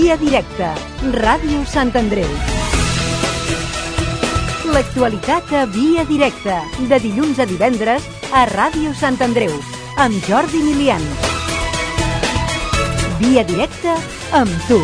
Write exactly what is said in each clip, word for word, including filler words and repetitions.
Via Directa, Ràdio Sant Andreu. L'actualitat a Via Directa, de dilluns a divendres a Ràdio Sant Andreu, amb Jordi Milian. Via Directa amb tu.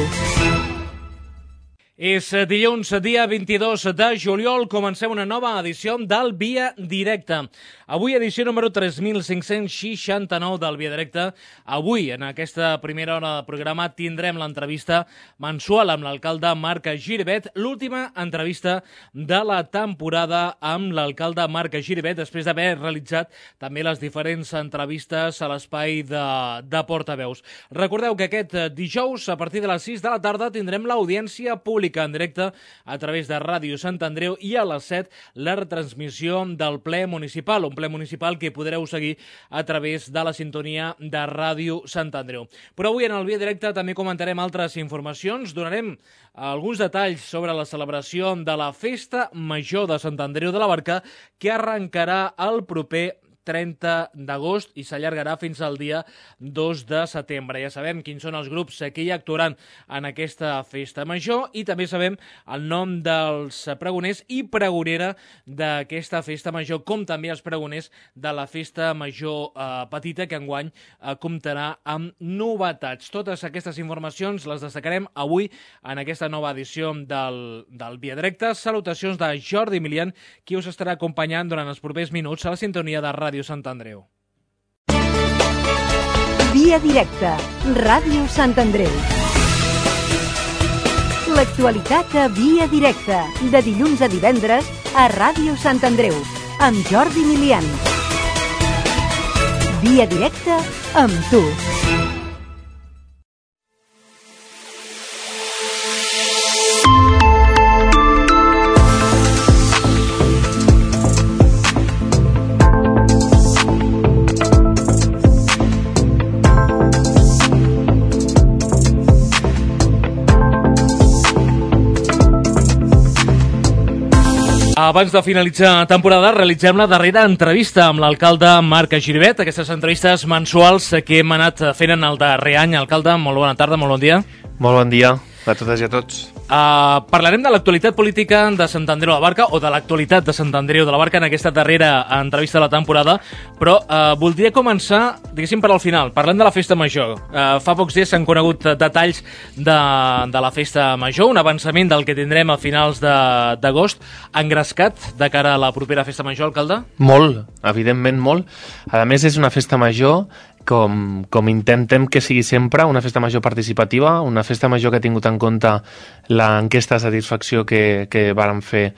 És dilluns, dia vint-i-dos de juliol, comencem una nova edició del Via Directa. Avui edició número tres mil cinc-cents seixanta-nou del Via Directa. Avui, en aquesta primera hora de programa, tindrem l'entrevista mensual amb l'alcalde Marc Giribet, l'última entrevista de la temporada amb l'alcalde Marc Giribet, després d'haver realitzat també les diferents entrevistes a l'espai de, de portaveus. Recordeu que aquest dijous, a partir de les sis de la tarda, tindrem l'audiència pública en directe a través de Ràdio Sant Andreu i a les set la retransmissió del ple municipal, un ple municipal que podreu seguir a través de la sintonia de Ràdio Sant Andreu. Però avui en el Via Directe també comentarem altres informacions, donarem alguns detalls sobre la celebració de la Festa Major de Sant Andreu de la Barca, que arrencarà el proper trenta d'agost i s'allargarà fins al dia dos de setembre. Ja sabem quins són els grups que hi actuaran en aquesta festa major i també sabem el nom dels pregoners i pregonera d'aquesta festa major, com també els pregoners de la festa major eh, petita, que enguany eh, comptarà amb novetats. Totes aquestes informacions les destacarem avui en aquesta nova edició del, del Via Directe. Salutacions de Jordi Milian, qui us estarà acompanyant durant els propers minuts a la sintonia de Ràdio Sant Andreu. Via Directa, Ràdio Sant Andreu. L'actualitat a Via Directa, de dilluns a divendres a Ràdio Sant Andreu, amb Jordi Milian. Via Directa amb tu. Abans de finalitzar temporada, realitzem la darrera entrevista amb l'alcalde Marc Giribet, aquestes entrevistes mensuals que hem anat fent en el darrer any. Alcalde, molt bona tarda, molt bon dia. Molt bon dia a totes i a tots. Uh, parlarem de l'actualitat política de Sant Andreu de la Barca, o de l'actualitat de Sant Andreu de la Barca en aquesta darrera entrevista de la temporada, però uh, voldria començar, diguéssim, per al final, parlant de la festa major. Uh, fa pocs dies s'han conegut detalls de, de la festa major, un avançament del que tindrem a finals d'agost, engrescat de cara a la propera festa major, alcalde? Molt, evidentment molt. A més, és una festa major com, com intentem que sigui sempre, una festa major participativa, una festa major que ha tingut en compte l'enquesta de satisfacció que, que vàrem fer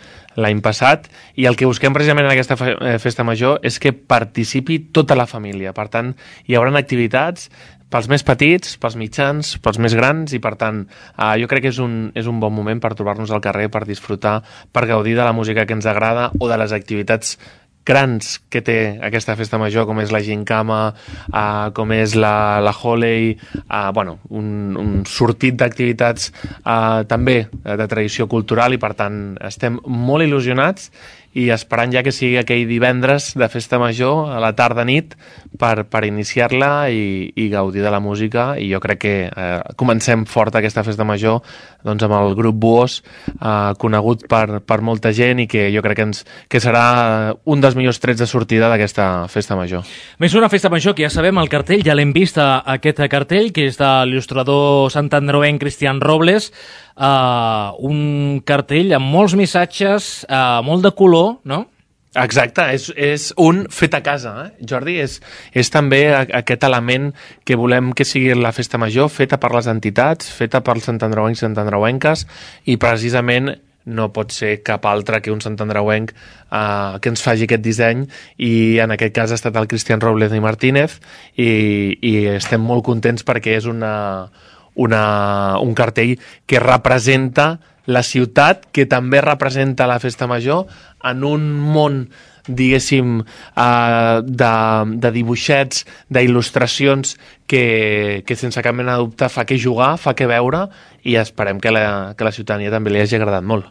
l'any passat, i el que busquem precisament en aquesta festa major és que participi tota la família. Per tant, hi haurà activitats pels més petits, pels mitjans, pels més grans, i per tant eh, jo crec que és un, és un bon moment per trobar-nos al carrer, per disfrutar, per gaudir de la música que ens agrada o de les activitats grans que té aquesta festa major, com és la gincama, uh, com és la, la Holiday, uh, bueno, un, un sortit d'activitats uh, també de tradició cultural, i per tant estem molt il·lusionats i esperant ja que sigui aquell divendres de festa major a la tarda-nit per, per iniciar-la i, i gaudir de la música. I jo crec que eh, comencem fort aquesta festa major doncs, amb el grup Buos, eh, conegut per, per molta gent, i que jo crec que, ens, que serà un dels millors trets de sortida d'aquesta festa major. Més una festa major que ja sabem el cartell, ja l'hem vist a, aquest cartell, que és de l'il·lustrador santandreuenc Cristian Robles. Uh, un cartell amb molts missatges, uh, molt de color, no? Exacte, és, és un fet a casa, eh? Jordi, és, és també aquest element que volem que sigui la festa major, feta per les entitats, feta pels santandreuencs i santandreuenques, i precisament no pot ser cap altre que un santandreuenc uh, que ens faci aquest disseny, i en aquest cas ha estat el Cristian Robles i Martínez, i, i estem molt contents perquè és una... Una, un cartell que representa la ciutat, que també representa la festa major en un món diguéssim, uh, de, de dibuixets, d'il·lustracions que, que sense cap mena de dubte fa que jugar, fa que veure, i esperem que la, que la ciutadania també li hagi agradat molt.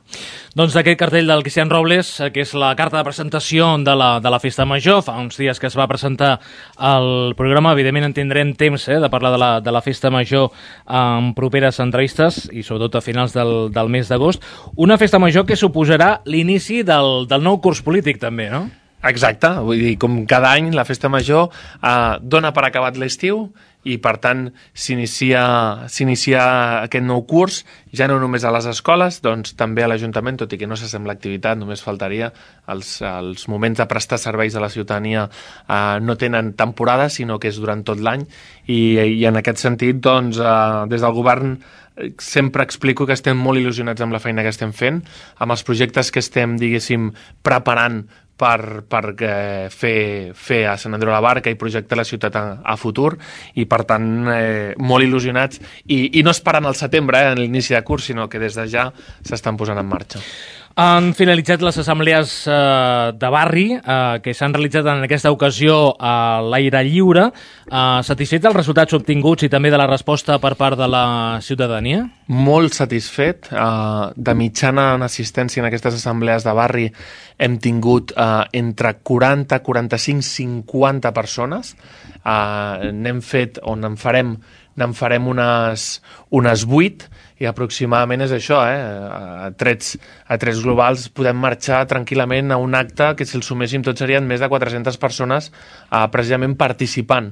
Doncs d'aquest cartell del Cristian Robles, que és la carta de presentació de la, de la Festa Major, fa uns dies que es va presentar el programa, evidentment en tindrem temps eh, de parlar de la, de la Festa Major en properes entrevistes i sobretot a finals del, del mes d'agost. Una Festa Major que suposarà l'inici del, del nou curs polític també, no? Exacte, vull dir, com cada any la Festa Major eh, dona per acabat l'estiu i per tant s'inicia s'inicia aquest nou curs, ja no només a les escoles, doncs també a l'Ajuntament, tot i que no s'assembla l'activitat, només faltaria, els, els moments de prestar serveis a la ciutadania eh, no tenen temporada, sinó que és durant tot l'any, i, i en aquest sentit, doncs, eh, des del govern sempre explico que estem molt il·lusionats amb la feina que estem fent, amb els projectes que estem, diguéssim, preparant per, per eh, fer, fer a Sant Andreu de la Barca i projectar la ciutat a, a futur, i per tant eh, molt il·lusionats i, i no esperant al setembre, eh, en l'inici de curs, sinó que des de ja s'estan posant en marxa. Han finalitzat les assemblees eh, de barri eh, que s'han realitzat en aquesta ocasió a l'aire lliure. Eh, satisfet dels resultats obtinguts i també de la resposta per part de la ciutadania? Molt satisfet. Eh, de mitjana en assistència en aquestes assemblees de barri hem tingut eh, entre quaranta, quaranta-cinc, cinquanta persones. Eh, n'hem fet, o n'en farem, n'en farem unes, unes vuit, i aproximadament és això, eh? a, trets, a trets globals podem marxar tranquil·lament a un acte que si el suméssim tots serien més de quatre-centes persones eh, precisament participant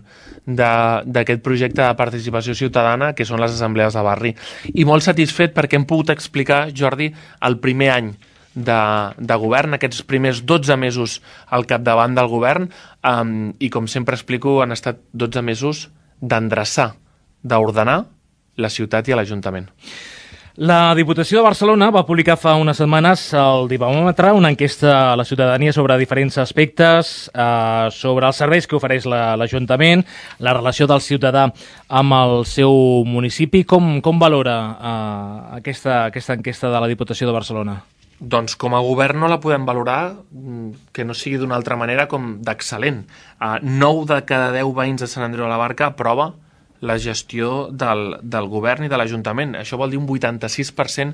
d'aquest projecte de participació ciutadana que són les assemblees de barri. I molt satisfet perquè hem pogut explicar, Jordi, el primer any de, de govern, aquests primers dotze mesos al capdavant del govern, eh, i com sempre explico han estat dotze mesos d'endreçar, d'ordenar la ciutat i a l'Ajuntament. La Diputació de Barcelona va publicar fa unes setmanes al Dipamòmetre una enquesta a la ciutadania sobre diferents aspectes, eh, sobre els serveis que ofereix l'Ajuntament, la, la relació del ciutadà amb el seu municipi. Com, com valora eh, aquesta, aquesta enquesta de la Diputació de Barcelona? Doncs com a govern no la podem valorar que no sigui d'una altra manera com d'excel·lent. Uh, nou de cada deu veïns de Sant Andreu de la Barca aprova la gestió del, del govern i de l'Ajuntament. Això vol dir un vuitanta-sis per cent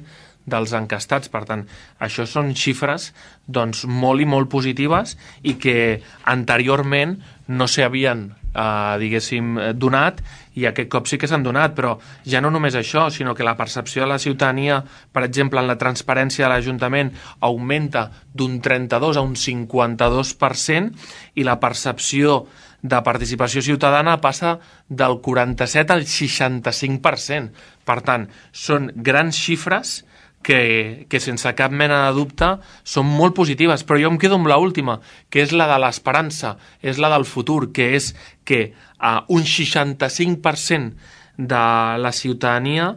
dels encastats. Per tant, això són xifres doncs, molt i molt positives i que anteriorment no s'havien eh, diguéssim, donat, i aquest cop sí que s'han donat, però ja no només això, sinó que la percepció de la ciutadania, per exemple, en la transparència de l'Ajuntament, augmenta d'un trenta-dos a un cinquanta-dos per cent, i la percepció de participació ciutadana passa del quaranta-set al seixanta-cinc per cent. Per tant, són grans xifres que, que sense cap mena de dubte són molt positives, però jo em quedo amb l'última, que és la de l'esperança, és la del futur, que és que uh, un seixanta-cinc per cent de la ciutadania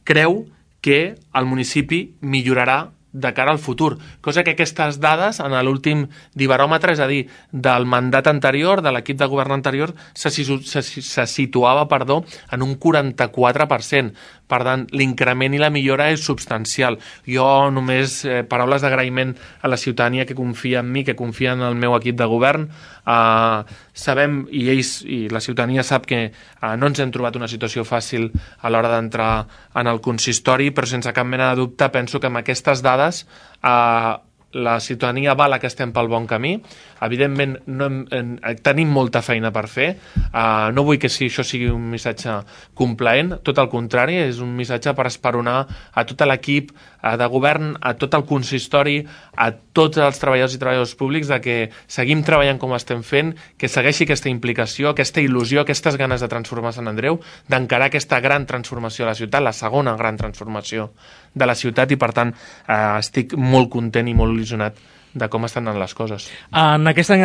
creu que el municipi millorarà de cara al futur, cosa que aquestes dades en l'últim dibaròmetre, és a dir, del mandat anterior, de l'equip de govern anterior, se, se, se situava perdó, en un quaranta-quatre per cent. Per tant, l'increment i la millora és substancial. Jo només eh, paraules d'agraïment a la ciutadania que confia en mi, que confia en el meu equip de govern. Eh, sabem, i ells, i la ciutadania sap que eh, no ens hem trobat una situació fàcil a l'hora d'entrar en el consistori, però sense cap mena de dubte penso que amb aquestes dades eh, la ciutadania vala que estem pel bon camí. Evidentment no hem, en, tenim molta feina per fer, uh, no vull que si això sigui un missatge complaent, tot el contrari, és un missatge per esperonar a tot l'equip uh, de govern, a tot el consistori, a tots els treballadors i treballadors públics, de que seguim treballant com estem fent, que segueixi aquesta implicació, aquesta il·lusió, aquestes ganes de transformar Sant Andreu, d'encarar aquesta gran transformació de la ciutat, la segona gran transformació de la ciutat, i per tant uh, estic molt content i molt il·lusionat de com estan anant les coses. En aquesta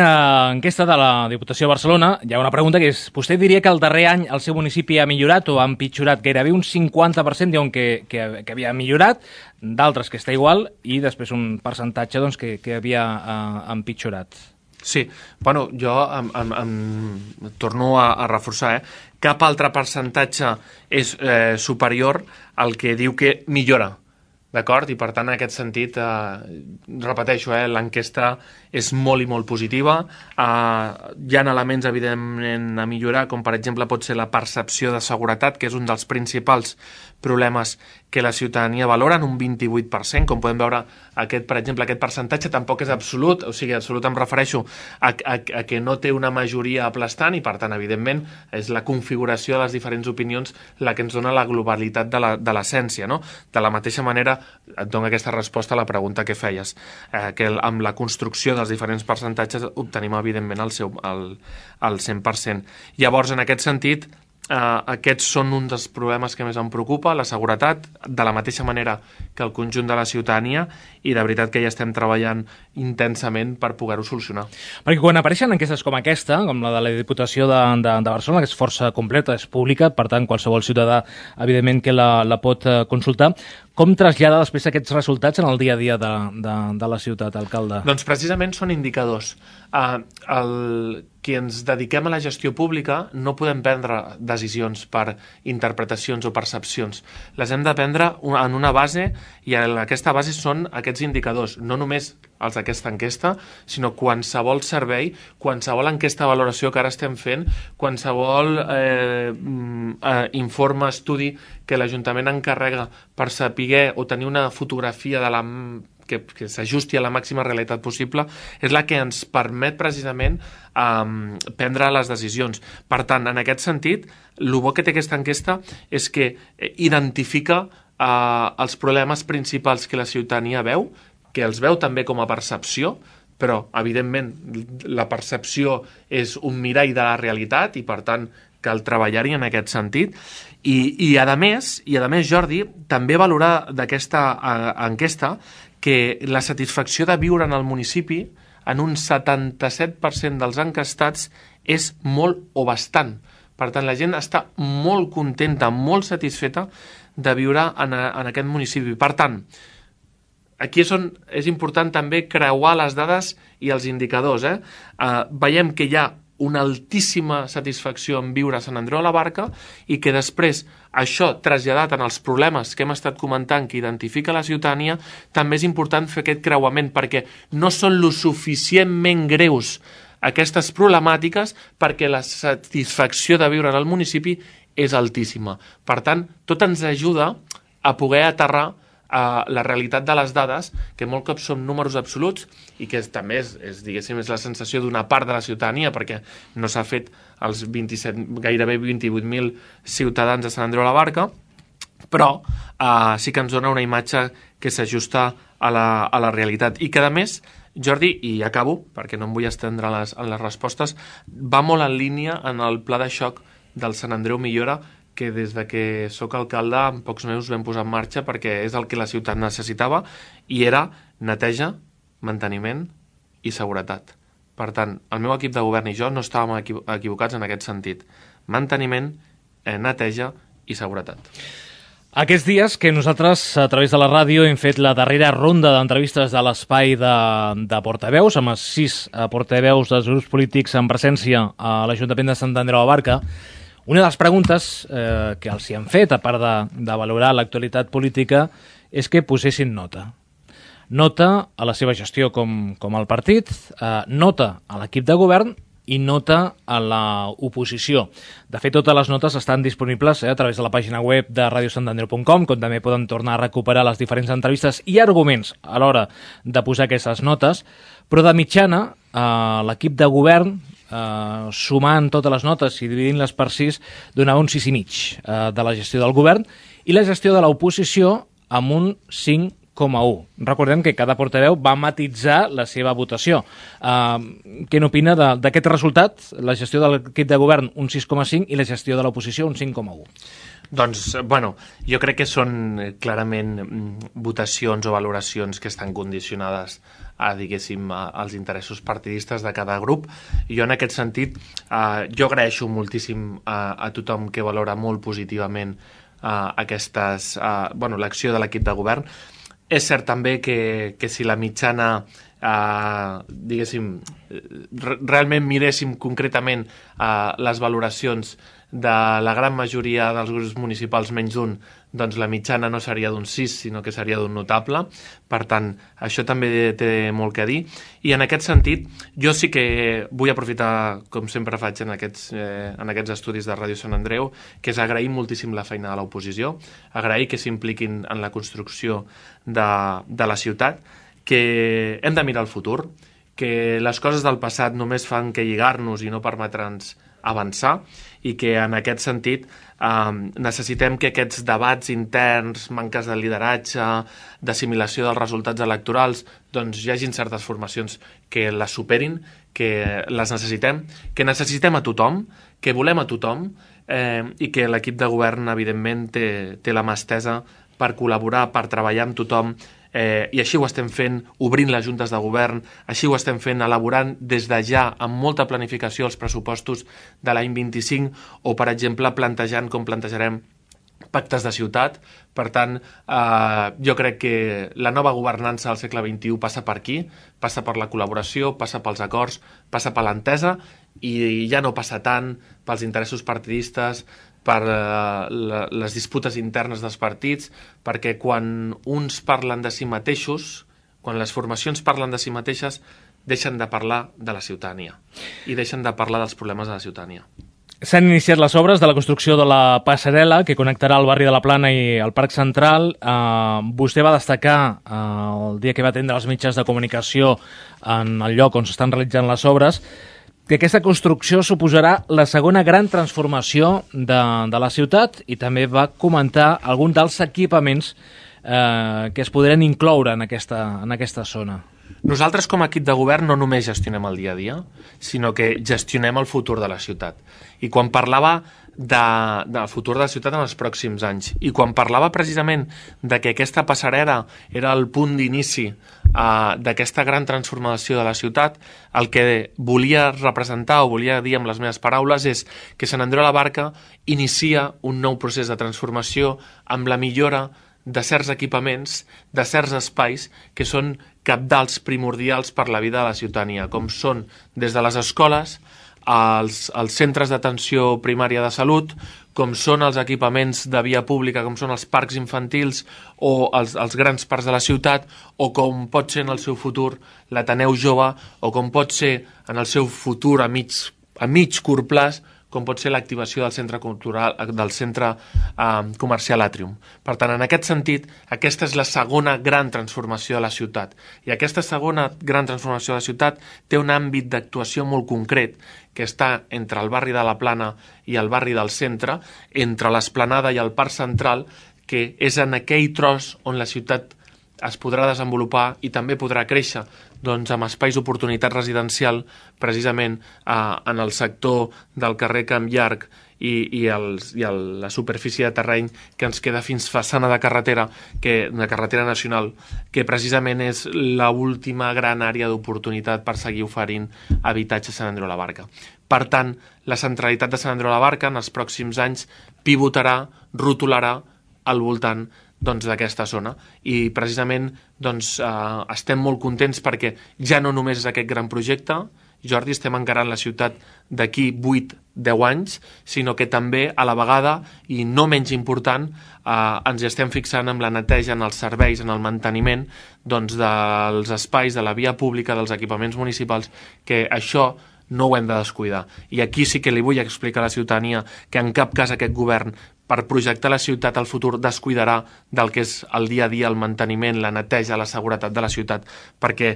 enquesta de la Diputació de Barcelona hi ha una pregunta que és: vostè diria que el darrer any el seu municipi ha millorat o ha empitjorat? Gairebé un cinquanta per cent diuen que, que, que havia millorat, d'altres que està igual, i després un percentatge doncs, que, que havia uh, empitjorat. Sí, bueno, jo em, em, em torno a, a reforçar, eh? Cap altre percentatge és eh, superior al que diu que millora. d'acord? I per tant, en aquest sentit, eh, repeteixo, eh, l'enquesta és molt i molt positiva. Eh, hi ha elements, evidentment, a millorar, com per exemple pot ser la percepció de seguretat, que és un dels principals problemes que la ciutadania valora en un vint-i-vuit per cent. Com podem veure, aquest, per exemple, aquest percentatge tampoc és absolut, o sigui, absolut em refereixo a, a, a que no té una majoria aplastant i, per tant, evidentment, és la configuració de les diferents opinions la que ens dona la globalitat de la, de l'essència, no? De la mateixa manera, et dono aquesta resposta a la pregunta que feies, eh, que el, amb la construcció dels diferents percentatges obtenim, evidentment, el, seu, el, el cent per cent. Llavors, en aquest sentit, Uh, aquests són un dels problemes que més em preocupa, la seguretat, de la mateixa manera que el conjunt de la ciutadania, i de veritat que ja estem treballant intensament per poder-ho solucionar. Perquè quan apareixen enquestes com aquesta, com la de la Diputació de, de, de Barcelona, que és força completa, és pública, per tant qualsevol ciutadà evidentment que la, la pot consultar, com trasllada després aquests resultats en el dia a dia de, de, de la ciutat, alcalde? Doncs precisament són indicadors. Uh, el, qui ens dediquem a la gestió pública no podem prendre decisions per interpretacions o percepcions. Les hem de prendre en una base, i aquesta base són aquests indicadors, no només els d'aquesta enquesta, sinó qualsevol servei, qualsevol enquesta de valoració que ara estem fent, qualsevol eh, eh, informe, estudi que l'Ajuntament encarrega per saber o tenir una fotografia de la que, que s'ajusti a la màxima realitat possible, és la que ens permet precisament um, prendre les decisions. Per tant, en aquest sentit, el bo que té aquesta enquesta és que identifica uh, els problemes principals que la ciutadania veu, que els veu també com a percepció, però, evidentment, la percepció és un mirall de la realitat i, per tant, cal treballar-hi en aquest sentit. I, i, a més, i a més, Jordi, també valorar d'aquesta uh, enquesta que la satisfacció de viure en el municipi en un setanta-set per cent dels enquestats és molt o bastant. Per tant, la gent està molt contenta, molt satisfeta de viure en, a, en aquest municipi. Per tant, aquí és on és important també creuar les dades i els indicadors. Eh? Uh, veiem que hi ha una altíssima satisfacció en viure a Sant Andreu de la Barca i que després això traslladat en els problemes que hem estat comentant que identifica la ciutadania, també és important fer aquest creuament perquè no són lo suficientment greus aquestes problemàtiques perquè la satisfacció de viure en el municipi és altíssima. Per tant, tot ens ajuda a poder aterrar a la realitat de les dades, que molt cops són números absoluts i que també és, és, diguéssim, és la sensació d'una part de la ciutadania perquè no s'ha fet els vint-i-set, gairebé vint-i-vuit mil ciutadans de Sant Andreu de la Barca, però eh, sí que ens dona una imatge que s'ajusta a la, a la realitat i que, a més, Jordi, i acabo, perquè no em vull estendre en les, en les respostes, va molt en línia en el pla de xoc del Sant Andreu Millora que des de que sóc alcalde en pocs mesos vam posar en marxa perquè és el que la ciutat necessitava i era neteja, manteniment i seguretat. Per tant, el meu equip de govern i jo no estàvem equivocats en aquest sentit. Manteniment, eh, neteja i seguretat. Aquests dies que nosaltres, a través de la ràdio, hem fet la darrera ronda d'entrevistes de l'espai de, de portaveus, amb els sis portaveus dels grups polítics en presència a l'Ajuntament de Sant Andreu de la Barca. Una de les preguntes eh, que els hi han fet, a part de, de valorar l'actualitat política, és que posessin nota. Nota a la seva gestió com, com el partit, eh, nota a l'equip de govern i nota a l'oposició. De fet, totes les notes estan disponibles eh, a través de la pàgina web de radio sant andreu punt com, com també poden tornar a recuperar les diferents entrevistes i arguments a l'hora de posar aquestes notes, però de mitjana eh, l'equip de govern, eh, sumant totes les notes i dividint-les per sis, donava un sis i mig eh, de la gestió del govern i la gestió de l'oposició amb un cinc coma un. Recordem que cada portaveu va matitzar la seva votació. Uh, què n'opina d'aquest resultat? La gestió de l'equip de govern un sis coma cinc i la gestió de l'oposició un cinc coma un. Doncs, bueno, jo crec que són clarament votacions o valoracions que estan condicionades a, diguéssim, als interessos partidistes de cada grup. Jo, en aquest sentit, eh, jo agraeixo moltíssim a, a tothom que valora molt positivament eh, aquestes, eh, bueno, l'acció de l'equip de govern. És cert també que, que si la mitjana, eh, diguéssim, realment miréssim concretament eh, les valoracions de la gran majoria dels grups municipals menys d'un, doncs la mitjana no seria d'un sis, sinó que seria d'un notable. Per tant, això també té molt que dir. I en aquest sentit, jo sí que vull aprofitar, com sempre faig en aquests, eh, en aquests estudis de Ràdio Sant Andreu, que és agrair moltíssim la feina de l'oposició, agrair que s'impliquin en la construcció de, de la ciutat, que hem de mirar el futur, que les coses del passat només fan que lligar-nos i no permetre'ns avançar, i que en aquest sentit eh, necessitem que aquests debats interns, manques de lideratge, d'assimilació dels resultats electorals, doncs hi hagin certes formacions que les superin, que les necessitem, que necessitem a tothom, que volem a tothom, eh, i que l'equip de govern, evidentment, té, té la mà estesa per col·laborar, per treballar amb tothom, Eh, i així ho estem fent obrint les juntes de govern, així ho estem fent elaborant des de ja amb molta planificació els pressupostos de l'any vint-i-cinc o, per exemple, plantejant com plantejarem pactes de ciutat. Per tant, eh, jo crec que la nova governança del segle vint-i-u passa per aquí, passa per la col·laboració, passa pels acords, passa per l'entesa, i ja no passa tant pels interessos partidistes, per eh, les disputes internes dels partits, perquè quan uns parlen de si mateixos, quan les formacions parlen de si mateixes, deixen de parlar de la ciutadania i deixen de parlar dels problemes de la ciutadania. S'han iniciat les obres de la construcció de la passarel·la que connectarà el barri de la Plana i el Parc Central. Uh, vostè va destacar uh, el dia que va atendre els mitjans de comunicació en el lloc on s'estan realitzant les obres, que aquesta construcció suposarà la segona gran transformació de, de la ciutat, i també va comentar algun dels equipaments eh, que es podran incloure en aquesta, en aquesta zona. Nosaltres, com a equip de govern, no només gestionem el dia a dia, sinó que gestionem el futur de la ciutat. I quan parlava de, del futur de la ciutat en els pròxims anys, i quan parlava precisament de que aquesta passarel·la era el punt d'inici Uh, d'aquesta gran transformació de la ciutat, el que volia representar o volia dir amb les meves paraules és que Sant Andreu de la Barca inicia un nou procés de transformació amb la millora de certs equipaments, de certs espais que són cabdals, primordials per la vida de la ciutadania, com són des de les escoles, als, als centres d'atenció primària de salut, com són els equipaments de via pública, com són els parcs infantils o els, els grans parcs de la ciutat, o com pot ser en el seu futur l'Ateneu Jove, o com pot ser en el seu futur a mig, a mig curt plaç, com pot ser l'activació del centre cultural, del centre eh, comercial Atrium. Per tant, en aquest sentit, aquesta és la segona gran transformació de la ciutat. I aquesta segona gran transformació de la ciutat té un àmbit d'actuació molt concret, que està entre el barri de la Plana i el barri del centre, entre l'Esplanada i el Parc Central, que és en aquell tros on la ciutat es podrà desenvolupar i també podrà créixer, doncs, amb espais d'oportunitat residencial, precisament eh, en el sector del carrer Camp Llarg i, i, els, i el, la superfície de terreny que ens queda fins façana de carretera, que, de carretera nacional, que precisament és l'última gran àrea d'oportunitat per seguir oferint habitatge a Sant Andreu de la Barca. Per tant, la centralitat de Sant Andreu de la Barca en els pròxims anys pivotarà, rotularà al voltant doncs, d'aquesta zona, i precisament doncs, eh, estem molt contents perquè ja no només és aquest gran projecte, Jordi, estem encarant la ciutat d'aquí vuit a deu anys, sinó que també a la vegada, i no menys important, eh, ens estem fixant en la neteja, en els serveis, en el manteniment doncs, dels espais, de la via pública, dels equipaments municipals, que això no ho hem de descuidar. I aquí sí que li vull explicar a la ciutadania que en cap cas aquest govern, per projectar la ciutat al futur, descuidarà del que és el dia a dia, el manteniment, la neteja, la seguretat de la ciutat, perquè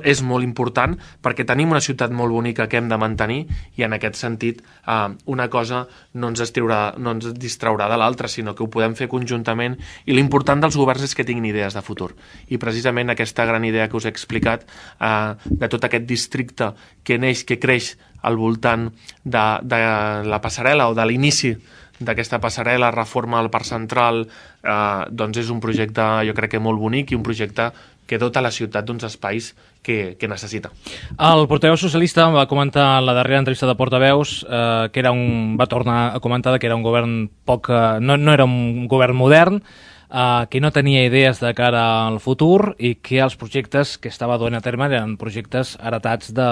és molt important, perquè tenim una ciutat molt bonica que hem de mantenir, i en aquest sentit eh, una cosa no ens, estriurà, no ens distraurà de l'altra, sinó que ho podem fer conjuntament, i l'important dels governs és que tinguin idees de futur. I precisament aquesta gran idea que us he explicat, eh, de tot aquest districte que neix, que creix al voltant de, de la passarel·la o de l'inici d'aquesta passarel·la, reforma al Parc Central, eh, doncs és un projecte, jo crec que molt bonic, i un projecte que dota la ciutat d'uns espais que, que necessita. El portaveu socialista va comentar en la darrera entrevista de portaveus eh, que era un, va tornar a comentar que era un govern poc, eh, no, no era un govern modern, eh, que no tenia idees de cara al futur, i que els projectes que estava duent a terme eren projectes heretats de,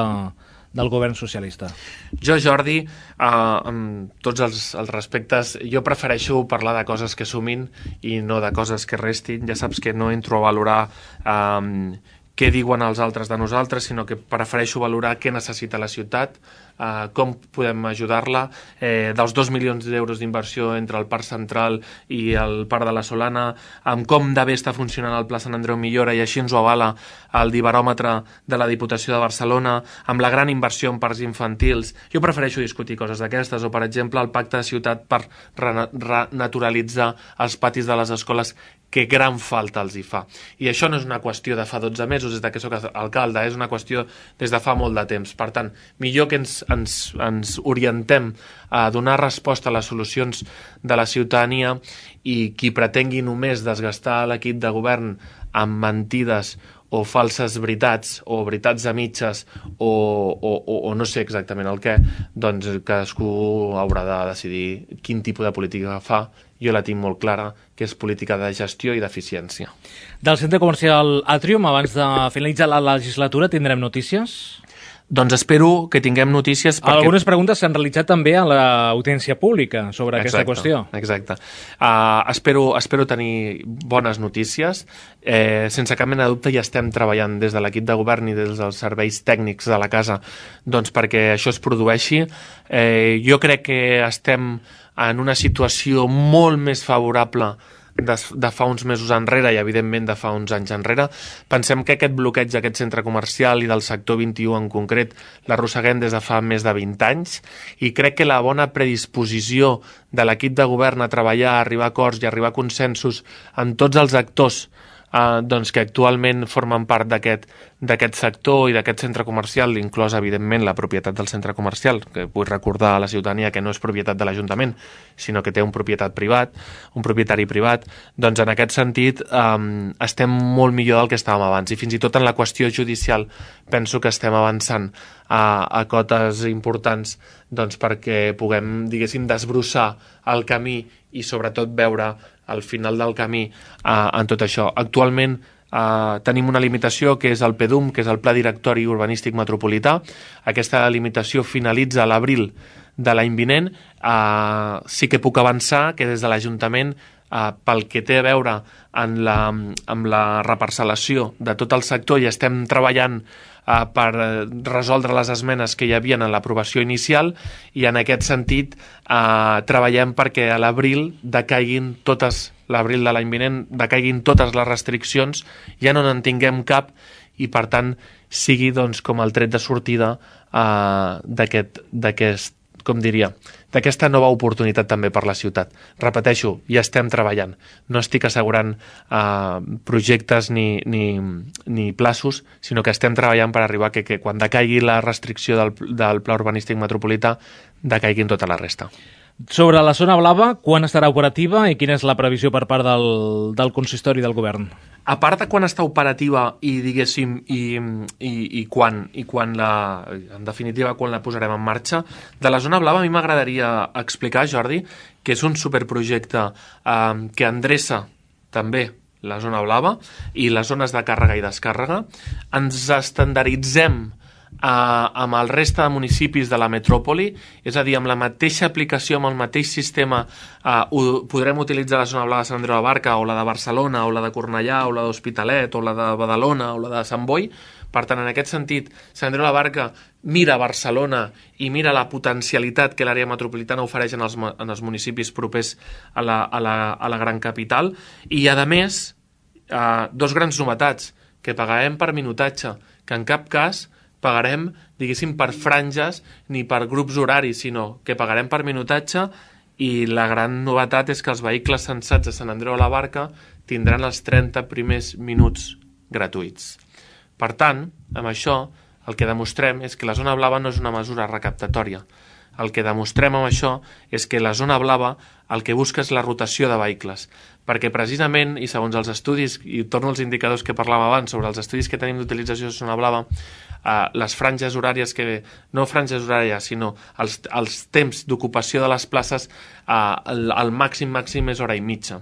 del govern socialista? Jo, Jordi, eh, amb tots els, els respectes, jo prefereixo parlar de coses que sumin i no de coses que restin. Ja saps que no entro a valorar eh, què diuen els altres de nosaltres, sinó que prefereixo valorar què necessita la ciutat, eh, com podem ajudar-la. Eh, dels dos milions d'euros d'inversió entre el Parc Central i el Parc de la Solana, amb com de bé està funcionant el Pla Sant Andreu Millora, i així ens ho avala el dibaròmetre de la Diputació de Barcelona, amb la gran inversió en parcs infantils. Jo prefereixo discutir coses d'aquestes, o per exemple el pacte de ciutat per renaturalitzar els patis de les escoles, que gran falta els hi fa. I això no és una qüestió de fa dotze mesos, des de que soc alcalde, és una qüestió des de fa molt de temps. Per tant, millor que ens, ens, ens orientem a donar resposta a les solucions de la ciutadania, i qui pretengui només desgastar l'equip de govern amb mentides o falses veritats, o veritats a mitges, o, o, o, o no sé exactament el què, doncs cadascú haurà de decidir quin tipus de política fa. Jo la tinc molt clara, que és política de gestió i d'eficiència. Del centre comercial Atrium, abans de finalitzar la legislatura, tindrem notícies? Doncs espero que tinguem notícies perquè... Algunes preguntes s'han realitzat també a l'audiència pública sobre exacte, aquesta qüestió. Exacte. Uh, espero, espero tenir bones notícies. Eh, sense cap mena de dubte ja estem treballant des de l'equip de govern i des dels serveis tècnics de la casa, doncs perquè això es produeixi. Eh, jo crec que estem en una situació molt més favorable de, de fa uns mesos enrere i, evidentment, de fa uns anys enrere. Pensem que aquest bloqueig d'aquest centre comercial i del sector vint i u en concret l'arrosseguem des de fa més de vint anys, i crec que la bona predisposició de l'equip de govern a treballar, a arribar a acords i a arribar a consensos amb tots els actors Uh, doncs que actualment formen part d'aquest d'aquest sector i d'aquest centre comercial, inclòs, evidentment, la propietat del centre comercial, que vull recordar a la ciutadania que no és propietat de l'Ajuntament, sinó que té un propietat privat, un propietari privat. Doncs en aquest sentit um, estem molt millor del que estàvem abans, i fins i tot en la qüestió judicial penso que estem avançant a, a cotes importants, doncs perquè puguem, diguéssim, desbrossar el camí i sobretot veure al final del camí eh, en tot això. Actualment eh, tenim una limitació que és el P D U M, que és el Pla Directori Urbanístic Metropolità. Aquesta limitació finalitza a l'abril de l'any vinent. Eh, sí que puc avançar que des de l'Ajuntament, eh, pel que té a veure en la, amb la reparcel·lació de tot el sector, i estem treballant Uh, per resoldre les esmenes que hi havia en l'aprovació inicial, i en aquest sentit uh, treballem perquè a l'abril decaiguin totes, l'abril de l'any vinent decaiguin totes les restriccions, ja no en tinguem cap, i per tant sigui, doncs, com el tret de sortida uh, d'aquest, d'aquest, com diria, d'aquesta nova oportunitat també per la ciutat. Repeteixo, ja estem treballant. No estic assegurant eh, projectes ni, ni, ni plaços, sinó que estem treballant per arribar que, que quan decaigui la restricció del, del Pla Urbanístic Metropolità decaiguin tota la resta. Sobre la zona blava, quan estarà operativa i quina és la previsió per part del, del consistori del govern? A part de quan està operativa i, diguéssim, i, i, i, quan, i quan la, en definitiva, quan la posarem en marxa, de la zona blava a mi m'agradaria explicar, Jordi, que és un superprojecte eh, que endreça també la zona blava i les zones de càrrega i descàrrega. Ens estandarditzem Uh, amb el reste de municipis de la metròpoli, és a dir, amb la mateixa aplicació, amb el mateix sistema, uh, ho, podrem utilitzar la zona blava de Sant Andreu de la Barca, o la de Barcelona, o la de Cornellà, o la d'Hospitalet, o la de Badalona, o la de Sant Boi. Per tant, en aquest sentit, Sant Andreu de la Barca mira Barcelona i mira la potencialitat que l'àrea metropolitana ofereix en els, en els municipis propers a la, a la, a la gran capital, i, a més, uh, dos grans novetats, que pagarem per minutatge, que en cap cas pagarem, diguéssim, per franges ni per grups horaris, sinó que pagarem per minutatge, i la gran novetat és que els vehicles censats a Sant Andreu de la Barca tindran els trenta primers minuts gratuïts. Per tant, amb això, el que demostrem és que la zona blava no és una mesura recaptatòria. El que demostrem amb això és que la zona blava el que busca és la rotació de vehicles, perquè precisament, i segons els estudis, i torno als indicadors que parlàvem abans sobre els estudis que tenim d'utilització de zona blava, Uh, les franges horàries que... no franges horàries, sinó els, els temps d'ocupació de les places, uh, el, el màxim màxim és hora i mitja.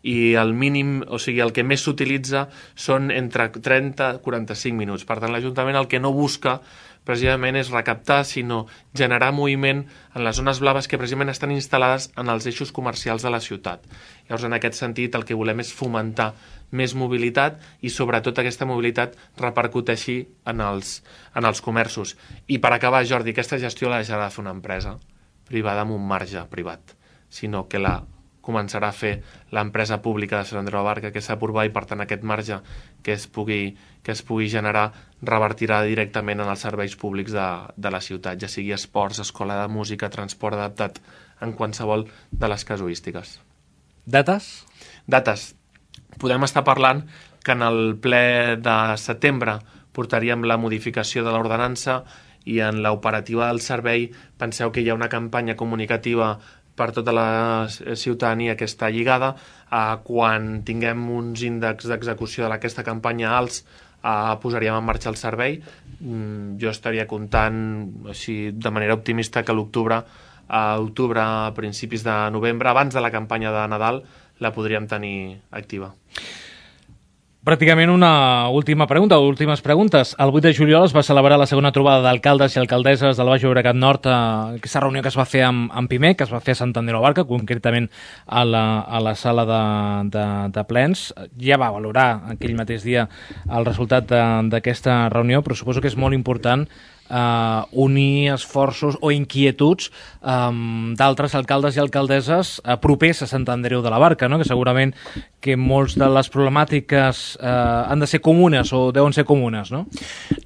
I el mínim, o sigui, el que més s'utilitza són entre trenta i quaranta-cinc minuts. Per tant, l'Ajuntament el que no busca precisament és recaptar, sinó generar moviment en les zones blaves que precisament estan instal·lades en els eixos comercials de la ciutat. Llavors, en aquest sentit, el que volem és fomentar més mobilitat i, sobretot, aquesta mobilitat repercuteixi en els, en els comerços. I, per acabar, Jordi, aquesta gestió la deixarà de fer una empresa privada amb un marge privat, sinó que la començarà a fer l'empresa pública de Sant Andreu de la Barca, que és Sapurba, i per tant aquest marge que es pugui, que es pugui generar revertirà directament en els serveis públics de, de la ciutat, ja sigui esports, escola de música, transport adaptat, en qualsevol de les casuístiques. Dates? Dates. Podem estar parlant que en el ple de setembre portaríem la modificació de l'ordenança i en l'operativa del servei penseu que hi ha una campanya comunicativa per tota la ciutadania que està lligada. Eh, quan tinguem uns índexs d'execució d'aquesta campanya alts, eh, posaríem en marxa el servei. Mm, jo estaria comptant així, de manera optimista, que l'octubre, a octubre, a principis de novembre, abans de la campanya de Nadal, la podríem tenir activa. Pràcticament una última pregunta, o últimes preguntes. El vuit de juliol es va celebrar la segona trobada d'alcaldes i alcaldesses del Baix Llobregat Nord, eh, aquesta reunió que es va fer amb, amb Pimec, que es va fer a Sant Andreu de la Barca, concretament a la, a la sala de, de, de plens. Ja va valorar aquell mateix dia el resultat d'aquesta reunió, però suposo que és molt important Uh, unir esforços o inquietuds um, d'altres alcaldes i alcaldesses uh, propers a Sant Andreu de la Barca, no? Que segurament que molts de les problemàtiques uh, han de ser comunes o deuen ser comunes, no?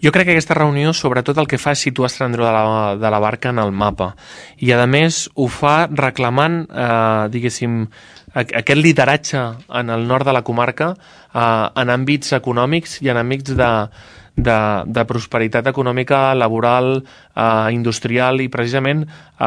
Jo crec que aquesta reunió sobretot el que fa és situar Sant Andreu de la, de la Barca en el mapa i a més ho fa reclamant uh, diguéssim aquest lideratge en el nord de la comarca uh, en àmbits econòmics i en àmbits de De, de prosperitat econòmica, laboral, eh, industrial i precisament, eh,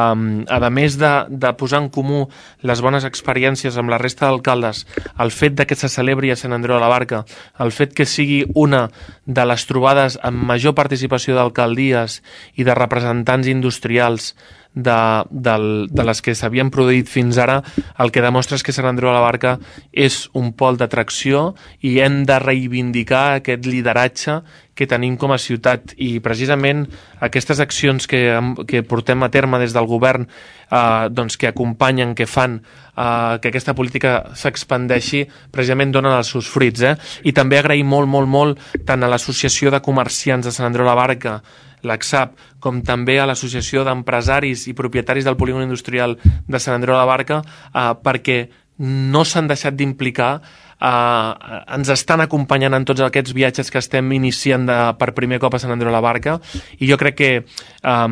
a més de, de posar en comú les bones experiències amb la resta d'alcaldes, el fet de que se celebri a Sant Andreu de la Barca, el fet que sigui una de les trobades amb major participació d'alcaldies i de representants industrials de, de, de les que s'havien produït fins ara, el que demostra és que Sant Andreu de la Barca és un pol d'atracció i hem de reivindicar aquest lideratge que tenim com a ciutat i precisament aquestes accions que, que portem a terme des del govern eh, doncs que acompanyen, que fan eh, que aquesta política s'expandeixi, precisament donen els seus fruits. Eh? I també agrair molt, molt, molt tant a l'Associació de Comerciants de Sant Andreu de la Barca, l'A C S A P, com també a l'Associació d'Empresaris i Propietaris del Polígon Industrial de Sant Andreu de la Barca, eh, perquè no s'han deixat d'implicar, eh, ens estan acompanyant en tots aquests viatges que estem iniciant de, per primer cop a Sant Andreu de la Barca, i jo crec que eh,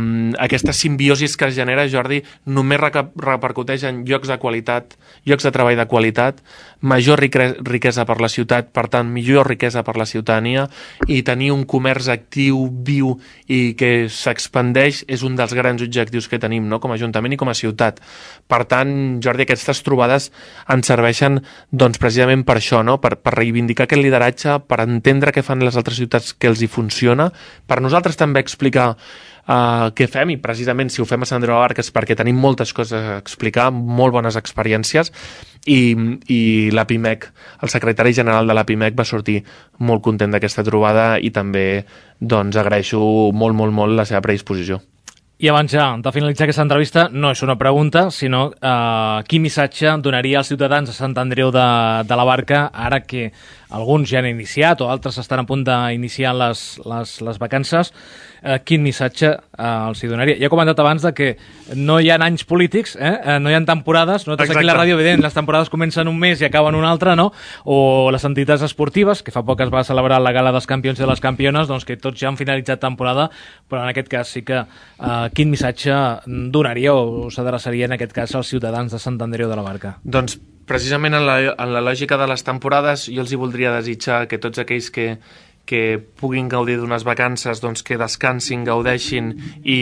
aquesta simbiosi que es genera, Jordi, només repercuteix en llocs de qualitat, llocs de treball de qualitat, major riquesa per la ciutat, per tant, millor riquesa per la ciutadania, i tenir un comerç actiu, viu i que s'expandeix és un dels grans objectius que tenim, no?, com a Ajuntament i com a ciutat. Per tant, Jordi, aquestes trobades ens serveixen doncs, precisament per això, no?, per, per reivindicar aquest lideratge, per entendre què fan les altres ciutats que els hi funciona, per nosaltres també explicar Uh, què fem, i precisament si ho fem a Sant Andreu de la Barca és perquè tenim moltes coses a explicar, molt bones experiències, i, i la Pimec, el secretari general de la Pimec va sortir molt content d'aquesta trobada i també doncs agraeixo molt, molt, molt la seva predisposició. I abans ja de finalitzar aquesta entrevista, no és una pregunta, sinó eh, quin missatge donaria als ciutadans de Sant Andreu de, de la Barca ara que alguns ja han iniciat o altres estan a punt d'iniciar les, les, les vacances, eh, quin missatge eh, els hi donaria? Ja he comentat abans de que no hi ha anys polítics, eh? no hi ha temporades, nosaltres Exacte. Aquí a la ràdio, evident, les temporades comencen un mes i acaben un altre, no? O les entitats esportives, que fa poc es va celebrar la gala dels campions i de les campiones, doncs que tots ja han finalitzat temporada, però en aquest cas sí que eh, quin missatge donaria o s'adreçaria en aquest cas als ciutadans de Sant Andreu de la Barca? Doncs precisament en la, en la lògica de les temporades jo els hi voldria desitjar que tots aquells que, que puguin gaudir d'unes vacances, doncs que descansin, gaudeixin i,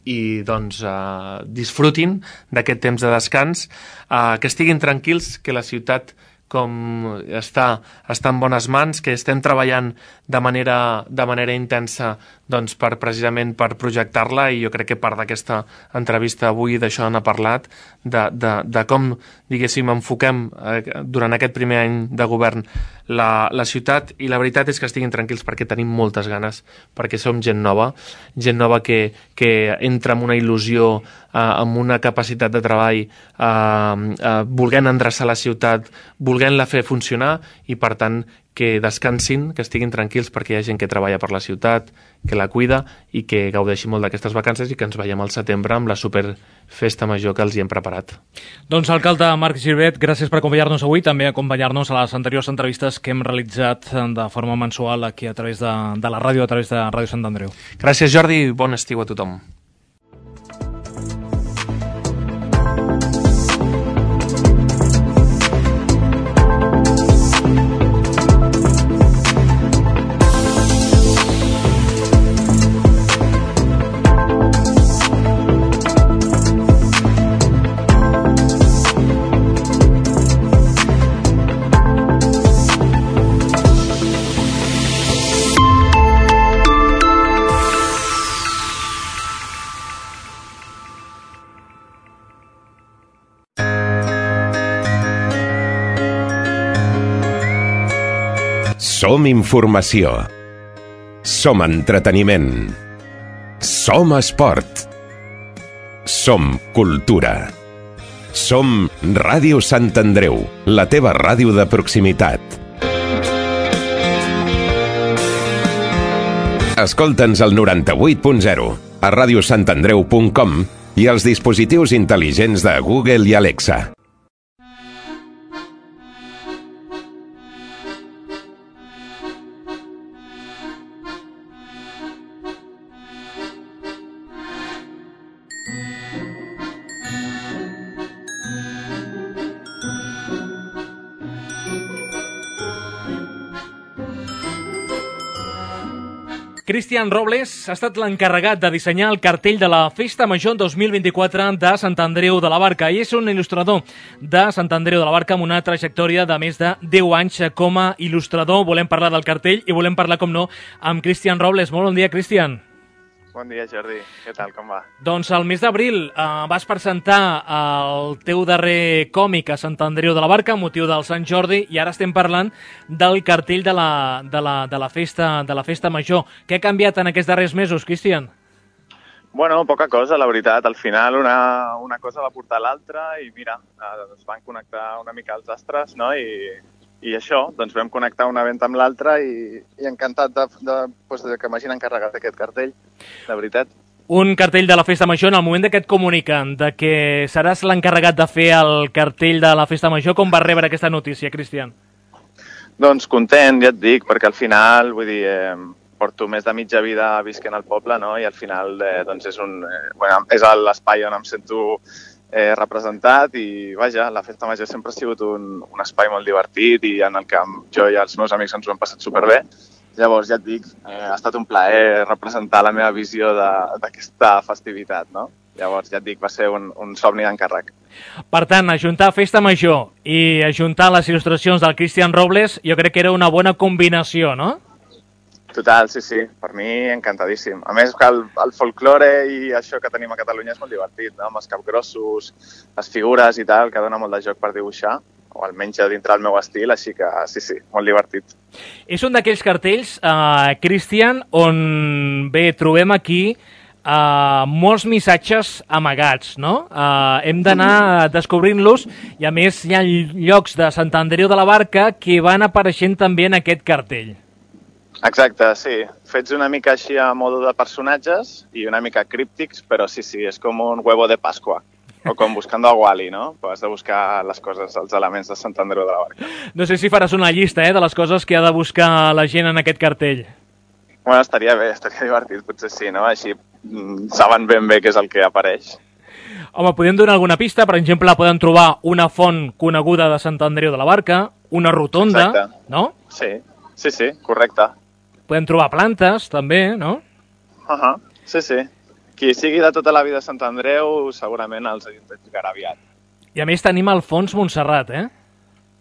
i doncs, uh, disfrutin d'aquest temps de descans, uh, que estiguin tranquils, que la ciutat com està, està en bones mans, que estem treballant de manera, de manera intensa doncs per precisament per projectar-la, i jo crec que part d'aquesta entrevista avui d'això n'ha parlat, de, de, de com, diguéssim, enfoquem eh, durant aquest primer any de govern la, la ciutat, i la veritat és que estiguin tranquils perquè tenim moltes ganes, perquè som gent nova, gent nova que, que entra amb una il·lusió, eh, amb una capacitat de treball, eh, eh, volent endreçar la ciutat, volent-la fer funcionar, i per tant que descansin, que estiguin tranquils perquè hi ha gent que treballa per la ciutat, que la cuida, i que gaudeixi molt d'aquestes vacances, i que ens veiem al setembre amb la superfesta major que els hi hem preparat. Doncs, alcalde Marc Girvet, gràcies per acompanyar-nos avui, també acompanyar-nos a les anteriors entrevistes que hem realitzat de forma mensual aquí a través de, de la ràdio, a través de Ràdio Sant Andreu. Gràcies, Jordi, bon estiu a tothom. Som informació. Som entreteniment. Som esport. Som cultura. Som Ràdio Sant Andreu, la teva ràdio de proximitat. Escolta'ns al noranta-vuit punt zero, a ràdio sant andreu punt com i als dispositius intel·ligents de Google i Alexa. Cristian Robles ha estat l'encarregat de dissenyar el cartell de la Festa Major dos mil vint-i-quatre de Sant Andreu de la Barca, i és un il·lustrador de Sant Andreu de la Barca amb una trajectòria de més de deu anys com a il·lustrador. Volem parlar del cartell i volem parlar, com no, amb Cristian Robles. Molt bon dia, Cristian. Bon dia, Jordi. Què tal, com va? Doncs al mes d'abril eh, vas presentar el teu darrer còmic a Sant Andreu de la Barca, amb motiu del Sant Jordi, i ara estem parlant del cartell de la, de la, de la, festa, de la festa Major. Què ha canviat en aquests darrers mesos, Cristian? Bueno, poca cosa, la veritat. Al final una, una cosa va portar l'altra i mira, es van connectar una mica els astres, no? I, i això, doncs vam connectar un event amb l'altre i, i encantat de, de, doncs, de que m'hagin encarregat aquest cartell, de veritat. Un cartell de la Festa Major, en el moment que et comuniquen de que seràs l'encarregat de fer el cartell de la Festa Major, com vas rebre aquesta notícia, Cristian? Doncs content, ja et dic, perquè al final, vull dir, eh, porto més de mitja vida visquent al poble, no? I al final eh, doncs és, un, eh, bueno, és l'espai on em sento eh, representat i, vaja, la Festa Major sempre ha sigut un, un espai molt divertit i en el que jo i els meus amics ens ho hem passat superbé. Llavors, ja et dic, eh, ha estat un plaer representar la meva visió d'aquesta festivitat, no? Llavors, ja et dic, va ser un, un somni d'encàrrec. Per tant, ajuntar Festa Major i ajuntar les il·lustracions del Cristian Robles, jo crec que era una bona combinació, no? Total, sí, sí, per mi encantadíssim. A més, que el, el folklore i això que tenim a Catalunya és molt divertit, no? Amb els capgrossos, les figures i tal, que dona molt de joc per dibuixar, o almenys dintre del meu estil, així que sí, sí, molt divertit. És un d'aquells cartells, eh, Cristian, on bé trobem aquí eh, molts missatges amagats, no? Eh, hem d'anar descobrint-los i a més hi ha llocs de Sant Andreu de la Barca que van apareixent també en aquest cartell. Exacte, sí. Fets una mica així a modo de personatges i una mica críptics, però sí, sí, és com un huevo de Pasqua. O com buscando a Wally, no? Però has de buscar les coses, els elements de Sant Andreu de la Barca. No sé si faràs una llista eh, de les coses que ha de buscar la gent en aquest cartell. Bueno, estaria bé, estaria divertit, potser sí, no? Així mm, saben ben bé què és el que apareix. Home, podem donar alguna pista? Per exemple, poden trobar una font coneguda de Sant Andreu de la Barca, una rotonda, exacte, no? Sí, sí, sí, correcte. Podem trobar plantes, també, no? Uh -huh. Sí, sí. Qui sigui de tota la vida a Sant Andreu segurament els identificarà aviat. I a més tenim al fons Montserrat, eh?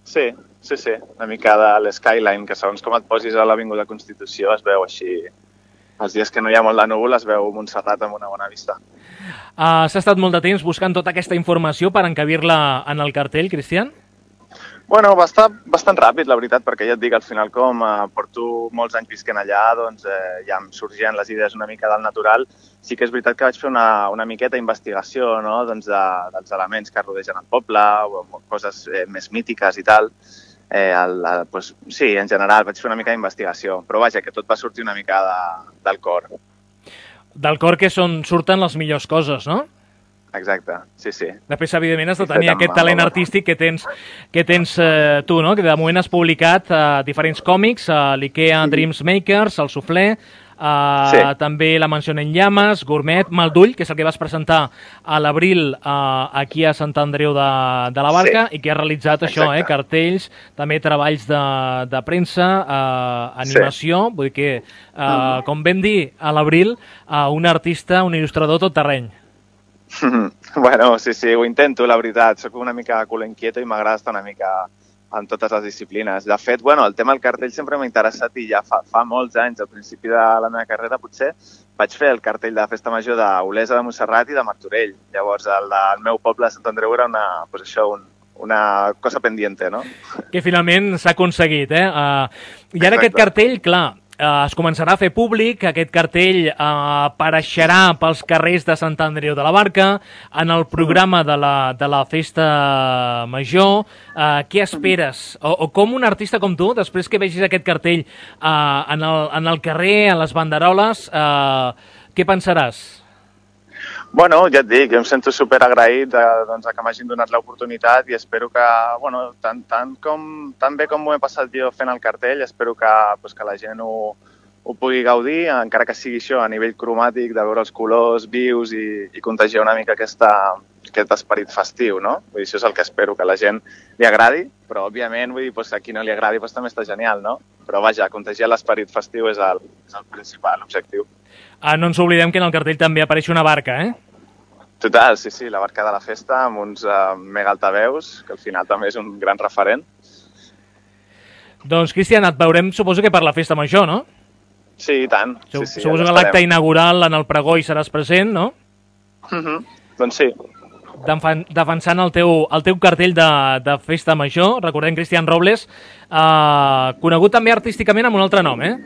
Sí, sí, sí. Una mica de l'skyline, que segons com et posis a l'Avinguda Constitució es veu així els dies que no hi ha molt de núvol es veu Montserrat amb una bona vista. Uh, S'ha estat molt de temps buscant tota aquesta informació per encabir-la en el cartell, Cristian? Bueno, va estar bastant ràpid, la veritat, perquè ja et dic, al final com eh, porto molts anys visquent allà, doncs eh, ja em sorgien les idees una mica del natural. Sí que és veritat que vaig fer una, una miqueta d'investigació, no?, doncs de, dels elements que rodegen el poble, o coses eh, més mítiques i tal. Eh, el, el, pues, sí, en general vaig fer una mica d'investigació, però vaja, que tot va sortir una mica de, del cor. Del cor que són, surten les millors coses, no? Exacte, sí, sí. Després, evidentment, has de tenir aquest talent artístic que tens, que tens eh, tu, no? Que de moment has publicat eh, diferents còmics, eh, l'IKEA Dreams Makers, el Suflé, eh, sí. també La Mansió en Llames, Gourmet, Maldull, que és el que vas presentar a l'abril eh, aquí a Sant Andreu de, de la Barca, sí. i que has realitzat Exacte. això, eh, cartells, també treballs de, de premsa, eh, animació, sí. vull dir que, eh, mm. com vam dir a l'abril, eh, un artista, un il·lustrador tot terreny. Bueno, sí, sí, ho intento, la veritat. Soc una mica culo inquieto i m'agrada estar una mica en totes les disciplines. De fet, bueno, el tema del cartell sempre m'ha interessat i ja fa, fa molts anys, al principi de la meva carrera, potser, vaig fer el cartell de la Festa Major d'Olesa de Montserrat i de Martorell. Llavors, el del meu poble de Sant Andreu era una, pues això, un, una cosa pendiente, no? Que finalment s'ha aconseguit, eh? Uh, I ara Exacte. Aquest cartell, clar, Uh, es començarà a fer públic, aquest cartell uh, apareixerà pels carrers de Sant Andreu de la Barca, en el programa de la, de la Festa Major. Uh, què esperes? O, o com un artista com tu, després que vegis aquest cartell uh, en, el, en el carrer, en les banderoles, uh, què pensaràs? Bueno, ja et dic, jo em sento superagraït de, doncs, que m'hagin donat l'oportunitat i espero que, bueno, tant, tant, com, tan bé com m'ho he passat jo fent el cartell, espero que, pues, que la gent ho, ho pugui gaudir, encara que sigui això a nivell cromàtic, de veure els colors vius i, i contagiar una mica aquesta, aquest esperit festiu, no? Vull dir, això és el que espero, que la gent li agradi, però, òbviament, vull dir, pues, a qui no li agradi pues, també està genial, no? Però, vaja, contagiar l'esperit festiu és el, és el principal, l'objectiu. Ah, no ens oblidem que en el cartell també apareix una barca, eh? Total, sí, sí, la barca de la festa amb uns uh, mega altaveus, que al final també és un gran referent. Doncs, Cristian, et veurem, suposo que per la Festa Major, no? Sí, i tant. Sup sí, sí, suposo que l'acte inaugural en el pregó hi seràs present, no? Uh -huh. Doncs sí. Defensant el teu, el teu cartell de, de Festa Major, recordem Cristian Robles, eh, conegut també artísticament amb un altre nom, eh?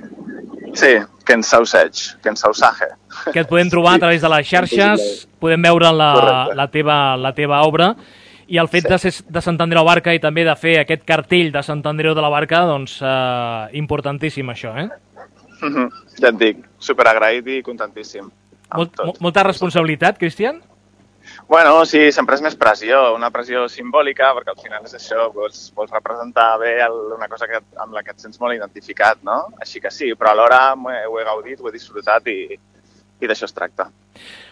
Sí, Ken Sausage, Ken Sausage. Que et podem trobar a través de les xarxes, podem veure la, la, teva, la teva obra, i el fet sí. de ser de Sant Andreu de la Barca i també de fer aquest cartell de Sant Andreu de la Barca, doncs, eh, importantíssim això, eh? Uh -huh. Ja et dic, superagraït i contentíssim. Molt, molta responsabilitat, Cristian? Bueno, sí, sempre és més pressió, una pressió simbòlica, perquè al final és això, vols, vols representar bé el, una cosa que, amb la que et sents molt identificat, no? Així que sí, però alhora he, ho he gaudit, ho he disfrutat i, i d'això es tracta.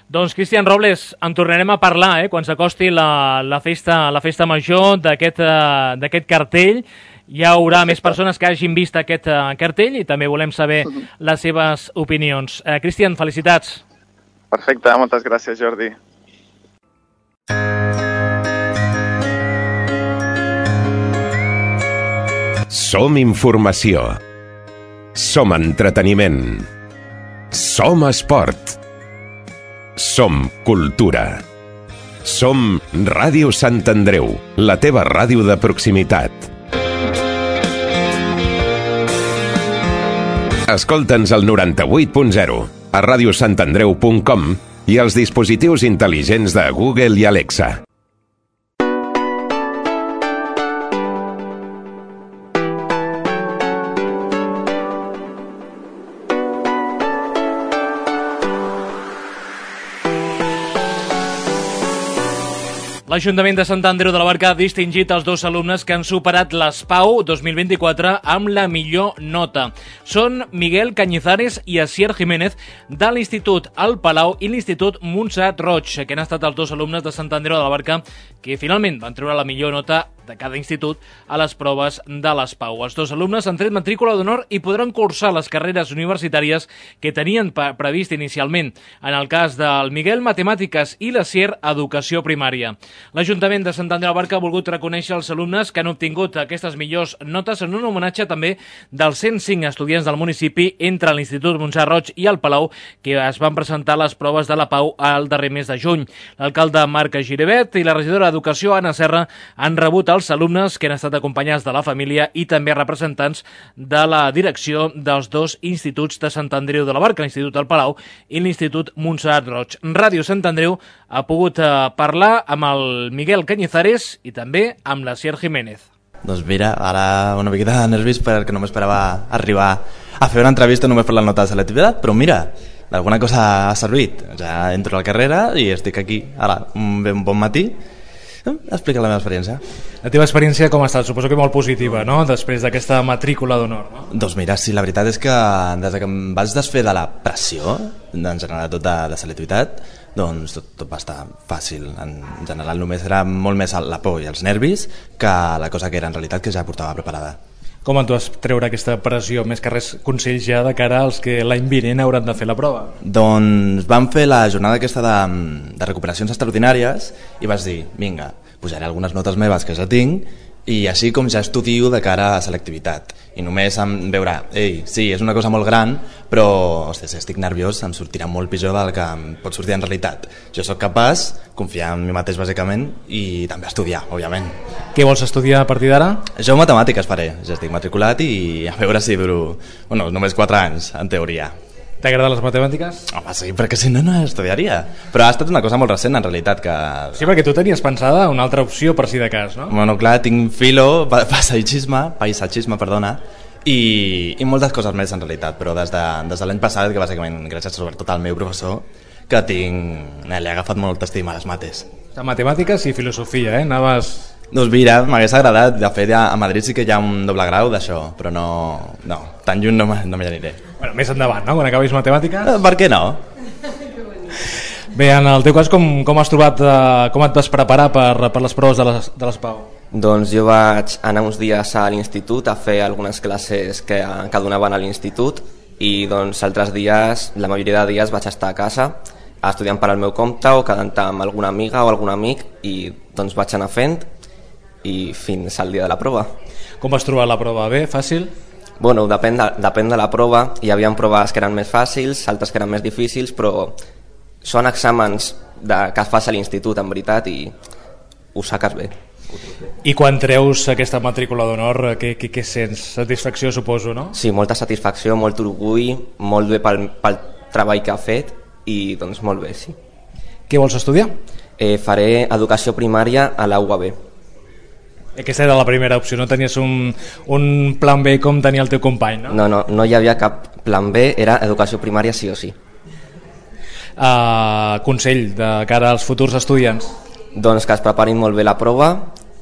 Doncs, Cristian Robles, en tornarem a parlar, eh, quan s'acosti la, la, festa, la festa major d'aquest uh, d'aquest cartell. Hi haurà Perfecte. Més persones que hagin vist aquest uh, cartell i també volem saber uh-huh. les seves opinions. Uh, Cristian, felicitats. Perfecte, moltes gràcies, Jordi. Som informació. Som entreteniment. Som esport. Som cultura. Som Ràdio Sant Andreu, la teva ràdio de proximitat. Escolta'ns al noranta-vuit punt zero, a ràdio sant andreu punt com i als dispositius intel·ligents de Google i Alexa. L'Ajuntament de Sant Andreu de la Barca ha distingit els dos alumnes que han superat l'ESPAU dos mil vint-i-quatre amb la millor nota. Són Miguel Cañizares i Asier Jiménez de l'Institut El Palau i l'Institut Montserrat Roig, que han estat els dos alumnes de Sant Andreu de la Barca que finalment van treure la millor nota de cada institut a les proves de les Pau. Els dos alumnes han tret matrícula d'honor i podran cursar les carreres universitàries que tenien previst inicialment. En el cas del Miguel, Matemàtiques, i la Sier, Educació Primària. L'Ajuntament de Sant Andreu Barca ha volgut reconèixer els alumnes que han obtingut aquestes millors notes en un homenatge també dels cent cinc estudiants del municipi entre l'Institut Montserrat Roig i el Palau, que es van presentar les proves de la Pau al darrer mes de juny. L'alcalde Marc Giribet i la regidora d'Educació, Anna Serra, han rebut els alumnes que han estat acompanyats de la família i també representants de la direcció dels dos instituts de Sant Andreu de la Barca, l'Institut del Palau i l'Institut Montserrat Roig. Ràdio Sant Andreu ha pogut parlar amb el Miguel Cañizares i també amb la Sier Jiménez. Doncs mira, ara una miqueta de nervis perquè no m'esperava arribar a fer una entrevista només per la nota de selectivitat, però mira, d'alguna cosa ha servit. Ja entro a la carrera i estic aquí, ara, un ben bon matí, explica la meva experiència. La teva experiència com ha estat? Suposo que molt positiva, no?, després d'aquesta matrícula d'honor, no? Doncs mira, sí, la veritat és que des que em vaig desfer de la pressió, en general tot de, de selectivitat, doncs tot, tot va estar fàcil. En general només era molt més la por i els nervis que la cosa que era en realitat, que ja portava preparada. Com en tu vas treure aquesta pressió? Més que res, consells ja de cara als que l'any vinent hauran de fer la prova. Doncs vam fer la jornada aquesta de, de recuperacions extraordinàries i vas dir, vinga, posaré algunes notes meves que ja tinc i així com ja estudio de cara a selectivitat. I només em veure, ei, sí, és una cosa molt gran, però ostres, estic nerviós, em sortirà molt pitjor del que em pot sortir en realitat. Jo sóc capaç, confiar en mi mateix bàsicament i també estudiar, òbviament. Què vols estudiar a partir d'ara? Jo matemàtiques faré, ja estic matriculat i a veure si duro, bueno, només quatre anys, en teoria. T'agraden les matemàtiques? Home, sí, perquè si no, no estudiaria. Però ha estat una cosa molt recent, en realitat, que... Sí, perquè tu tenies pensada una altra opció per si de cas, no? Bueno, clar, tinc filo, paisatgisme, paisatgisme, perdona, i, i moltes coses més, en realitat, però des de, des de l'any passat, que bàsicament, gràcies sobretot al meu professor, que tinc... Eh, li ha agafat molt estima a les mates. De matemàtiques i filosofia, eh? Anaves... Doncs mira, m'hagués agradat. De fet, ja a Madrid sí que hi ha un doble grau d'això, però no, no, tan lluny no, no m'hi aniré. Bueno, més endavant, no?, quan acabis matemàtiques. Eh, per què no? Bé, en el teu cas, com, com has trobat, eh, com et vas preparar per, per les proves de les, de les Pau? Doncs jo vaig anar uns dies a l'institut a fer algunes classes que, que donaven a l'institut i doncs altres dies, la majoria de dies vaig estar a casa estudiant per al meu compte o quedant amb alguna amiga o algun amic i doncs vaig anar fent i fins al dia de la prova. Com vas trobar la prova? Bé? Fàcil? Bueno, depèn de, depèn de la prova. Hi havia proves que eren més fàcils, altres que eren més difícils, però són exàmens de, que fas a l'institut, en veritat, i ho saques bé. I quan treus aquesta matrícula d'honor, què, què, què sents? Satisfacció, suposo, no? Sí, molta satisfacció, molt orgull, molt bé pel, pel treball que ha fet i doncs molt bé, sí. Què vols estudiar? Eh, faré educació primària a la U A B. Aquesta era la primera opció, no tenies un, un plan B com tenia el teu company, no? No, no, no hi havia cap plan B, era educació primària sí o sí. Uh, consell de cara als futurs estudiants? Doncs que es preparin molt bé la prova,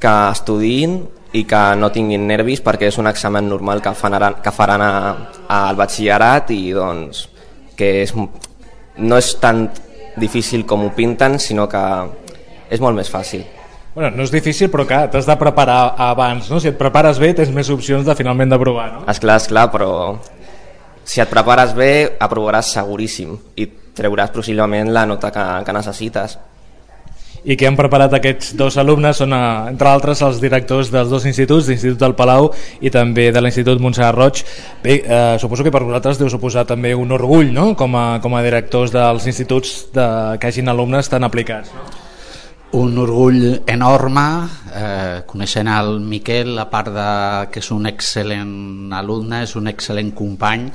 que estudiïn i que no tinguin nervis perquè és un examen normal que faran, que faran a, a, al batxillerat i doncs que és, no és tan difícil com ho pinten, sinó que és molt més fàcil. Bueno, no és difícil, però clar, t'has de preparar abans, no? Si et prepares bé, tens més opcions de finalment d'aprovar, no? Esclar, esclar, però si et prepares bé, aprovaràs seguríssim i treuràs possiblement la nota que, que necessites. I què han preparat aquests dos alumnes són, entre altres, els directors dels dos instituts, l'Institut del Palau i també de l'Institut Montserrat Roig. Bé, eh, suposo que per vosaltres deu suposar també un orgull, no?, com a, com a directors dels instituts de, que hagin alumnes tan aplicats, no? Un orgull enorme, eh, coneixent el Miquel, a part de que és un excel·lent alumne, és un excel·lent company,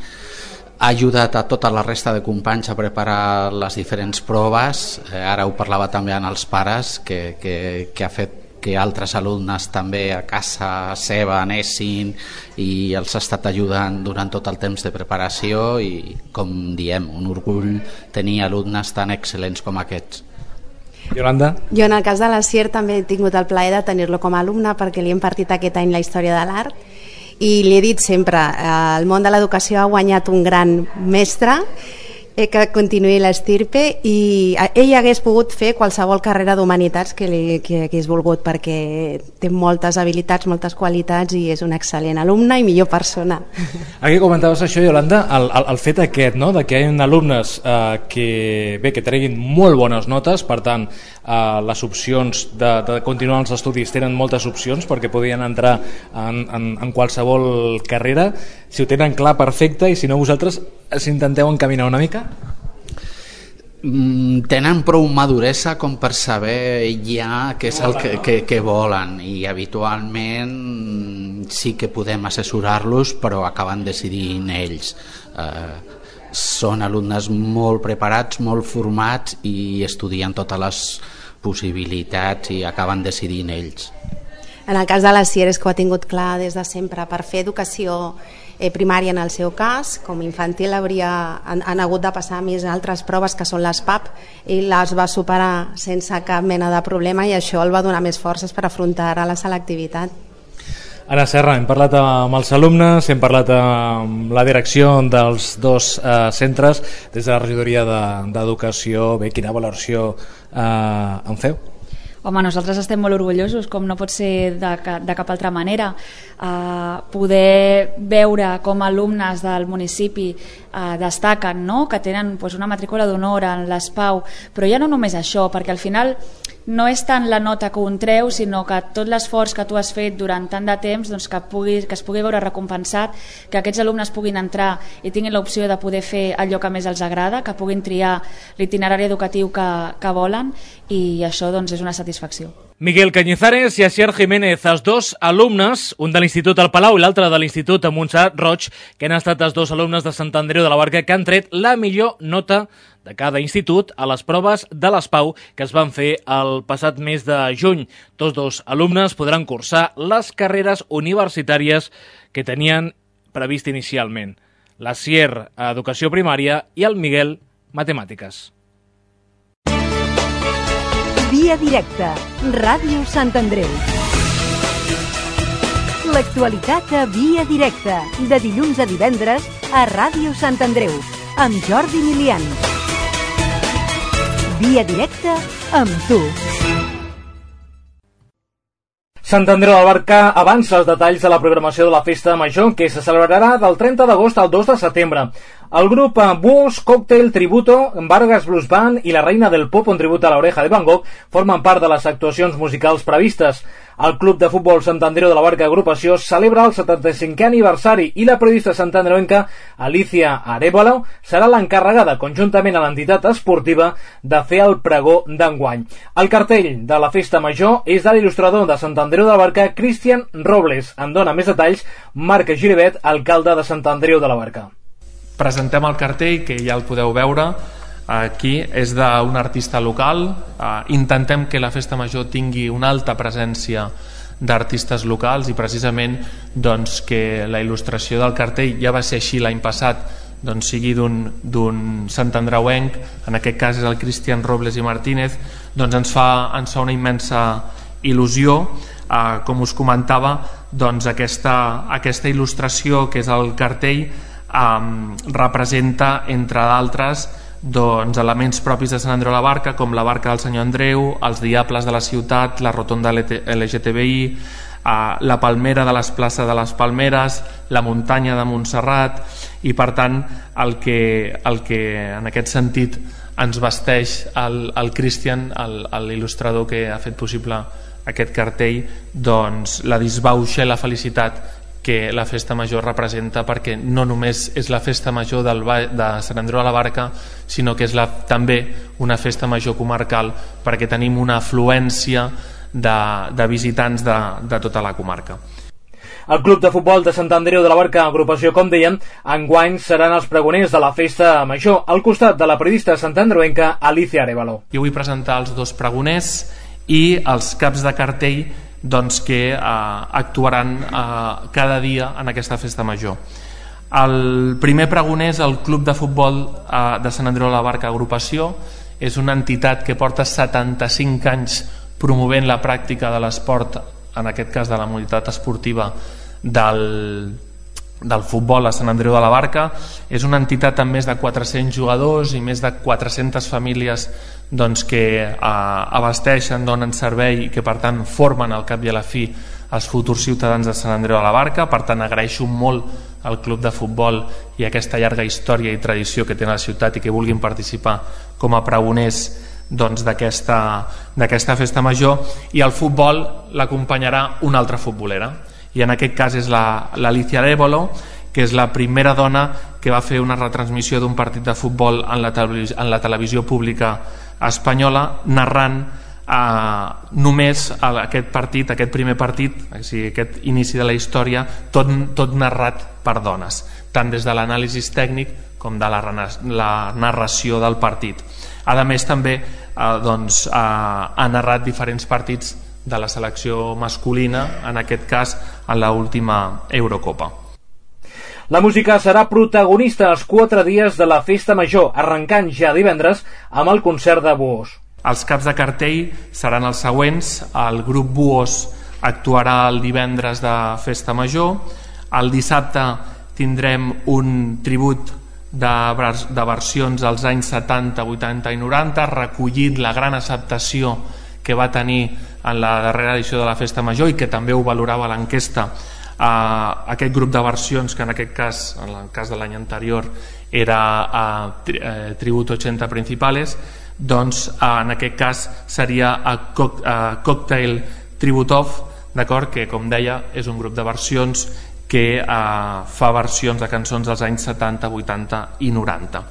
ha ajudat a tota la resta de companys a preparar les diferents proves, eh, ara ho parlava també amb els pares, que, que, que ha fet que altres alumnes també a casa seva anessin i els ha estat ajudant durant tot el temps de preparació i, com diem, un orgull tenir alumnes tan excel·lents com aquests. Yolanda? Jo en el cas de la Sier també he tingut el plaer de tenir-lo com a alumne perquè li hem partit aquest any la història de l'art i li he dit sempre, el món de l'educació ha guanyat un gran mestre eh, que continuï l'estirpe i ell hagués pogut fer qualsevol carrera d'humanitats que, li, que hagués volgut, perquè té moltes habilitats, moltes qualitats i és un excel·lent alumne i millor persona. Aquí comentaves això, Iolanda, el, el, el fet aquest, no?, de que hi ha alumnes eh, que, bé, que treguin molt bones notes, per tant, eh, les opcions de, de continuar els estudis tenen moltes opcions perquè podien entrar en, en, en qualsevol carrera. Si ho tenen clar, perfecte, i si no, vosaltres s'intenteu encaminar una mica? Mm, tenen prou maduresa com per saber ja què és el que, que, que volen, i habitualment sí que podem assessorar-los, però acaben decidint ells. Eh, són alumnes molt preparats, molt formats i estudien totes les possibilitats i acaben decidint ells. En el cas de la Sier és que ho ha tingut clar des de sempre. Per fer educació eh, primària en el seu cas, com infantil hauria, han, han hagut de passar més altres proves que són les P A P, i les va superar sense cap mena de problema i això el va donar més forces per afrontar ara la selectivitat. Anna Serra, hem parlat amb els alumnes, hem parlat amb la direcció dels dos eh, centres. Des de la regidoria d'Educació, bé, quina valoració eh, en feu? Home, nosaltres estem molt orgullosos, com no pot ser de, de cap altra manera. Uh, poder veure com alumnes del municipi uh, destaquen, no?, que tenen pues, una matrícula d'honor en l'S P A U, però ja no només això, perquè al final no és tant la nota que un treu, sinó que tot l'esforç que tu has fet durant tant de temps, doncs, que, pugui, que es pugui veure recompensat, que aquests alumnes puguin entrar i tinguin l'opció de poder fer allò que més els agrada, que puguin triar l'itinerari educatiu que, que volen, i això doncs, és una satisfacció. Miguel Cañizares i Asier Jiménez, els dos alumnes, un de l'Institut al Palau i l'altre de l'Institut Montserrat Roig, que han estat els dos alumnes de Sant Andreu de la Barca, que han tret la millor nota de cada institut a les proves de l'S P A U que es van fer el passat mes de juny. Tots dos alumnes podran cursar les carreres universitàries que tenien previst inicialment. La Sier, Educació Primària, i el Miguel, Matemàtiques. Via directa, Ràdio Sant Andreu. L'actualitat a Via directa, de dilluns a divendres a Ràdio Sant Andreu, amb Jordi Milian. Via directa amb tu. Sant Andreu de la Barca avança els detalls de la programació de la Festa Major, que se celebrarà del trenta d'agost al dos de setembre. El grup Búhos, Còctel, Tributo, Vargas Blues Band i la Reina del Pop, un tribut a l'Oreja de Van Gogh, formen part de les actuacions musicals previstes. El Club de Futbol Sant Andreu de la Barca Agrupació celebra el setanta-cinquè aniversari i la periodista santandreuenca Alicia Arevalo serà l'encarregada, conjuntament a l'entitat esportiva, de fer el pregó d'enguany. El cartell de la Festa Major és de l'il·lustrador de Sant Andreu de la Barca, Cristian Robles. En dona més detalls Marc Giribet, alcalde de Sant Andreu de la Barca. Presentem el cartell, que ja el podeu veure aquí, és d'un artista local. Intentem que la Festa Major tingui una alta presència d'artistes locals i precisament doncs, que la il·lustració del cartell, ja va ser així l'any passat, doncs, sigui d'un santandreuenc, en aquest cas és el Cristian Robles i Martínez, doncs ens fa, ens fa una immensa il·lusió. Uh, com us comentava, doncs aquesta, aquesta il·lustració que és el cartell um, representa, entre d'altres, doncs, elements propis de Sant Andreu de la Barca, com la barca del Senyor Andreu, els diables de la ciutat, la rotonda L G T B I, uh, la palmera de les places de les Palmeres, la muntanya de Montserrat, i per tant el que, el que en aquest sentit ens vesteix el, el Cristian, l'il·lustrador que ha fet possible aquest cartell, doncs la disbauxa i la felicitat que la Festa Major representa, perquè no només és la Festa Major del, de Sant Andreu de la Barca, sinó que és la, també una Festa Major comarcal, perquè tenim una afluència de, de visitants de, de tota la comarca. El Club de Futbol de Sant Andreu de la Barca, agrupació, com dèiem, enguany seran els pregoners de la Festa Major, al costat de la periodista santandreuenca Alicia Arevalo. Jo vull presentar els dos pregoners i els caps de cartell, doncs, que eh, actuaran eh, cada dia en aquesta Festa Major. El primer pregoner és el Club de Futbol eh, de Sant Andreu de la Barca Agrupació. És una entitat que porta setanta-cinc anys promovent la pràctica de l'esport, en aquest cas de la modalitat esportiva del, del futbol a Sant Andreu de la Barca. És una entitat amb més de quatre-cents jugadors i més de quatre-centes famílies doncs, que eh, abasteixen, donen servei i que per tant formen al cap i a la fi els futurs ciutadans de Sant Andreu de la Barca. Per tant agraeixo molt al club de futbol i aquesta llarga història i tradició que té la ciutat i que vulguin participar com a pregoners doncs, d'aquesta d'aquesta festa major. I el futbol l'acompanyarà una altra futbolera, i en aquest cas és l'Alicia Évolo, que és la primera dona que va fer una retransmissió d'un partit de futbol en la televisió, en la televisió pública espanyola, narrant eh, només aquest partit, aquest primer partit, o sigui, aquest inici de la història, tot, tot narrat per dones, tant des de l'anàlisi tècnic com de la, la narració del partit. A més, també eh, doncs, eh, ha narrat diferents partits de la selecció masculina, en aquest cas en l'última Eurocopa. La música serà protagonista els quatre dies de la Festa Major, arrencant ja divendres amb el concert de Buos. Els caps de cartell seran els següents. El grup Buos actuarà el divendres de Festa Major. El dissabte tindrem un tribut de, de versions als anys setanta, vuitanta i noranta, recollint la gran acceptació que va tenir en la darrera edició de la Festa Major i que també ho valorava l'enquesta. Uh, aquest grup de versions, que en aquest cas, en el cas de l'any anterior, era uh, tri uh, Tributo ochenta Principales, doncs uh, en aquest cas seria a co uh, Cocktail Tributov, d'acord, que com deia és un grup de versions que uh, fa versions de cançons dels anys setanta, vuitanta i noranta.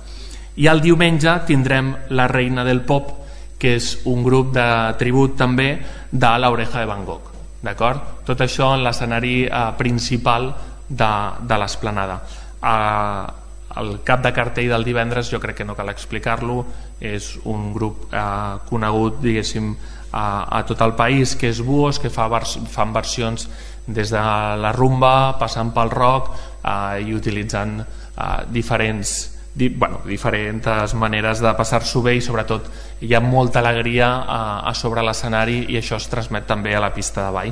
I el diumenge tindrem La Reina del Pop, que és un grup de tribut també de La Oreja de Van Gogh, d'acord? Tot això en l'escenari eh, principal de, de l'esplanada. Eh, el cap de cartell del divendres, jo crec que no cal explicar-lo, és un grup eh, conegut, diguéssim, a, a tot el país, que és Buos, que fa vers, fan versions des de la rumba, passant pel rock eh, i utilitzant eh, diferents Di, bueno, diferents maneres de passar-s'ho bé, i sobretot hi ha molta alegria a, a sobre l'escenari, i això es transmet també a la pista de ball.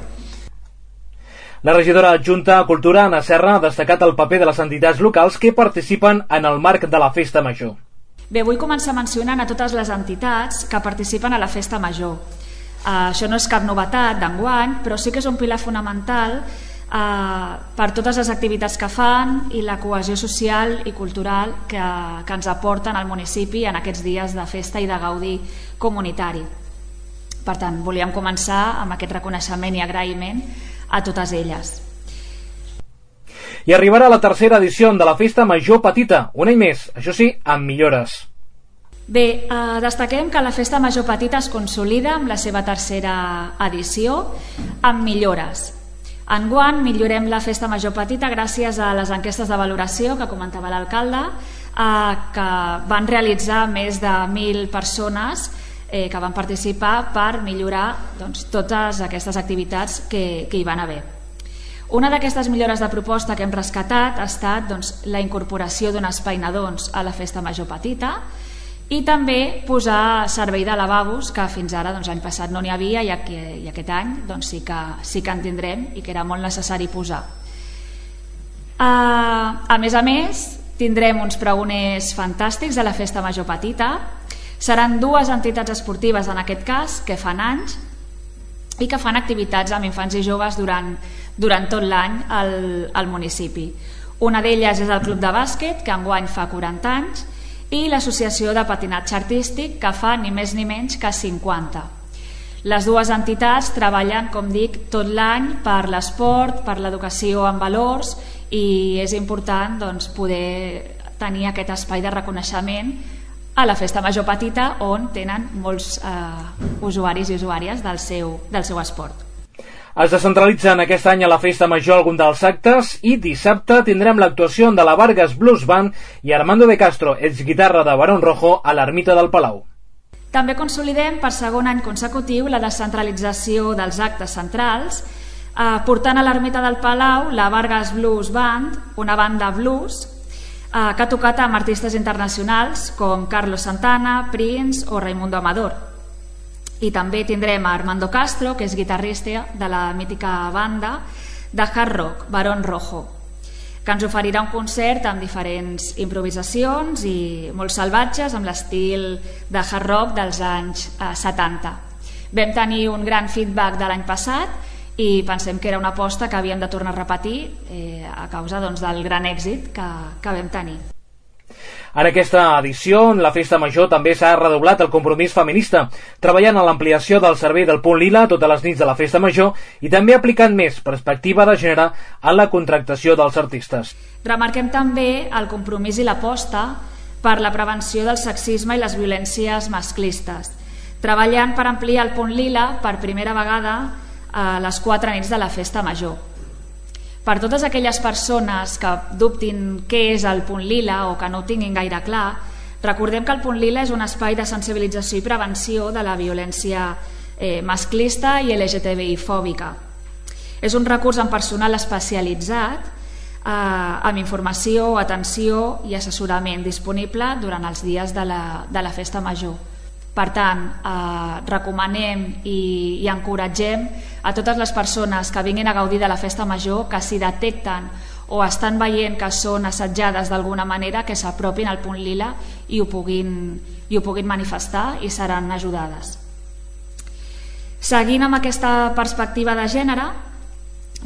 La regidora adjunta a Cultura, Anna Serra, ha destacat el paper de les entitats locals que participen en el marc de la Festa Major. Bé, vull començar mencionant a totes les entitats que participen a la Festa Major. Uh, això no és cap novetat d'enguany, però sí que és un pilar fonamental Uh, per totes les activitats que fan i la cohesió social i cultural que, que ens aporten al municipi en aquests dies de festa i de gaudi comunitari. Per tant, volíem començar amb aquest reconeixement i agraïment a totes elles. I arribarà la tercera edició de la Festa Major Petita, un any més, això sí, amb millores. Bé, eh, destaquem que la Festa Major Petita es consolida amb la seva tercera edició amb millores. Enguany millorem la Festa Major Petita gràcies a les enquestes de valoració que comentava l'alcalde, eh, que van realitzar més de mil persones eh, que van participar per millorar doncs, totes aquestes activitats que, que hi van haver. Una d'aquestes millores de proposta que hem rescatat ha estat doncs, la incorporació d'un espai nadons a la Festa Major Petita, i també posar servei de lavabos, que fins ara doncs, l'any passat no n'hi havia, i, aquí, i aquest any doncs, sí, que, sí que en tindrem i que era molt necessari posar. Uh, a més a més, tindrem uns pregoners fantàstics a la Festa Major Petita. Seran dues entitats esportives, en aquest cas, que fan anys i que fan activitats amb infants i joves durant, durant tot l'any al, al municipi. Una d'elles és el Club de Bàsquet, que enguany fa quaranta anys, i l'Associació de Patinatge Artístic, que fa ni més ni menys que cinquanta. Les dues entitats treballen, com dic, tot l'any per l'esport, per l'educació en valors, i és important doncs, poder tenir aquest espai de reconeixement a la Festa Major Petita, on tenen molts eh, usuaris i usuàries del seu, del seu esport. Es descentralitzen aquest any a la Festa Major algun dels actes, i dissabte tindrem l'actuació de la Vargas Blues Band i Armando de Castro, exguitarra de Barón Rojo, a l'Ermita del Palau. També consolidem per segon any consecutiu la descentralització dels actes centrals, eh, portant a l'Ermita del Palau la Vargas Blues Band, una banda blues eh, que ha tocat amb artistes internacionals com Carlos Santana, Prince o Raimundo Amador. I també tindrem a Armando Castro, que és guitarrista de la mítica banda de hard rock, Barón Rojo. que ens oferirà un concert amb diferents improvisacions i molt salvatges amb l'estil de hard rock dels anys eh, setanta. Vam tenir un gran feedback de l'any passat i pensem que era una aposta que havíem de tornar a repetir eh, a causa doncs, del gran èxit que, que vam tenir. En aquesta edició, en la Festa Major, també s'ha redoblat el compromís feminista, treballant en l'ampliació del servei del Punt Lila totes les nits de la Festa Major i també aplicant més perspectiva de gènere en la contractació dels artistes. Remarquem també el compromís i l'aposta per la prevenció del sexisme i les violències masclistes, treballant per ampliar el Punt Lila per primera vegada a les quatre nits de la Festa Major. Per totes aquelles persones que dubtin què és el Punt Lila o que no ho tinguin gaire clar, recordem que el Punt Lila és un espai de sensibilització i prevenció de la violència eh, masclista i L G T B I fòbica. És un recurs amb personal especialitzat eh, amb informació, atenció i assessorament disponible durant els dies de la, de la Festa Major. Per tant, eh, recomanem i, i encoratgem a totes les persones que vinguin a gaudir de la Festa Major que si detecten o estan veient que són assetjades d'alguna manera que s'apropin al Punt Lila i ho puguin, i ho puguin manifestar i seran ajudades. Seguint amb aquesta perspectiva de gènere,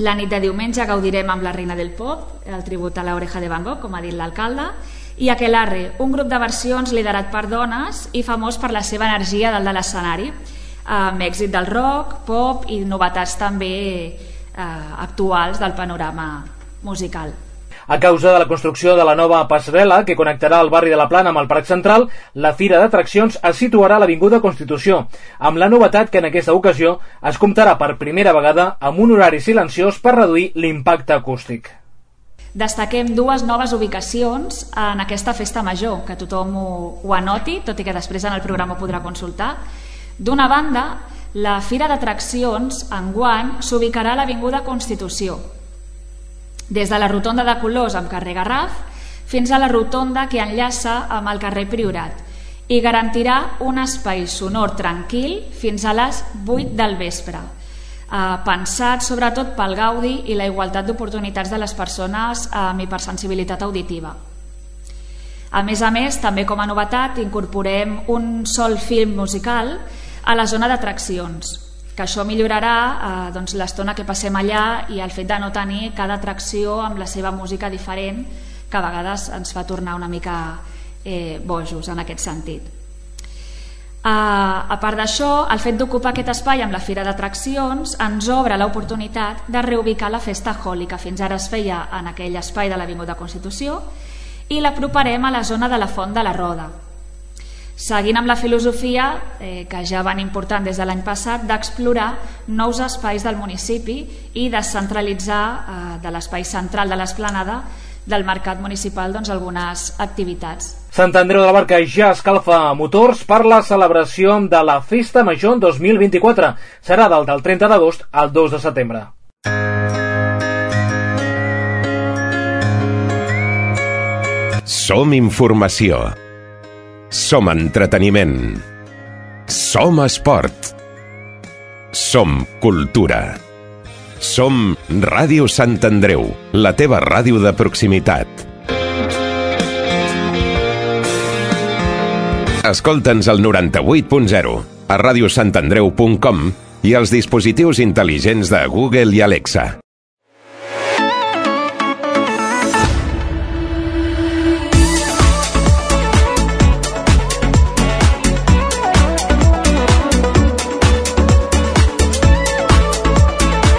la nit de diumenge gaudirem amb la Reina del Pop, el tribut a l'Oreja de Van Gogh, com ha dit l'alcalde, i Aquelarre, un grup de versions liderat per dones i famós per la seva energia dalt de l'escenari, amb èxit del rock, pop i novetats també eh, actuals del panorama musical. A causa de la construcció de la nova passarel·la que connectarà el barri de la Plana amb el Parc Central, la Fira d'Atraccions es situarà a l'Avinguda Constitució, amb la novetat que en aquesta ocasió es comptarà per primera vegada amb un horari silenciós per reduir l'impacte acústic. Destaquem dues noves ubicacions en aquesta Festa Major, que tothom ho, ho anoti, tot i que després en el programa ho podrà consultar. D'una banda, la Fira d'Atraccions enguany s'ubicarà a l'Avinguda Constitució, des de la rotonda de Colors amb carrer Garraf fins a la rotonda que enllaça amb el carrer Priorat i garantirà un espai sonor tranquil fins a les vuit del vespre, eh, pensat sobretot pel gaudi i la igualtat d'oportunitats de les persones amb hipersensibilitat auditiva. A més a més, també com a novetat, incorporem un sol film musical a la zona d'atraccions, que això millorarà eh, doncs, l'estona que passem allà i el fet de no tenir cada atracció amb la seva música diferent, que a vegades ens fa tornar una mica eh, bojos en aquest sentit. Uh, a part d'això, el fet d'ocupar aquest espai amb la Fira d'Atraccions ens obre l'oportunitat de reubicar la Festa Holly, que fins ara es feia en aquell espai de l'Avinguda Constitució, i l'aproparem a la zona de la Font de la Roda, seguint amb la filosofia eh, que ja van important des de l'any passat d'explorar nous espais del municipi i descentralitzar eh, de l'espai central de l'Esplanada del mercat municipal doncs, algunes activitats. Sant Andreu de la Barca ja escalfa motors per la celebració de la Festa Major dos mil vint-i-quatre. Serà del, del trenta d'agost al dos de setembre. Som informació. Som entreteniment. Som esport. Som cultura. Som Ràdio Sant Andreu, la teva ràdio de proximitat. Escolta'ns al noranta-vuit punt zero, a ràdio sant andreu punt com i als dispositius intel·ligents de Google i Alexa.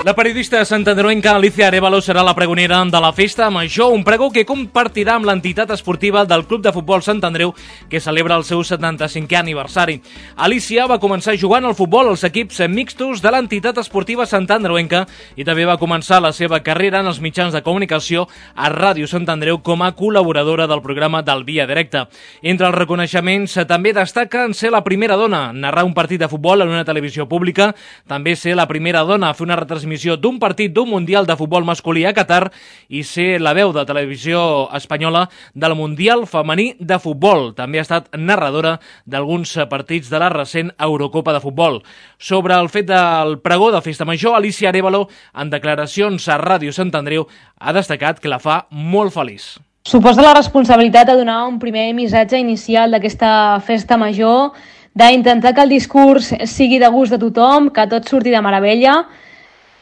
La periodista santandreuenca Alicia Arévalo serà la pregonera de la Festa Major, un pregó que compartirà amb l'entitat esportiva del Club de Futbol Sant Andreu, que celebra el seu setanta-cinquè aniversari. Alicia va començar jugant al futbol als equips mixtos de l'entitat esportiva santandreuenca i també va començar la seva carrera en els mitjans de comunicació a Ràdio Sant Andreu com a col·laboradora del programa del Via Directa. Entre els reconeixements també destaca en ser la primera dona a narrar un partit de futbol en una televisió pública, també ser la primera dona a fer una retransmissió retransmissió d'un partit d'un Mundial de futbol masculí a Qatar i ser la veu de televisió espanyola del Mundial femení de futbol. També ha estat narradora d'alguns partits de la recent Eurocopa de futbol. Sobre el fet del pregó de Festa Major, Alicia Arévalo, en declaracions a Ràdio Sant Andreu, ha destacat que la fa molt feliç. Suposa la responsabilitat de donar un primer missatge inicial d'aquesta festa major, d'intentar que el discurs sigui de gust de tothom, que tot surti de meravella,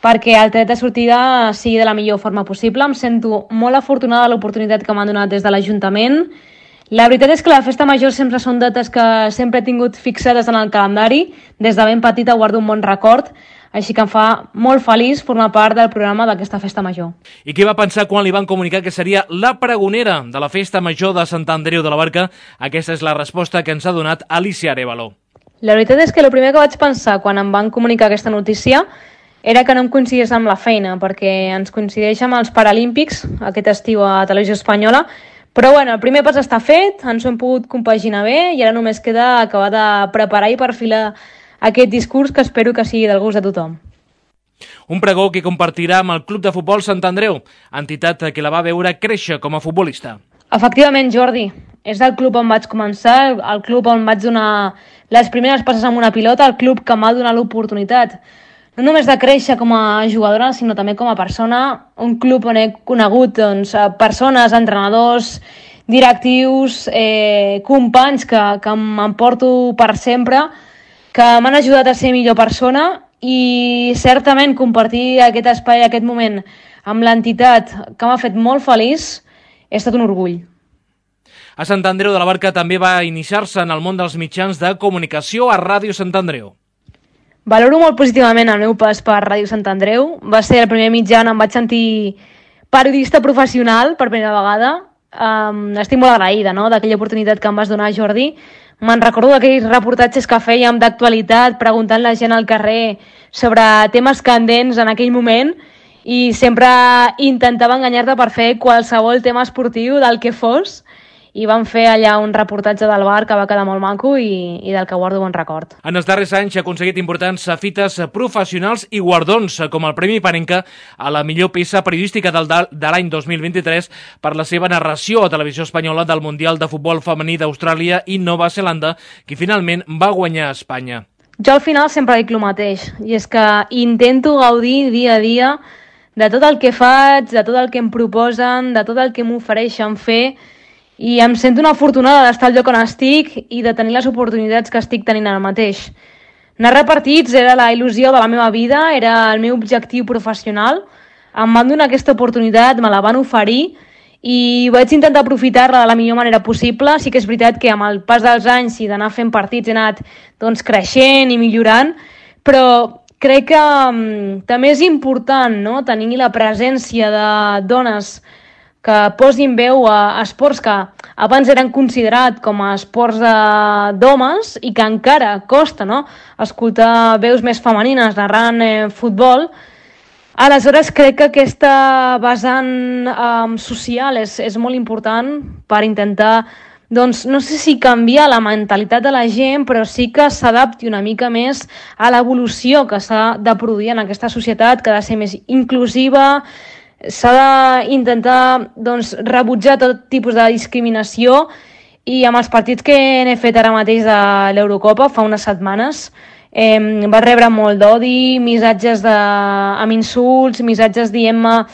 perquè el tret de sortida sigui de la millor forma possible. Em sento molt afortunada de l'oportunitat que m'han donat des de l'Ajuntament. La veritat és que la festa major sempre són dates que sempre he tingut fixades en el calendari. Des de ben petita guardo un bon record, així que em fa molt feliç formar part del programa d'aquesta festa major. I què va pensar quan li van comunicar que seria la pregonera de la festa major de Sant Andreu de la Barca? Aquesta és la resposta que ens ha donat Alicia Arévalo. La veritat és que el primer que vaig pensar quan em van comunicar aquesta notícia era que no em coincidís amb la feina, perquè ens coincideix amb els Paralímpics aquest estiu a Televisió Espanyola. Però bueno, el primer pas està fet, ens ho hem pogut compaginar bé i ara només queda acabar de preparar i perfilar aquest discurs que espero que sigui del gust de tothom. Un pregó que compartirà amb el Club de Futbol Sant Andreu, entitat que la va veure créixer com a futbolista. Efectivament, Jordi, és el club on vaig començar, el club on vaig donar les primeres passes amb una pilota, el club que m'ha donat l'oportunitat no només de créixer com a jugadora, sinó també com a persona, un club on he conegut doncs, persones, entrenadors, directius, eh, companys que, que m'emporto per sempre, que m'han ajudat a ser millor persona i certament compartir aquest espai, aquest moment amb l'entitat que m'ha fet molt feliç, ha estat un orgull. A Sant Andreu de la Barca també va iniciar-se en el món dels mitjans de comunicació a Ràdio Sant Andreu. Valoro molt positivament el meu pas per Ràdio Sant Andreu. Va ser el primer mitjà on em vaig sentir periodista professional per primera vegada. Um, estic molt agraïda, no?, d'aquella oportunitat que em vas donar, Jordi. Me'n recordo d'aquells reportatges que fèiem d'actualitat, preguntant la gent al carrer sobre temes candents en aquell moment i sempre intentava enganyar-te per fer qualsevol tema esportiu del que fos. I vam fer allà un reportatge del bar que va quedar molt maco i, i del que guardo bon record. En els darrers anys ha aconseguit importants fites professionals i guardons, com el Premi Panenka a la millor peça periodística del, de l'any dos mil vint-i-tres per la seva narració a Televisió Espanyola del Mundial de Futbol Femení d'Austràlia i Nova Zelanda, que finalment va guanyar a Espanya. Jo al final sempre dic el mateix, i és que intento gaudir dia a dia de tot el que faig, de tot el que em proposen, de tot el que m'ofereixen fer, i em sento una afortunada d'estar al lloc on estic i de tenir les oportunitats que estic tenint ara mateix. Narrar partits era la il·lusió de la meva vida, era el meu objectiu professional. Em van donar aquesta oportunitat, me la van oferir i vaig intentar aprofitar-la de la millor manera possible. Sí que és veritat que amb el pas dels anys i d'anar fent partits he anat doncs, creixent i millorant, però crec que um, també és important, no?, tenir la presència de dones que posin veu a esports que abans eren considerats com a esports d'homes i que encara costa, no?, escoltar veus més femenines narrant eh, futbol. Aleshores crec que aquesta vessant eh, social és, és molt important per intentar, doncs, no sé si canviar la mentalitat de la gent, però sí que s'adapti una mica més a l'evolució que s'ha de produir en aquesta societat, que ha de ser més inclusiva. S'ha d'intentar doncs, rebutjar tot tipus de discriminació i amb els partits que n'he fet ara mateix de l'Eurocopa fa unes setmanes eh, va rebre molt d'odi, missatges de... amb insults, missatges dient-me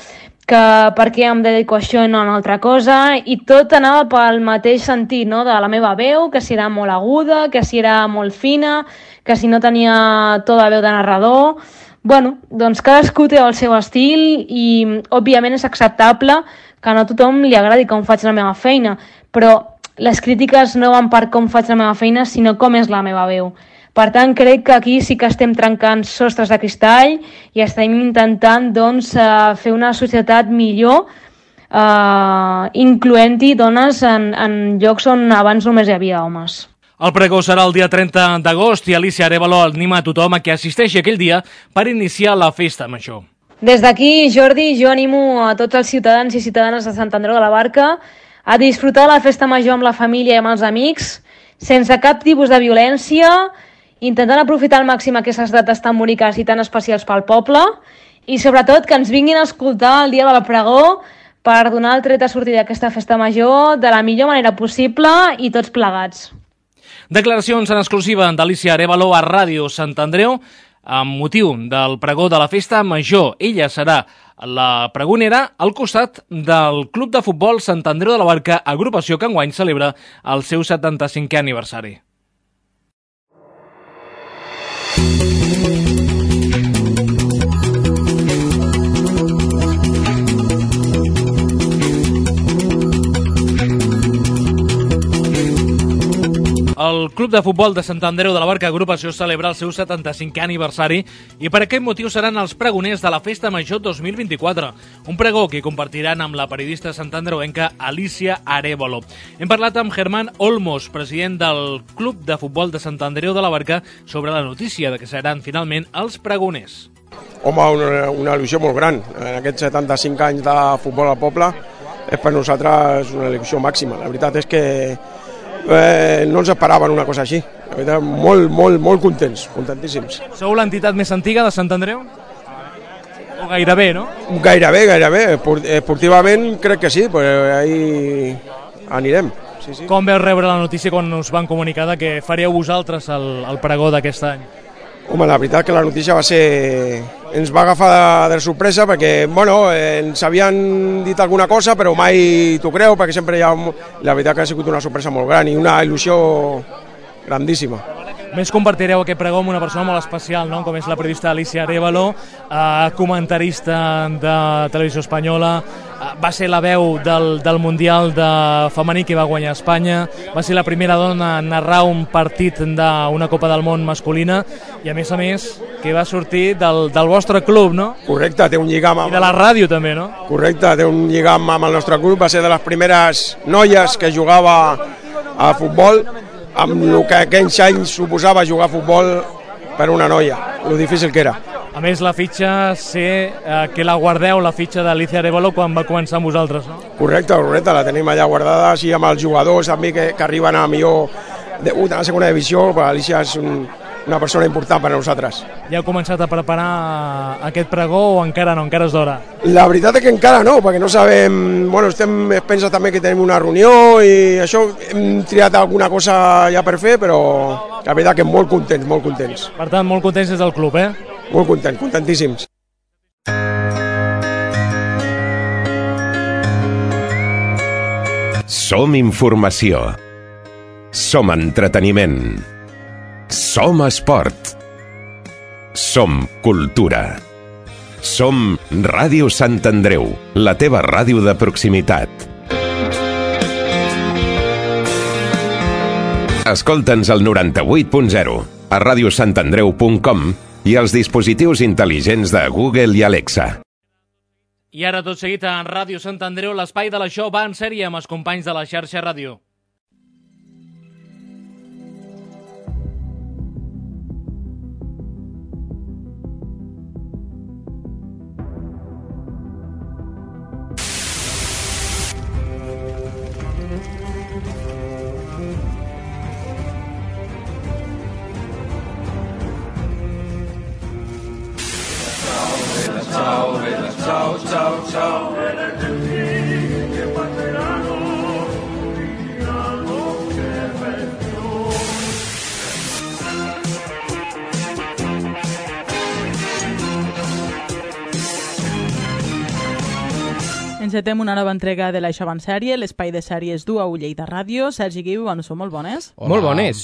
que per què em dedico a això i no a una altra cosa, i tot anava pel mateix sentit, no?, de la meva veu, que si era molt aguda, que si era molt fina, que si no tenia to de veu de narrador. Bueno, doncs cadascú té el seu estil i òbviament és acceptable que no a tothom li agradi com faig la meva feina, però les crítiques no van per com faig la meva feina, sinó com és la meva veu. Per tant, crec que aquí sí que estem trencant sostres de cristall i estem intentant doncs, fer una societat millor, eh, incloent-hi dones en, en llocs on abans només hi havia homes. El pregó serà el dia trenta d'agost i Alicia Arévalo anima a tothom a que assisteixi aquell dia per iniciar la festa major. Des d'aquí, Jordi, jo animo a tots els ciutadans i ciutadanes de Sant Andreu de la Barca a disfrutar de la festa major amb la família i amb els amics, sense cap tipus de violència, intentant aprofitar al màxim aquestes dates tan boniques i tan especials pel poble i sobretot que ens vinguin a escoltar el dia de la pregó per donar el tret a sortir d'aquesta festa major de la millor manera possible i tots plegats. Declaracions en exclusiva d'Alicia Arévalo a Ràdio Sant Andreu amb motiu del pregó de la festa major. Ella serà la pregonera al costat del Club de Futbol Sant Andreu de la Barca, agrupació que enguany celebra el seu setanta-cinquè aniversari. El Club de Futbol de Sant Andreu de la Barca Agrupació celebra el seu setanta-cinquè aniversari i per aquest motiu seran els pregoners de la Festa Major dos mil vint-i-quatre, un pregó que compartiran amb la periodista santandreuenca Alicia Arévalo. Hem parlat amb Germán Olmos, president del Club de Futbol de Sant Andreu de la Barca, sobre la notícia de que seran finalment els pregoners. Home, una, una il·lusió molt gran. En aquests setanta-cinc anys de futbol al poble és per nosaltres una il·lusió màxima. La veritat és que Eh, no ens esperaven una cosa així. La veritat, molt, molt, molt contents, contentíssims. Sou l'entitat més antiga de Sant Andreu? O gairebé, no? Gairebé, gairebé. Esportivament crec que sí, però ahí anirem. Sí, sí. Com veu rebre la notícia quan us van comunicar que faríeu vosaltres el, el pregó d'aquest any? Home, la veritat que la notícia va ser... ens va agafar de, de sorpresa perquè, bueno, eh, ens havien dit alguna cosa, però mai t'ho creu, perquè sempre hi ha... La veritat que ha sigut una sorpresa molt gran i una il·lusió grandíssima. A més, compartireu aquest pregó amb una persona molt especial, no?, com és la periodista Alicia Arévalo, eh, comentarista de Televisió Espanyola, eh, va ser la veu del, del Mundial de femení que va guanyar Espanya, va ser la primera dona a narrar un partit d'una Copa del Món masculina i, a més a més, que va sortir del, del vostre club, no? Correcte, té un lligam... Amb... I de la ràdio, també, no? Correcte, té un lligam amb el nostre club, va ser de les primeres noies que jugava a futbol, amb el que aquells anys suposava jugar a futbol per una noia, lo difícil que era. A més, la fitxa, sé eh, que la guardeu, la fitxa d'Alicia Arévalo, quan va començar amb vosaltres, no? Correcte, correcte, la tenim allà guardada, així amb els jugadors també que, que arriben a millor debut a la segona divisió, però Alicia és un, una persona important per a nosaltres. Ja heu començat a preparar aquest pregó o encara no, encara és d'hora? La veritat és que encara no, perquè no sabem... Bueno, estem, es pensa també que tenim una reunió i això, hem triat alguna cosa ja per fer, però la veritat que molt contents, molt contents. Per tant, molt contents des del club, eh? Molt contents, contentíssims. Som informació. Som entreteniment. Som esport. Som cultura. Som Ràdio Sant Andreu, la teva ràdio de proximitat. Escolta'ns al noranta-vuit punt zero, a ràdio sant andreu punt com i als dispositius intel·ligents de Google i Alexa. I ara tot seguit a Ràdio Sant Andreu, l'espai de la Show va en sèrie amb els companys de la xarxa ràdio. Encetem una nova entrega de l'Això en sèrie, l'espai de sèries du a Lleida Ràdio. Sergi Guiu, bueno, sou molt bones. Hola. Molt bones.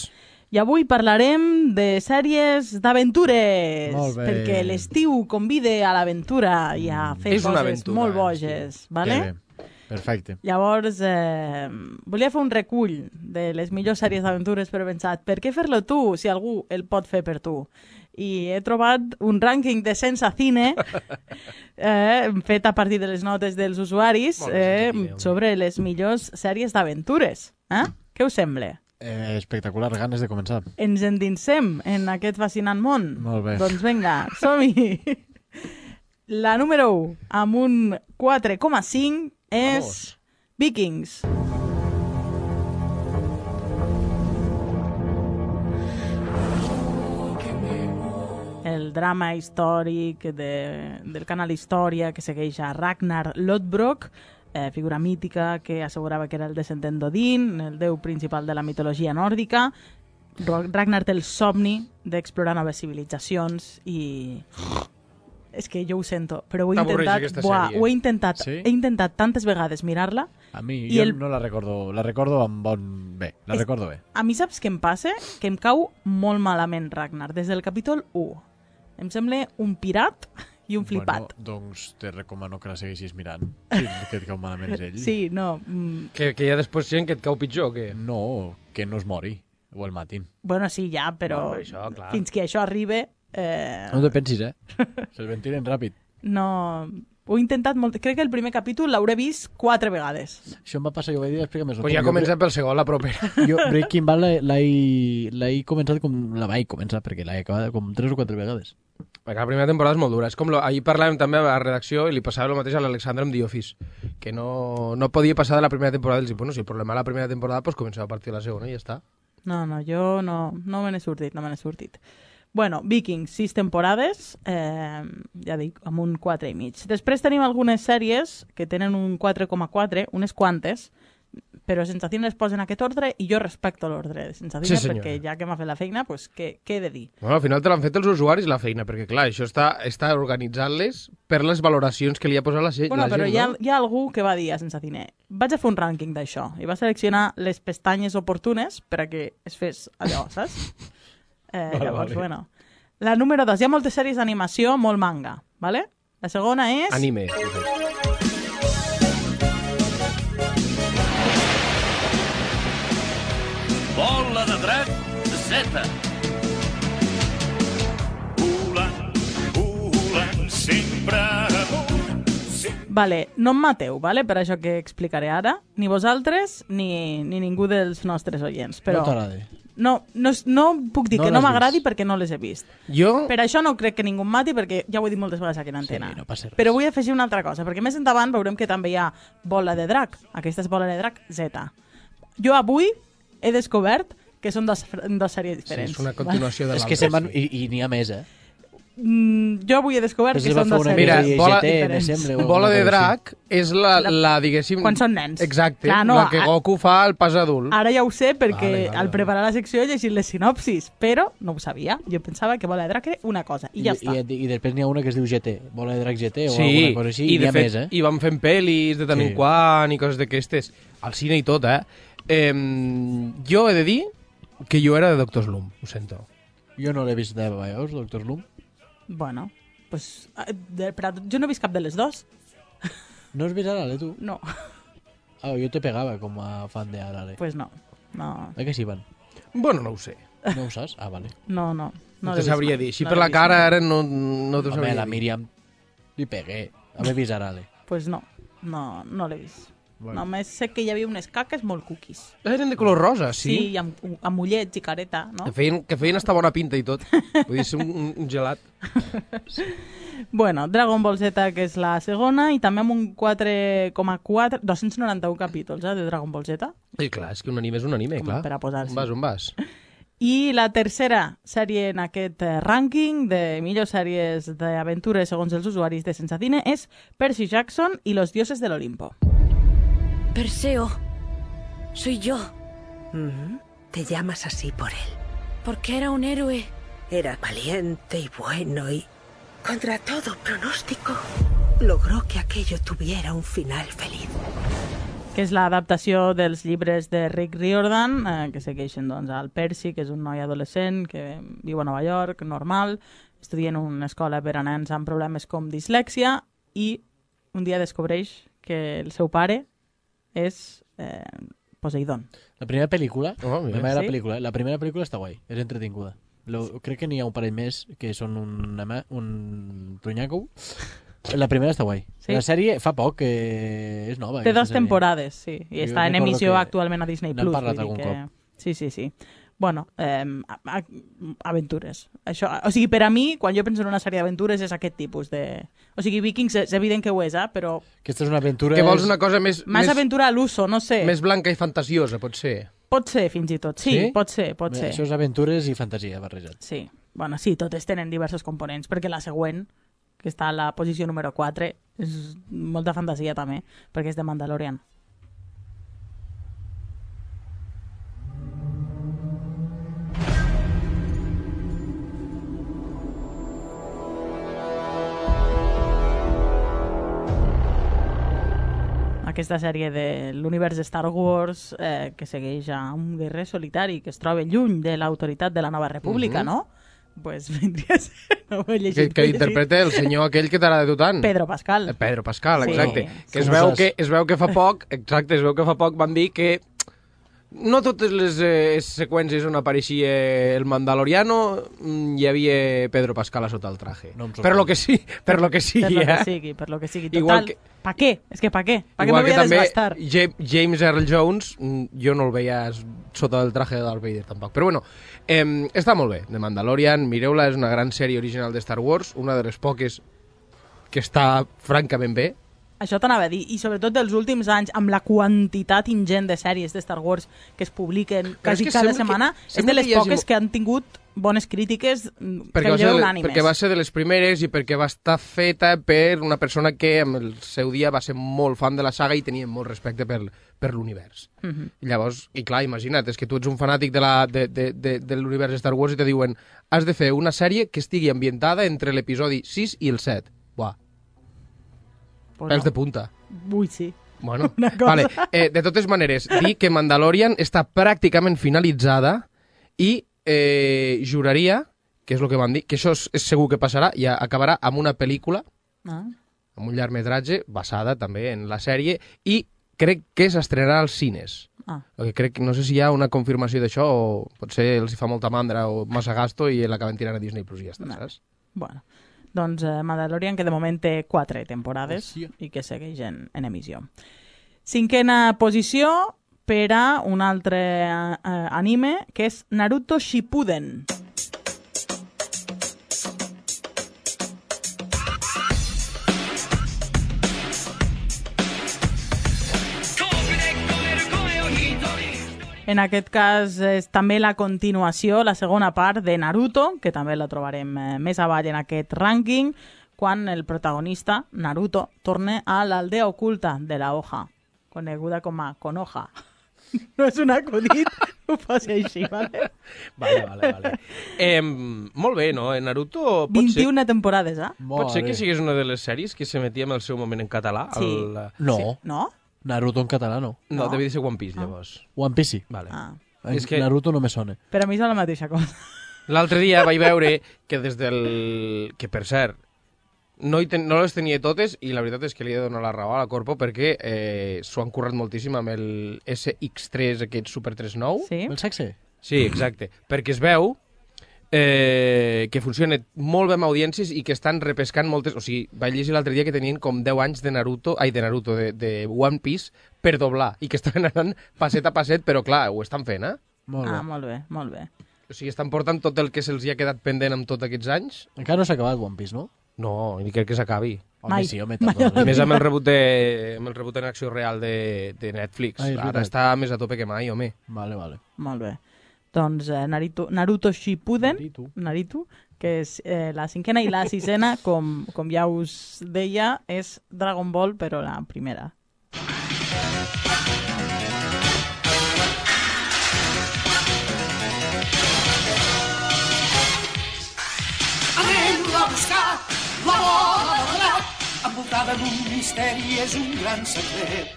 I avui parlarem de sèries d'aventures, Molt bé. perquè l'estiu convide a l'aventura i a fer És una coses aventura, molt boges. sí. Vale? Que bé. Perfecte. Llavors, eh, volia fer un recull de les millors sèries d'aventures, però he pensat, per què fer-lo tu si algú el pot fer per tu? I he trobat un rànquing de Sense Cine eh, fet a partir de les notes dels usuaris eh, sobre les millors sèries d'aventures. Eh? Què us sembla? Eh, espectacular, ganes de començar. Ens endinsem en aquest fascinant món? Molt bé. Doncs vinga, som-hi! La número u, amb un quatre coma cinc, és Vamos. Vikings. el drama històric de, del canal Història que segueix a Ragnar Lodbrok, eh, figura mítica que assegurava que era el descendent d'Odin, el déu principal de la mitologia nòrdica. Ragnar té el somni d'explorar noves civilitzacions i... És que jo ho sento, però ho he intentat, buah, ho he intentat, sí? he intentat tantes vegades mirar-la. A mi, i jo el... no la recordo, la recordo amb bon... bé, la és... recordo bé. A mi saps què em passa? Que em cau molt malament Ragnar, des del capítol u. Em sembla un pirat i un flipat. Bueno, doncs te recomano que la segueixis mirant, si que et cau malament és ell. Sí, no... Mm... Que, que hi ha després gent que et cau pitjor, o què? No, que no es mori, o el matin. Bueno, sí, ja, però no, això, clar. Fins que això arribi... Eh... No te pensis, eh? Se'l ventilen ràpid. No... Ho he intentat molt... Crec que el primer capítol l'hauré vist quatre vegades. Això em va passar, jo ho vaig dir, explica més. Pues ja comencem pel segon, la propera. Jo Breaking Bad l'he començat com... La vaig començar, perquè l'he acabat com tres o quatre vegades. Perquè la primera temporada és molt dura. És com lo... Ahir parlàvem també a la redacció i li passava el mateix a l'Alexandre amb The Office, que no, no podia passar de la primera temporada. I bueno, si el problema de la primera temporada, pues començava a partir de la segona i ja està. No, no, jo no, no me n'he sortit, no me n'he sortit. Bueno, Vikings, sis temporades, eh, ja dic, amb un quatre i mig. Després tenim algunes sèries que tenen un quatre coma quatre, unes quantes, però Sensacine les posa en aquest ordre i jo respecto l'ordre de Sensacine, sí, perquè ja que m'ha fet la feina, pues, què, què he de dir? Bueno, al final te l'han fet els usuaris la feina, perquè clar, això està, està organitzant-les per les valoracions que li ha posat la, bueno, la gent, però no? Hi ha, hi ha algú que va dir a Sensacine, vaig a fer un rànquing d'això, i va seleccionar les pestanyes oportunes per a que es fes allò, saps? Eh, vale, llavors, vale. Bueno. La número dos, hi ha moltes sèries d'animació, molt manga, ¿vale? La segona és... Anime. Bola de drac Z. Volant, volant, sempre amunt. Vale, no em mateu, vale? Per això que explicaré ara, ni vosaltres ni, ni ningú dels nostres oients. Però... No t'agrada. No, no, no puc dir no que no m'agradi vist. perquè no les he vist. Jo... Per això no crec que ningú em mati, perquè ja ho he dit moltes vegades aquí en antena. Sí, no passa res. Però vull afegir una altra cosa, perquè més endavant veurem que també hi ha Bola de Drac. Aquesta és Bola de Drac Z. Jo avui he descobert que són dos, dos sèries diferents. Sí, és una continuació de l'altra. És que se'n van... I, i n'hi ha més, eh? Mm, jo avui he descobert Però que són dos sèries Mira, bola, diferents. sembla, bola de Drac és la, la, la, diguéssim... Quan són nens. Exacte, Clar, no, la que Goku fa al pas adult. Ara ja ho sé perquè vale, vale, al preparar la secció he llegit les sinopsis, però no ho sabia. Jo pensava que Bola de Drac era una cosa, i, I ja està. I, I després n'hi ha una que es diu G T, Bola de Drac G T o sí, alguna cosa així, i, i de n'hi ha fet, més, eh? I van fent pel·lis de tant sí. en quant i coses d'aquestes, al cine i tot, eh? eh? Jo he de dir que jo era de Doctor Slump, ho sento. Jo no l'he vist de veus, Doctor Slump. Bueno, pues, de, però jo no he vist cap de les dos. No has vist Arale, tu? No. Ah, jo te pegava com a fan de Arale. Pues no. no. A què s'hi van? Bueno, no ho sé. No ho saps? Ah, vale. No, no. No, no te sabria dir. Així no per la cara ara no, no t'ho sabria dir. Home, la Míriam li pegué. Haver vist Arale. Pues no. No, no l'he vist. Bueno. Només sé que hi havia unes caques molt cookies. Eren de color rosa, sí? Sí, i amb, amb ullets i careta, no? Que feien, que feien hasta bona pinta i tot. Vull dir, ser un, un gelat. Sí. Bueno, Dragon Ball Z, que és la segona, i també amb un quatre coma quatre, dos-cents noranta-un capítols, eh, de Dragon Ball Z. Sí, clar, és que un anime és un anime, Com clar. per a posar-s'hi. On vas, on vas? I la tercera sèrie en aquest eh, rànquing de millors sèries d'aventures segons els usuaris de Sensacine és Percy Jackson y los dioses del Olimpo. Perseo, soy yo. Mm-hmm. Te llamas así por él. Porque era un héroe. Era valiente y bueno y, contra todo pronóstico, logró que aquello tuviera un final feliz. Que és l'adaptació dels llibres de Rick Riordan, eh, que segueixen doncs, al Percy, que és un noi adolescent que viu a Nova York, normal, estudia en una escola per a nens amb problemes com dislèxia, i un dia descobreix que el seu pare és eh, Poseidon. La primera pel·lícula, oh, la, primera sí? pel·lícula, la primera pel·lícula està guai, és entretinguda. Lo, crec que n'hi ha un parell més que són un, un trunyaco. La primera està guai. Sí? La sèrie fa poc que és nova. Té dos sèrie. temporades, sí, i Jo està en recordo emissió que actualment a Disney Plus. n'hem parlat algun que... cop. Sí, sí, sí. Bueno, eh, a- a- aventures. Això, o sigui, per a mi, quan jo penso en una sèrie d'aventures, és aquest tipus de... O sigui, Vikings és evident que ho és, eh? Però... Aquesta és una aventura... Que vols una cosa més... Més, més aventura a l'uso, no sé. Més blanca i fantasiosa, pot ser. Pot ser, fins i tot. Sí, Sí? pot ser, pot Bé, ser. Això és aventures i fantasia barrejat. Sí. Bueno, sí, totes tenen diversos components, perquè la següent, que està a la posició número quatre, és molta fantasia també, perquè és de Mandalorian. Aquesta sèrie de l'univers de Star Wars eh, que segueix a un guerrer solitari que es troba lluny de l'autoritat de la Nova República, mm-hmm. no? Pues vindria a ser... No ho he llegit, que que interpreta el senyor aquell que t'agrada de tant. Pedro Pascal. Pedro Pascal, sí. exacte. Sí. Que es veu que, es veu que fa poc, exacte, es veu que fa poc van dir que no totes les eh, seqüències on apareixia el Mandaloriano hi havia Pedro Pascal a sota el traje. No per lo que sí, per lo que sigui, per lo que eh? sigui, per lo que sigui. Total, igual que, pa què? És que pa què? Pa què igual me que voy a també desgastar? James Earl Jones, jo no el veia sota el traje de Darth Vader tampoc. Però bueno, eh, està molt bé. The Mandalorian, mireu-la, és una gran sèrie original de Star Wars, una de les poques que està francament bé. Això t'anava a dir, i sobretot dels últims anys, amb la quantitat ingent de sèries de Star Wars que es publiquen quasi cada setmana, que, és de les poques hagi... que han tingut bones crítiques perquè que lleu unànimes. Perquè va ser de les primeres i perquè va estar feta per una persona que en el seu dia va ser molt fan de la saga i tenia molt respecte per, per l'univers. Uh-huh. I llavors, i clar, imagina't, és que tu ets un fanàtic de, la, de, de, de, de l'univers de Star Wars i te diuen has de fer una sèrie que estigui ambientada entre l'episodi sis i el set. Buah. Pues pèls no. de punta. Ui, sí. Bueno, vale. eh, de totes maneres, dir que Mandalorian està pràcticament finalitzada i eh, juraria, que és el que van dir, que això és, és segur que passarà, i acabarà amb una pel·lícula, ah. amb un llargmetratge, basada també en la sèrie, i crec que s'estrenarà als cines. Ah. Crec, no sé si hi ha una confirmació d'això, o potser els hi fa molta mandra o massa gasto i l'acaben tirant a Disney Plus i ja està, no. saps? Bueno. Doncs eh, Mandalorian, que de moment té quatre temporades oh, sí. i que segueix en, en emissió. Cinquena posició per a un altre eh, anime, que és Naruto Shippuden. En aquest cas és també la continuació, la segona part de Naruto, que també la trobarem eh, més avall en aquest rànquing, quan el protagonista, Naruto, torna a l'aldea oculta de la Hoja, coneguda com a Konoha. No és un acudit, ho posi així, vale? Vale, vale, vale. Eh, molt bé, no? Naruto... vint-i-una temporades, eh? Pot ser que sigués una de les sèries que s'emetia en el seu moment en català? Sí. El... No. Sí. No? Naruto en català no. No, no. devia ser One Piece, llavors. Ah. One Piece sí. Vale. Ah. És que... Naruto no me sona. Per a mi és la mateixa cosa. L'altre dia vaig veure que des del... Que, per cert, no, ten... no les tenia totes i la veritat és que li he de donar la raó a la Corpo perquè eh, s'ho han currat moltíssim amb el S X tres, aquest Super tres nou. Sí? El sexe? Sí, exacte. Perquè es veu eh, que funciona molt bé amb audiències i que estan repescant moltes... O sigui, vaig llegir l'altre dia que tenien com deu anys de Naruto, ai, de Naruto, de, de One Piece per doblar, i que estaven anant passet a passet, però clar, ho estan fent, eh? Molt bé. Ah, molt bé, molt bé. O sigui, estan portant tot el que se'ls hi ha quedat pendent amb tots aquests anys. Encara no s'ha acabat One Piece, no? No, ni crec que s'acabi. Home, sí, home, I més amb el rebut, de, amb el rebut en acció real de, de Netflix. Ai, ara està més a tope que mai, home. Vale, vale. Molt bé. Doncs eh, Naruto, Naruto Shippuden, Naruto. Naruto, que és eh, la cinquena i la sisena, com, com ja us deia, és Dragon Ball, però la primera. Anem a buscar la bola de drac, envoltada d'un misteri, és un gran secret.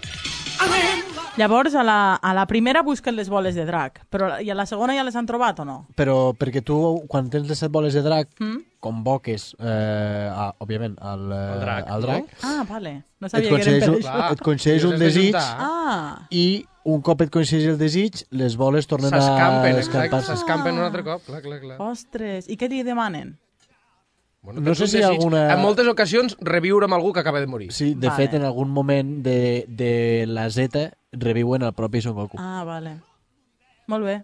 Anem a... Llavors, a la, a la primera busquen les boles de drac, però i a la segona ja les han trobat o no? Però perquè tu, quan tens les set boles de drac, mm? convoques, eh, a, òbviament, al, el drac. al drac. No? Ah, vale. No sabia que eren per un, això. Et concedeix un desig ah. i un cop et concedeix el desig, les boles tornen a escampar-se. S'escampen un altre cop, clar, clar, clar. Ostres, i què li demanen? Bueno, no sé si alguna... En moltes ocasions, reviure amb algú que acaba de morir. Sí, de vale. fet, en algun moment de, de la Z reviuen el propi Son Goku. Ah, vale. Molt bé.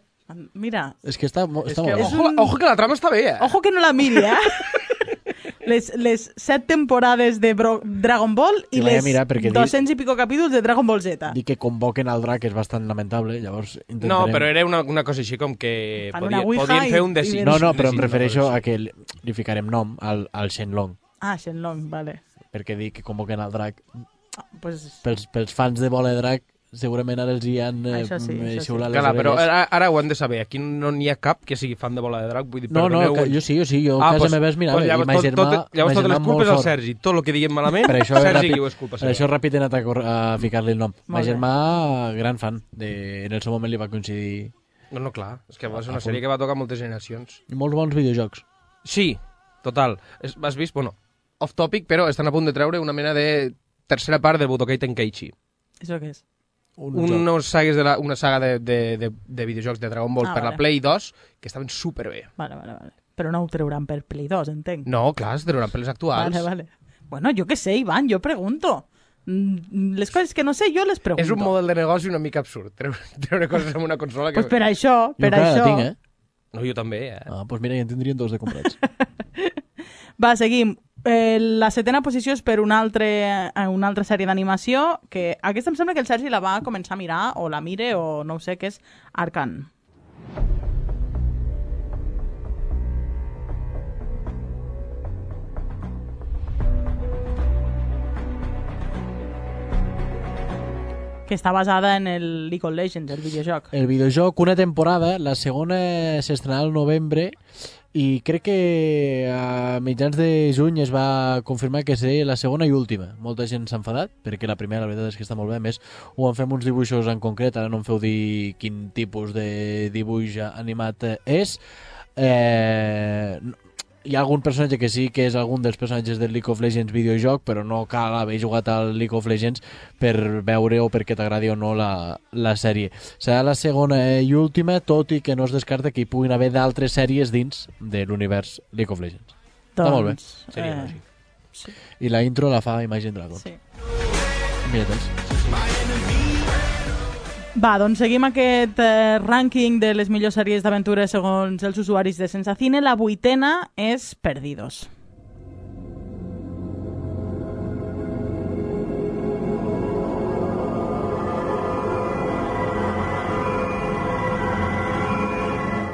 Mira... És que està, està és que, molt ojo, un... ojo que la trama està bé, eh? Ojo que no la miri, eh? les, les set temporades de Bro Dragon Ball i vaig a les mirar perquè dos-cents dic- i pico capítols de Dragon Ball Z. Dir que convoquen al drac és bastant lamentable, llavors intentarem... No, però era una, una cosa així com que Fan podia, una ouija podien fer i- un i desig. No, no, però em desig, refereixo no, a que li, li ficarem nom al, al Shenlong, Ah, Shenlong, vale. perquè dic que convoquen al drac. Pues... Pels, pels fans de Bola de Drac, segurament ara els hi han eh, Això sí, això sí. xiulat les Clar, però orelles. ara, ara ho han de saber. Aquí no n'hi ha cap que sigui fan de Bola de Drac. Vull dir, No, no, perdoneu. que jo sí, jo sí, jo a casa pues, meva es mirava, pues i llavors, ma tot, germà- tot, llavors ma totes les germà culpes molt al fort. Sergi. Tot el que diguem malament, Per això, Sergi ràpid, ho és culpa per seva. això ràpid he anat a, cor- a ficar-li el nom. Ma Molt bé. germà, gran fan. De, en el seu moment li va coincidir... No, no, clar. És que va ser A una punt. sèrie que va tocar moltes generacions. I molts bons videojocs. Sí, total. Es, has vist? Bueno, off topic, però estan a punt de treure una mena de tercera part del Budokai Tenkaichi. Això què és? Un Unos sagues de la, una saga de, de, de, de videojocs de Dragon Ball Ah, per vale. la Play dos que estaven superbé. Vale, vale, vale. Però no ho trauran per Play dos, entenc. No, clar, es trauran per les actuals. Vale, vale. Bueno, jo què sé, Ivan, jo pregunto. Mm, Les coses que no sé, jo les pregunto. És un model de negoci una mica absurd, treure, treure coses amb una consola que... Pues per això, per jo encara això... la tinc, eh? No, jo també, eh? Ah, doncs mira, ja en tindrien dos de comprats. Va, seguim. Eh, la setena posició és per una, altre, eh, una altra sèrie d'animació que aquesta em sembla que el Sergi la va començar a mirar o la mire o no ho sé, que és Arcane. Que està basada en el League of Legends, el videojoc. El videojoc, una temporada, la segona s'estrenarà al novembre i crec que a mitjans de juny es va confirmar que seria la segona i última. Molta gent s'ha enfadat, perquè la primera la veritat és que està molt bé. A més, ho en fem uns dibuixos en concret, ara no em feu dir quin tipus de dibuix animat és. Eh, hi ha algun personatge que sí que és algun dels personatges del League of Legends videojoc, però no cal haver jugat al League of Legends per veure o perquè t'agradi o no la, la sèrie. Serà la segona i última, tot i que no es descarta que hi puguin haver d'altres sèries dins de l'univers League of Legends. Doncs, Està molt bé. Seria eh, lògic. sí. I la intro la fa Imagine Dragons. Sí. Mira-te'ls. Va, doncs seguim aquest eh, rànquing de les millors sèries d'aventures segons els usuaris de Sensacine. La vuitena és Perdidos.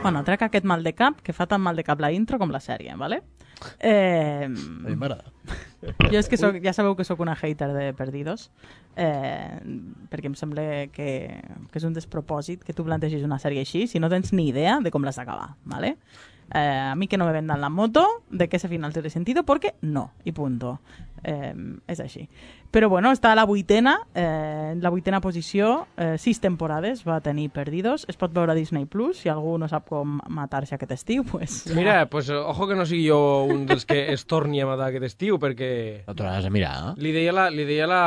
Bueno, trec aquest mal de cap, que fa tan mal de cap la intro com la sèrie, ¿vale? Eh, A mi m'agrada. jo és que soc, ja sabeu que sóc una hater de Perdidos, eh, perquè em sembla que, que és un despropòsit que tu plantegis una sèrie així si no tens ni idea de com l'has d'acabar, ¿vale? Eh, a mi que no me vendan la moto de que ese final tiene sentido, porque no, y punto. Eh, és així. Però bueno, està a la vuitena, eh, la vuitena posició, eh, sis temporades va tenir Perdidos, es pot veure a Disney Plus, si algú no sap com matar-se aquest estiu, pues... ja. Mira, pues ojo que no sigui jo un dels que es torni a matar aquest estiu, perquè... No t'hauràs de mirar, eh? Li deia, la, li deia la,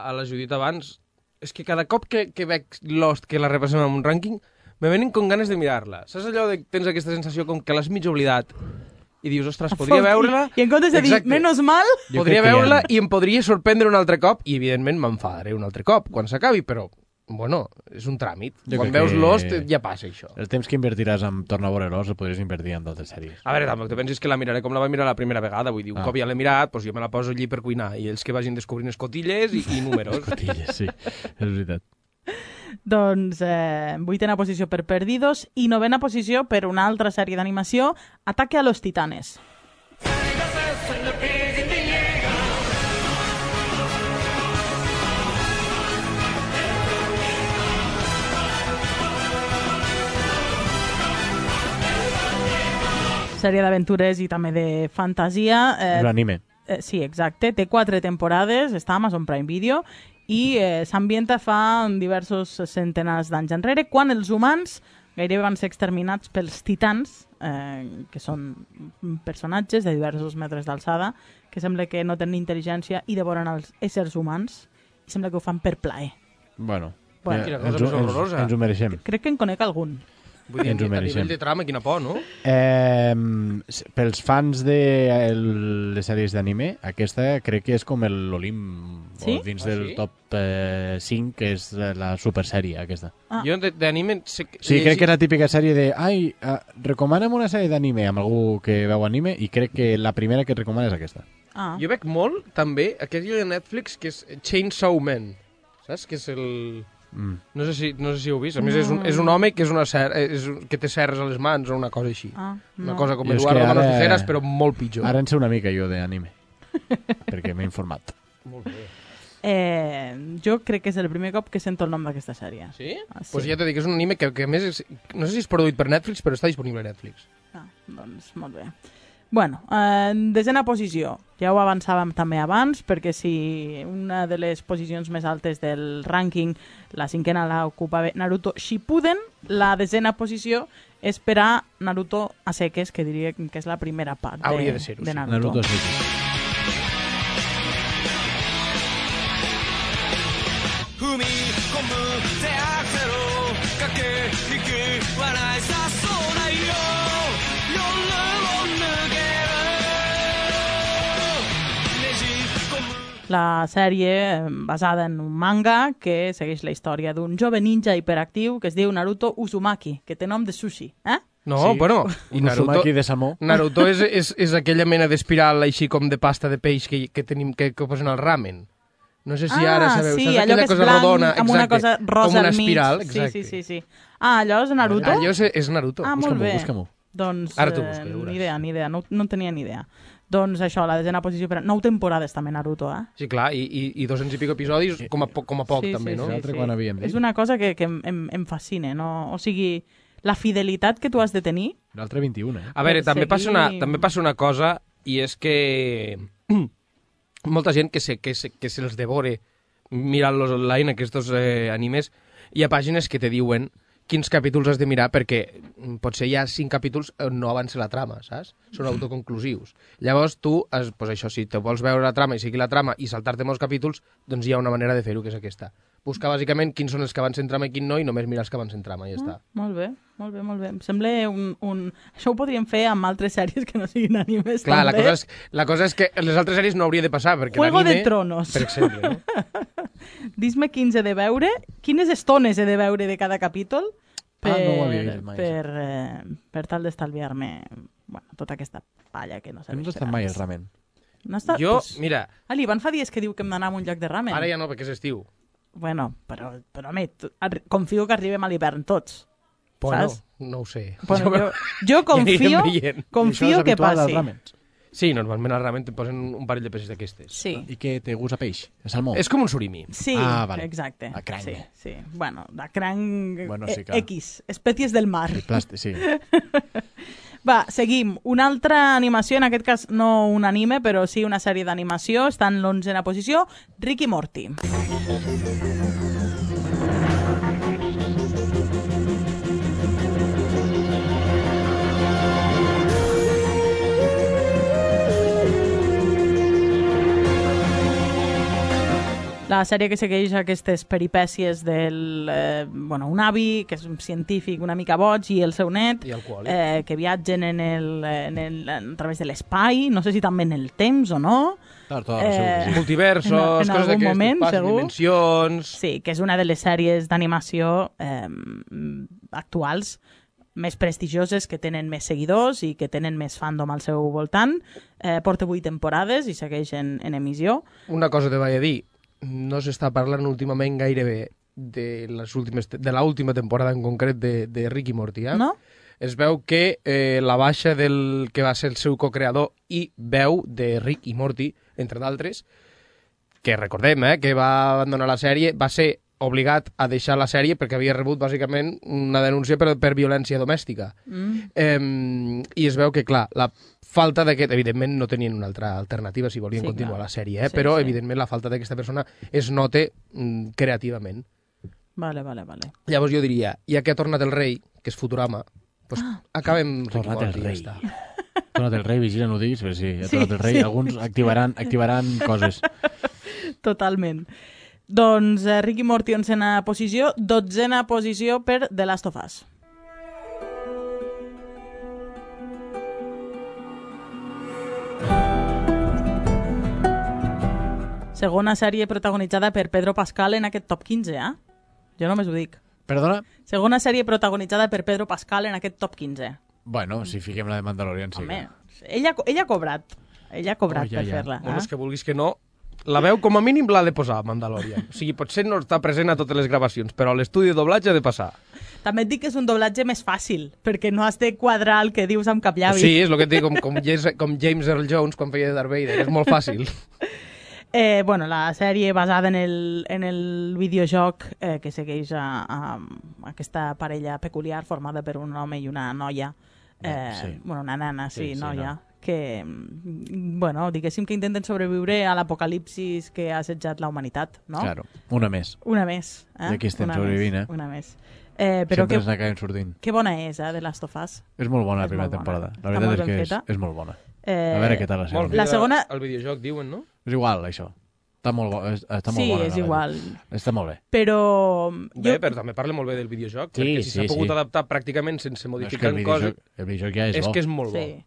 a la Judit abans, és que cada cop que, que veig Lost, que la repassem en un rànquing, me venen con ganes de mirar-la. Saps allò de tens aquesta sensació com que l'has mig oblidat i dius, ostres, podria veure-la... I en comptes de dir, Exacte. menos mal... Jo Podria crec que veure-la ja- i em podria sorprendre un altre cop i, evidentment, m'enfadaré un altre cop quan s'acabi, però, bueno, és un tràmit. Jo Quan crec veus que- Lost ja passa això. El temps que invertiràs en tornar a veure Lost el podries invertir en d'altres sèries. A veure, tampoc te pensis que la miraré com la vaig mirar la primera vegada, vull dir, un Ah. cop ja l'he mirat, doncs jo me la poso allí per cuinar, i ells que vagin descobrint escotilles i, i números. Cotilles, sí, és veritat. Doncs eh, vuitena posició per Perdidos i novena posició per una altra sèrie d'animació, Ataque a los Titanes. Sèrie d'aventures i també de fantasia. És un anime. Eh, sí, exacte. Té quatre temporades, està a Amazon Prime Video i eh, s'ambienta fa diversos centenars d'anys enrere, quan els humans gairebé van ser exterminats pels titans, eh, que són personatges de diversos metres d'alçada, que sembla que no tenen intel·ligència i devoren els éssers humans, i sembla que ho fan per plaer. Bueno, Bueno. ja, Quina cosa ens, més ho- ens, horrorosa. ens ho mereixem. Crec que en conec algun. Vull dir, Ens ho a mereixem. nivell de trama, quina por, no? Eh, pels fans de el, les sèries d'anime, aquesta crec que és com l'Olim, Sí? o dins Ah, del sí? top eh, cinc, que és la supersèrie aquesta. Ah. Jo de- d'anime... Sé que- Sí, he crec que és la llegit- típica sèrie de ai, uh, recomana'm una sèrie d'anime amb algú que veu anime, i crec que la primera que et recomana és aquesta. Ah. Jo veig molt, també, aquest de Netflix, que és Chainsaw Man. Saps? Que és el... Mm. No sé si, no sé si ho heu vist. A més, és un, és un home que, és una ser, és, un- que té serres a les mans o una cosa així. Ah, Una no. cosa com Jo és Eduardo que Manos ara- Tijeras, però molt pitjor. Ara en sé una mica jo d'anime, perquè m'he informat. Molt bé. Eh, jo crec que és el primer cop que sento el nom d'aquesta sèrie. Sí? Ah, Doncs pues ja t'he dit que és un anime que, que a més és, no sé si és produït per Netflix, però està disponible a Netflix. Ah, doncs molt bé. Bueno, en desena posició, ja ho avançàvem també abans, perquè si una de les posicions més altes del rànquing, la cinquena la ocupava Naruto Shippuden, la desena posició és per a Naruto a seques, que diria que és la primera part de, Hauria de ser-ho, de sí. Naruto. Naruto a seques. 踏み込む手アクセル駆け引き笑いさそうなよ夜を抜けるねじ込む La sèrie eh, basada en un manga que segueix la història d'un jove ninja hiperactiu que es diu Naruto Uzumaki, que té nom de sushi, eh? No, Sí, bueno, i un Naruto, uzumaki de salmó. Naruto és, és, és aquella mena d'espiral així com de pasta de peix que, que tenim que, que posen al ramen. No sé si ah, ara sabeu. sí, saps allò aquella que és cosa blanc rodona, amb una exacte, cosa rosa com una al mig. espiral, sí, exacte. sí, sí, sí. Ah, allò és Naruto? Allò és, és Naruto. Ah, molt Busca-m'ho, bé. busca-m'ho. Doncs Ara t'ho eh, busco, ja veuràs. ni idea, ni idea, no, no en tenia ni idea. Doncs això, la desena posició per... Nou temporades també Naruto, eh? Sí, clar, i, i, i dos-cents i pico episodis com a, po- com a poc, sí, també, sí, no? sí, L'altre sí. quan havíem dit? És una cosa que, que em, em, em fascina, no? O sigui, la fidelitat que tu has de tenir... L'altre vint-i-un, eh? A veure, Per també, seguir- passa una, també passa una cosa, i és que molta gent que se, que se, que se'ls devore mirant-los online, aquests eh, animes, hi ha pàgines que te diuen quins capítols has de mirar perquè mm, potser hi ha cinc capítols on no avança la trama, saps? Són autoconclusius. Llavors tu, has, pues això, si te vols veure la trama i seguir la trama i saltar-te molts capítols, doncs hi ha una manera de fer-ho, que és aquesta. Buscar bàsicament quins són els que avancen trama i quin no, i només mirar els que avancen trama, i ja està. Molt bé, molt bé, molt bé. Em sembla un, un... Això ho podríem fer amb altres sèries que no siguin animes, Clar, la també. cosa, és, la cosa és que les altres sèries no hauria de passar, perquè Juego de l'anime... Tronos. Per exemple, no? Dis-me quins he de veure, quines estones he de veure de cada capítol per, Ah, no ho havia vist mai, per, eh, per tal d'estalviar-me bueno, tota aquesta palla que no No serveix has estat mai al ramen. No està... Jo, Pues... mira, Ah, l'Ivan fa dies que diu que hem d'anar a un lloc de ramen. ara ja no, perquè és estiu. Bueno, però, però home, tu- arri- confio que arribem a l'hivern tots. Bueno, Saps? no ho sé. Bueno, jo, jo confio, confio que passi. Sí, normalment al ramen te posen un parell de peces d'aquestes. Sí. I què té gust a peix? A salmó? És com un surimi. Sí, Ah, vale. exacte. A cranc. Sí, sí. Bueno, la cranc Bueno, sí, eh, clar. X, espècies del mar. El plàstic, sí. Va, seguim. Una altra animació, en aquest cas no un anime, però sí una sèrie d'animació, està en l'onzena posició, Rick i Morty. La sèrie que segueix aquestes peripècies del, eh, bueno, un avi, que és un científic una mica boig, i el seu net, I alcohòlic. eh, que viatgen en el, en el, a través de l'espai, no sé si també en el temps o no. Claro, todo, segur que sí. Multiversos, en, en coses algun d'aquestes, moment, passes, segur. dimensions... Sí, que és una de les sèries d'animació eh, actuals més prestigioses, que tenen més seguidors i que tenen més fandom al seu voltant. Eh, porta vuit temporades i segueix en, en emissió. Una cosa te vaig a dir, no s'està parlant últimament gairebé de les últimes de l'última temporada en concret de, de Rick i Morty, eh? No? Es veu que eh, la baixa del que va ser el seu co-creador i veu de Rick i Morty, entre d'altres, que recordem eh, que va abandonar la sèrie, va ser obligat a deixar la sèrie perquè havia rebut bàsicament una denúncia per, per violència domèstica. Mm. Eh, I es veu que, clar, la falta d'aquest... Evidentment no tenien una altra alternativa si volien Sí, continuar clar. la sèrie, eh? Sí, però sí. evidentment la falta d'aquesta persona es nota mm, creativament. Vale, vale, vale. Llavors jo diria, ja que ha tornat el rei, que és Futurama, doncs Ah. acabem Rick i Tornat el Morty, ja rei. està. Tornat el rei, vigila, no ho diguis, però sí, ha Sí, tornat el rei. sí. Alguns activaran, activaran coses. Totalment. Doncs eh, Rick i Morty onzena posició, dotzena posició per The Last of Us. Segona sèrie protagonitzada per Pedro Pascal en aquest top quinze, eh? Jo només ho dic. Perdona? Segona sèrie protagonitzada per Pedro Pascal en aquest top quinze. Bueno, si fiquem la de Mandalorian, sí. Home, ella, ella ha cobrat. Ella ha cobrat Oh, ja, per ja. fer-la. Bueno, Eh? és que vulguis que no, la veu com a mínim l'ha de posar Mandalorian. O sigui, potser no està present a totes les gravacions, però a l'estudi de doblatge ha de passar. També et dic que és un doblatge més fàcil, perquè no has de quadrar el que dius amb cap llavi. Sí, és el que et dic, com, com, James, com James Earl Jones quan feia de Darth Vader, és molt fàcil. Eh, bueno, la sèrie basada en el, en el videojoc eh, que segueix a, a, a aquesta parella peculiar formada per un home i una noia. Eh, Sí. Bueno, una nana, sí, Sí, sí, noia. no. Que, mm, bueno, diguéssim que intenten sobreviure a l'apocalipsis que ha assetjat la humanitat, no? Claro, una més. Una més. Eh? I aquí estem Una sobrevivint, més, eh? Una més. Eh, però Sempre que, ens n'acabem sortint. que bona és, eh, de Last of Us. És molt bona la És primera molt bona. temporada. Està La veritat molt és que ben és, feta. és molt bona. Eh, A veure què tal la segona. La segona... El videojoc, diuen, no? És igual, això. Està molt, bo, està molt Sí, bona. és la igual. veritat. Està molt bé. Però... Bé, jo- però també parla molt bé del videojoc, Sí, perquè si sí, s'ha pogut sí. adaptar pràcticament sense No, és que modificar el videojoc, coses... el videojoc ja és, és bo. que és molt bo. Sí.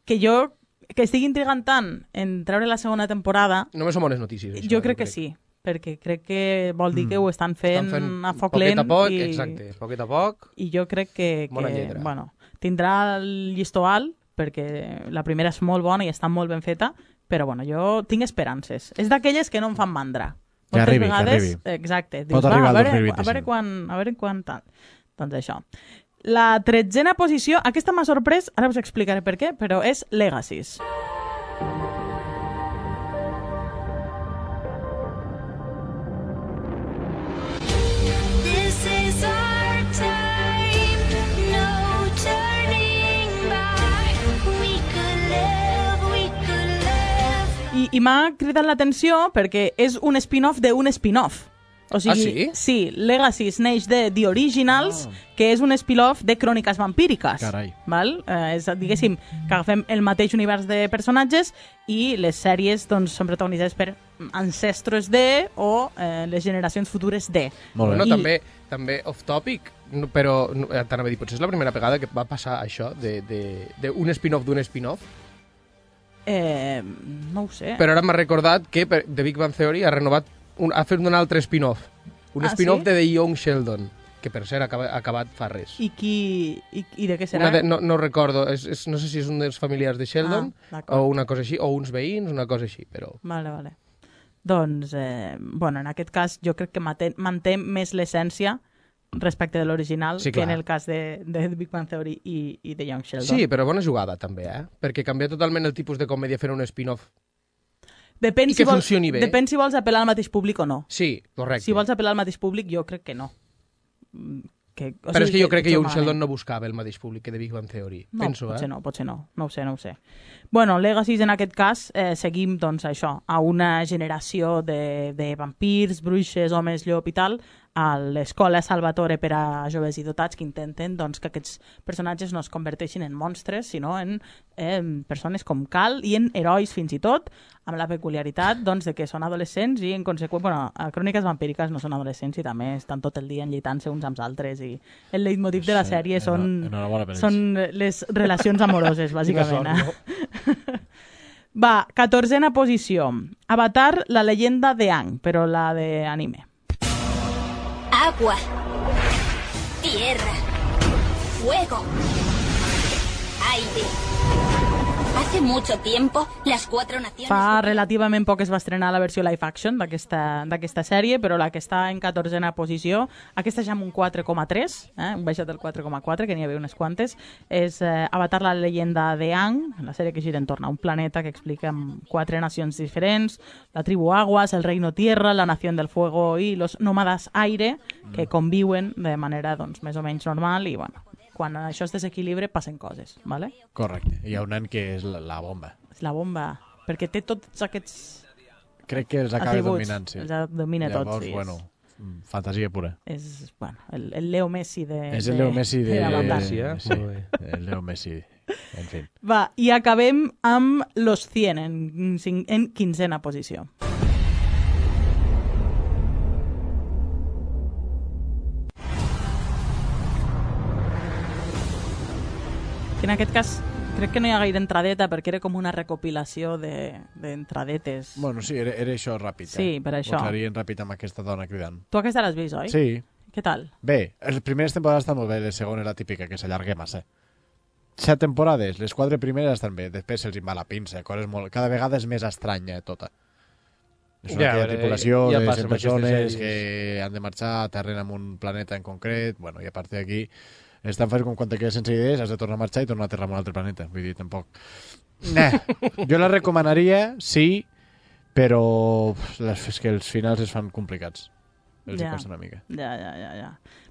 Que jo, que estigui intrigant tant en treure la segona temporada, Només són bones notícies, això. jo crec que sí, perquè crec que vol dir que ho estan fent, Estan fent a foc poquet lent a poc, i, exacte, poquet a poc. i jo crec que, Bona que lletra. bueno, tindrà el llistó alt, perquè la primera és molt bona i està molt ben feta, però bueno, jo tinc esperances. És d'aquelles que no em fan mandra. Que Moltes arribi, que vegades, arribi. Exacte. Pot Dius, va, arribar a al veure, dos mil a veure vint-i-cinc. quan, a veure quan tal. Doncs això. La tretzena posició, aquesta m'ha sorprès, ara us explicaré per què, però és Legacies. This is our time, no turning back. We could live, we could live. I, i m'ha cridat l'atenció perquè és un spin-off d'un spin-off. O sigui, Ah, sí? Sí, Legacies neix de The Originals, que és un spin-off de Cròniques Vampíriques. Carai. Val? Eh, és, diguéssim, que agafem el mateix univers de personatges i les sèries doncs, són protagonitzades per ancestres de o eh, les generacions futures de. Molt bé. Bueno, I- també, també off-topic, no, però no, eh, t'anava a dir, potser és la primera vegada que va passar això, d'un de, de, d'un spin-off d'un spin-off, Eh, no ho sé. però ara m'ha recordat que per, The Big Bang Theory ha renovat, un, ha fet un altre spin-off, un Ah, spin-off sí? de The Young Sheldon, que per cert ha acaba- ha acabat fa res. I, qui, i, I de què serà? Una de, no, no recordo, és, és, no sé si és un dels familiars de Sheldon Ah, d'acord. o una cosa així, o uns veïns, una cosa així, però... Vale, vale. Doncs, eh, bueno, en aquest cas jo crec que manté, manté més l'essència respecte de l'original Sí, que en clar. el cas de, de The Big Bang Theory i, i de Young Sheldon. Sí, però bona jugada també, eh? Perquè canvia totalment el tipus de comèdia fer un spin-off. Depèn i si que vols, funcioni bé. Depèn si vols apel·lar al mateix públic o no. Sí, correcte. Si vols apel·lar al mateix públic, jo crec que no. Mm, Que, o Però és que jo crec que Young malament. Sheldon no buscava el mateix públic que The Big Bang Theory. No, Penso, potser eh? no, potser no. No ho sé, no ho sé. Bueno, Legacies en aquest cas eh, seguim doncs això, a una generació de, de vampirs, bruixes, homes llop i tal, a l'escola Salvatore per a joves i dotats que intenten doncs, que aquests personatges no es converteixin en monstres, sinó en eh, persones com cal i en herois fins i tot, amb la peculiaritat doncs, de que són adolescents i en conseqüència, bueno, a Cròniques Vampíriques no són adolescents i també estan tot el dia enlleitant-se uns amb els altres i el leitmotiv de la Sí, sèrie són, enhora- enhorabona per ells. són les relacions amoroses, bàsicament. Quina Eh? Va, catorzena posició. Avatar, la leyenda de Aang, però la de anime. Agua, tierra, fuego, aire. Hace mucho tiempo, las cuatro naciones... Fa relativament poc es va estrenar la versió live action d'aquesta d'aquesta sèrie, però la que està en catorzena posició, aquesta ja amb un quatre coma tres, eh, un baixat del quatre coma quatre, que n'hi havia unes quantes, és eh, Avatar, la leyenda de Aang, la sèrie que gira entorn a un planeta que explica amb quatre nacions diferents, la tribu Aguas, el reino Tierra, la nación del fuego i los nómadas aire, que conviuen de manera doncs, més o menys normal i bueno, quan això es desequilibra passen coses, ¿vale? Correcte. Hi ha un nen que és la, la bomba. És la bomba, perquè té tots aquests Crec que els acaba atributs, dominant, sí. els domina Llavors, tots, sí. bueno, fantasia pura. És, bueno, el, el Leo Messi de... És el de- Leo Messi de... Avatar. Sí, eh? Sí, Molt bé. el Leo Messi. En fi. Va, i acabem amb Los cien en, cin- en quinzena posició. Que en aquest cas Crec que no hi ha gaire entradeta perquè era com una recopilació d'entradetes. De, bueno, sí, era, era això ràpid. Sí, eh? per això. Ho trarien ràpid amb aquesta dona cridant. Tu aquesta l'has vist, oi? Sí. Què tal? Bé, les primeres temporades estan molt bé, les segones la típica, que s'allarga massa. Set temporades, les quatre primeres estan bé, després se'ls va la pinça, coses molt... Cada vegada és més estranya tota. És una ja, tripulació ja de cent persones que han de marxar, aterren en un planeta en concret, bueno, i a partir d'aquí és tan fàcil com quan te quedes sense idees, has de tornar a marxar i tornar a aterrar en un altre planeta. Vull dir, tampoc... Nah. Jo la recomanaria, sí, però és que els finals es fan complicats. Els ja. hi costa una mica. Ja, ja, ja, ja.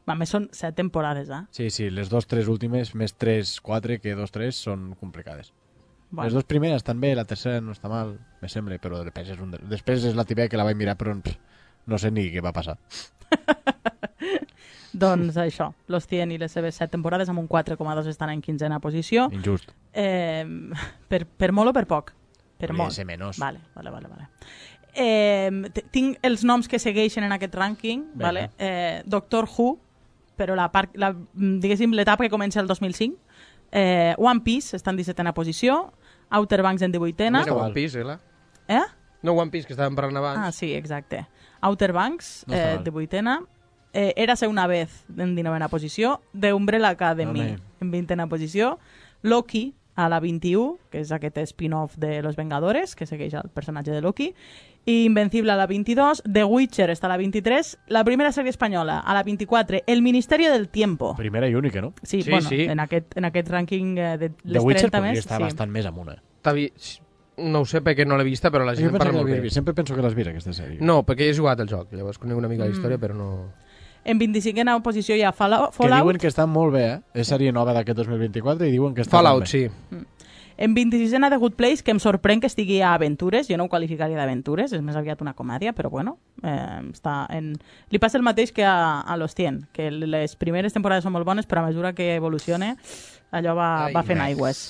A més, són set temporades, eh? Sí, sí, les dos, tres últimes, més tres, quatre, que dos, tres, són complicades. Bueno. Les dues primeres estan bé, la tercera no està mal, me sembla, però després és, un... després és la típica que la vaig mirar, però pff, no sé ni què va passar. Doncs això, Los cien i les seves set temporades amb un quatre coma dos estan en quinzena posició. Injust. Eh, per, per molt o per poc? Per Podria molt. ser menys. Vale, vale, vale. vale. Eh, tinc els noms que segueixen en aquest rànquing, vale? eh, Doctor Who, però la part, la, diguéssim l'etapa que comença el dos mil cinc, eh, One Piece està en dissetena posició, Outer Banks en divuitena. No One Piece, eh? Eh? No One Piece, que estàvem parlant abans. Ah, sí, exacte. Outer Banks, no eh, divuitena. Eh, Érase una vez en dinovena posició, The Umbrella Academy no, en vintena posició, Loki a la vint-i-u, que és aquest spin-off de Los Vengadores, que segueix el personatge de Loki, i Invencible a la vint-i-dos, The Witcher està a la vint-i-tres, la primera sèrie espanyola a la vint-i-quatre, El Ministerio del Tiempo. Primera i única, no? Sí, sí, bueno, sí. En, aquest, en aquest rànquing eh, de les The Witcher trenta més... podria estar sí. bastant més amunt. Vi... No ho sé perquè no l'he vista, però la gent parla molt bé. Sempre penso que l'has vist, aquesta sèrie. No, perquè he jugat al joc, llavors conec una mica la història, Mm. però no... En vint-i-cinquena posició hi ha Fallout. Que diuen que està molt bé, eh? És sèrie nova d'aquest dos mil vint-i-quatre i diuen que està Fallout, molt bé. sí. Mm. En vint-i-sisena The Good Place, que em sorprèn que estigui a Aventures, jo no ho qualificaria d'Aventures, és més aviat una comèdia, però bueno, eh, està en... li passa el mateix que a, a Los cien, que les primeres temporades són molt bones, però a mesura que evolucione allò va, Ai, va fent aigües.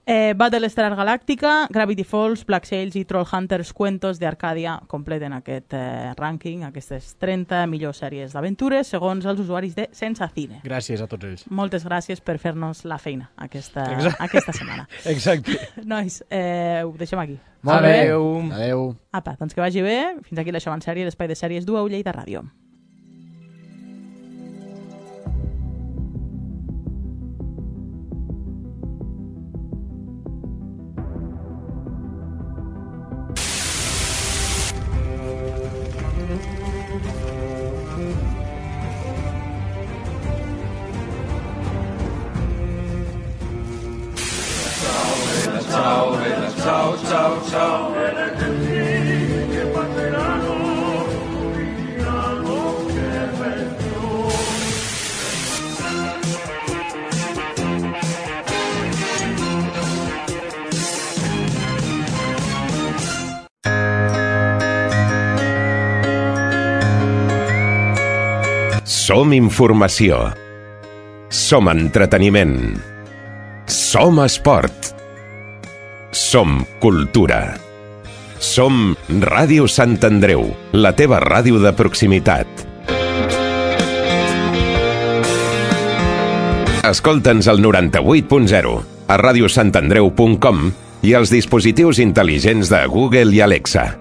Eh, Battlestar Galàctica, Gravity Falls, Black Sails i Trollhunters Cuentos de Arcadia completen aquest eh, rànquing, aquestes trenta millors sèries d'aventures, segons els usuaris de Sense Cine. Gràcies a tots ells. Moltes gràcies per fer-nos la feina aquesta, Exacte. aquesta setmana. Exacte. Nois, eh, ho deixem aquí. Molt bé. Adéu. Adéu. Apa, doncs que vagi bé. Fins aquí l'Això en sèrie, l'espai de sèries d'U A U Lleida Ràdio. Ciao, ciao, ciao, ciao. Che passeranno, diranno che bello. Som informació. Som entreteniment. Som esport. Som cultura. Som Ràdio Sant Andreu, la teva ràdio de proximitat. Escolta'ns al noranta-vuit punt zero, a radiosantandreu punt com i als dispositius intel·ligents de Google i Alexa.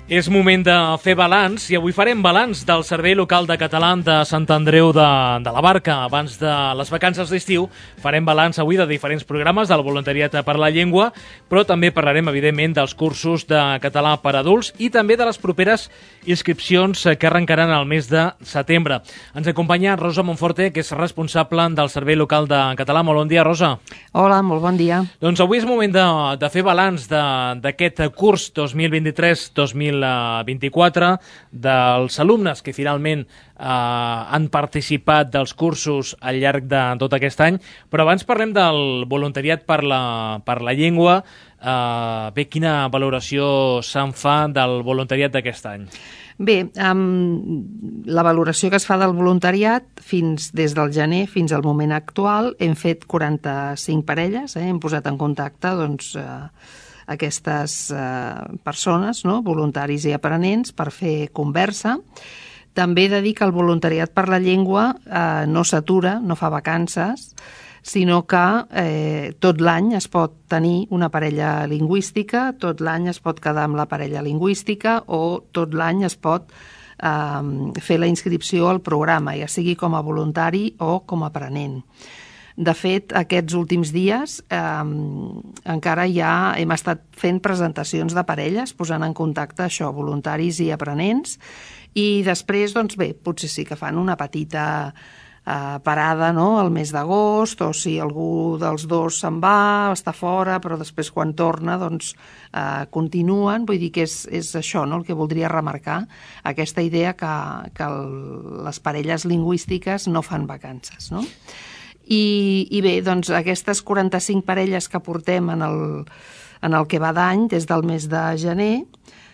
És moment de fer balanç i avui farem balanç del Servei Local de Català de Sant Andreu de, de la Barca. Abans de les vacances d'estiu farem balanç avui de diferents programes del voluntariat per la llengua, però també parlarem, evidentment, dels cursos de català per adults i també de les properes inscripcions que arrencaran al mes de setembre. Ens acompanya Rosa Monforte, que és responsable del Servei Local de Català. Molt bon dia, Rosa. Hola, molt bon dia. Doncs avui és moment de, de fer balanç d'aquest curs dos mil vint-i-tres dos mil vint-i-quatre, dels alumnes que finalment eh, han participat dels cursos al llarg de tot aquest any. Però abans parlem del voluntariat per la, per la llengua. Eh, bé, quina valoració se'n fa del voluntariat d'aquest any? Bé, um, la valoració que es fa del voluntariat fins des del gener fins al moment actual hem fet quaranta-cinc parelles, eh? Hem posat en contacte doncs, eh, aquestes eh, persones, no? Voluntaris i aprenents, per fer conversa. També he de dir que el voluntariat per la llengua eh, no s'atura, no fa vacances, sinó que eh, tot l'any es pot tenir una parella lingüística, tot l'any es pot quedar amb la parella lingüística o tot l'any es pot eh, fer la inscripció al programa, ja sigui com a voluntari o com a aprenent. De fet, aquests últims dies eh, encara ja hem estat fent presentacions de parelles, posant en contacte això, voluntaris i aprenents, i després, doncs bé, potser sí que fan una petita eh, parada, no?, al mes d'agost, o si algú dels dos se'n va, està fora, però després quan torna, doncs eh, continuen. Vull dir que és, és això, no?, el que voldria remarcar, aquesta idea que, que el, les parelles lingüístiques no fan vacances, no? I, i bé, doncs aquestes quaranta-cinc parelles que portem en el, en el que va d'any, des del mes de gener,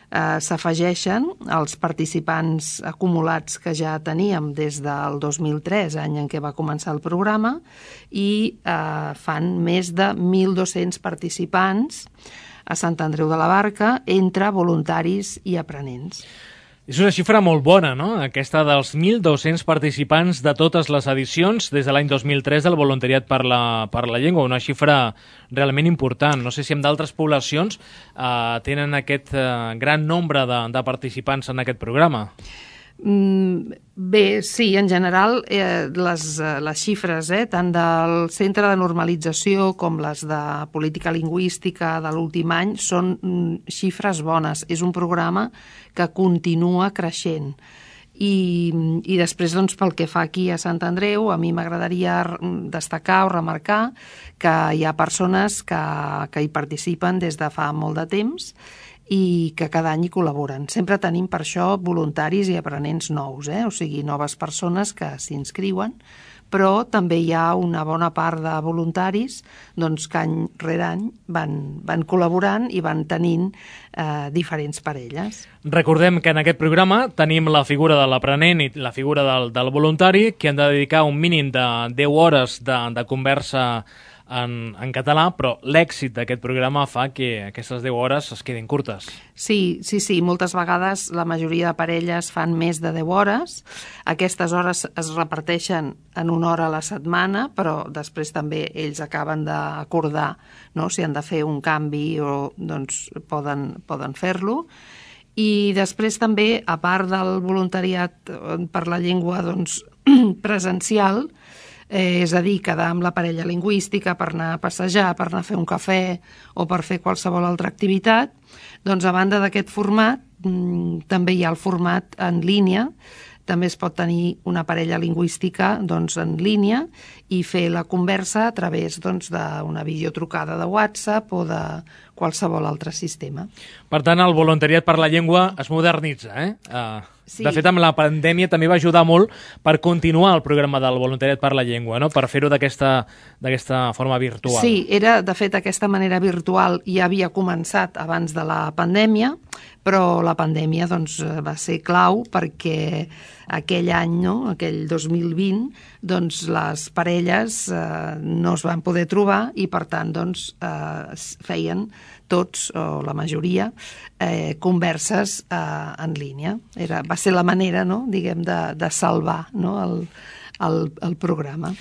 eh, s'afegeixen als participants acumulats que ja teníem des del dos mil tres, any en què va començar el programa, i eh, fan més de mil dos-cents participants a Sant Andreu de la Barca, entre voluntaris i aprenents. És una xifra molt bona, no?, aquesta dels mil dos-cents participants de totes les edicions des de l'any dos mil tres del voluntariat per la, per la llengua, una xifra realment important. No sé si en d'altres poblacions eh, tenen aquest eh, gran nombre de, de participants en aquest programa. Mm, bé, sí, en general eh, les, les xifres eh, tant del Centre de Normalització com les de Política Lingüística de l'últim any són mm, xifres bones. És un programa que continua creixent. I, i després, doncs, pel que fa aquí a Sant Andreu, a mi m'agradaria destacar o remarcar que hi ha persones que, que hi participen des de fa molt de temps i que cada any hi col·laboren. Sempre tenim per això voluntaris i aprenents nous, eh? O sigui, noves persones que s'inscriuen, però també hi ha una bona part de voluntaris doncs, que any rere any van, van col·laborant i van tenint eh, diferents parelles. Recordem que en aquest programa tenim la figura de l'aprenent i la figura del, del voluntari, que han de dedicar un mínim de deu hores de, de conversa En, en català, però l'èxit d'aquest programa fa que aquestes deu hores es quedin curtes. Sí, sí, sí, moltes vegades la majoria de parelles fan més de deu hores. Aquestes hores es reparteixen en una hora a la setmana, però després també ells acaben d'acordar, no?, si han de fer un canvi o doncs poden, poden fer-lo. I després també, a part del voluntariat per la llengua doncs, presencial, Eh, és a dir, quedar amb la parella lingüística per anar a passejar, per anar a fer un cafè o per fer qualsevol altra activitat, doncs a banda d'aquest format mmm, també hi ha el format en línia. També es pot tenir una parella lingüística doncs, en línia i fer la conversa a través doncs, d'una videotrucada de WhatsApp o de qualsevol altre sistema. Per tant, el voluntariat per la llengua es modernitza, eh? Uh... Sí. De fet, amb la pandèmia també va ajudar molt per continuar el programa del voluntariat per la llengua, no?, per fer-ho d'aquesta d'aquesta forma virtual. Sí, era, de fet, aquesta manera virtual ja havia començat abans de la pandèmia, però la pandèmia doncs, va ser clau perquè aquell any, no?, aquell dos mil vint, doncs, les parelles eh, no es van poder trobar i, per tant, doncs, eh, feien tots, o la majoria, eh, converses eh, en línia. Era, va ser la manera, no?, diguem, de, de salvar, no?, el, el, el programa.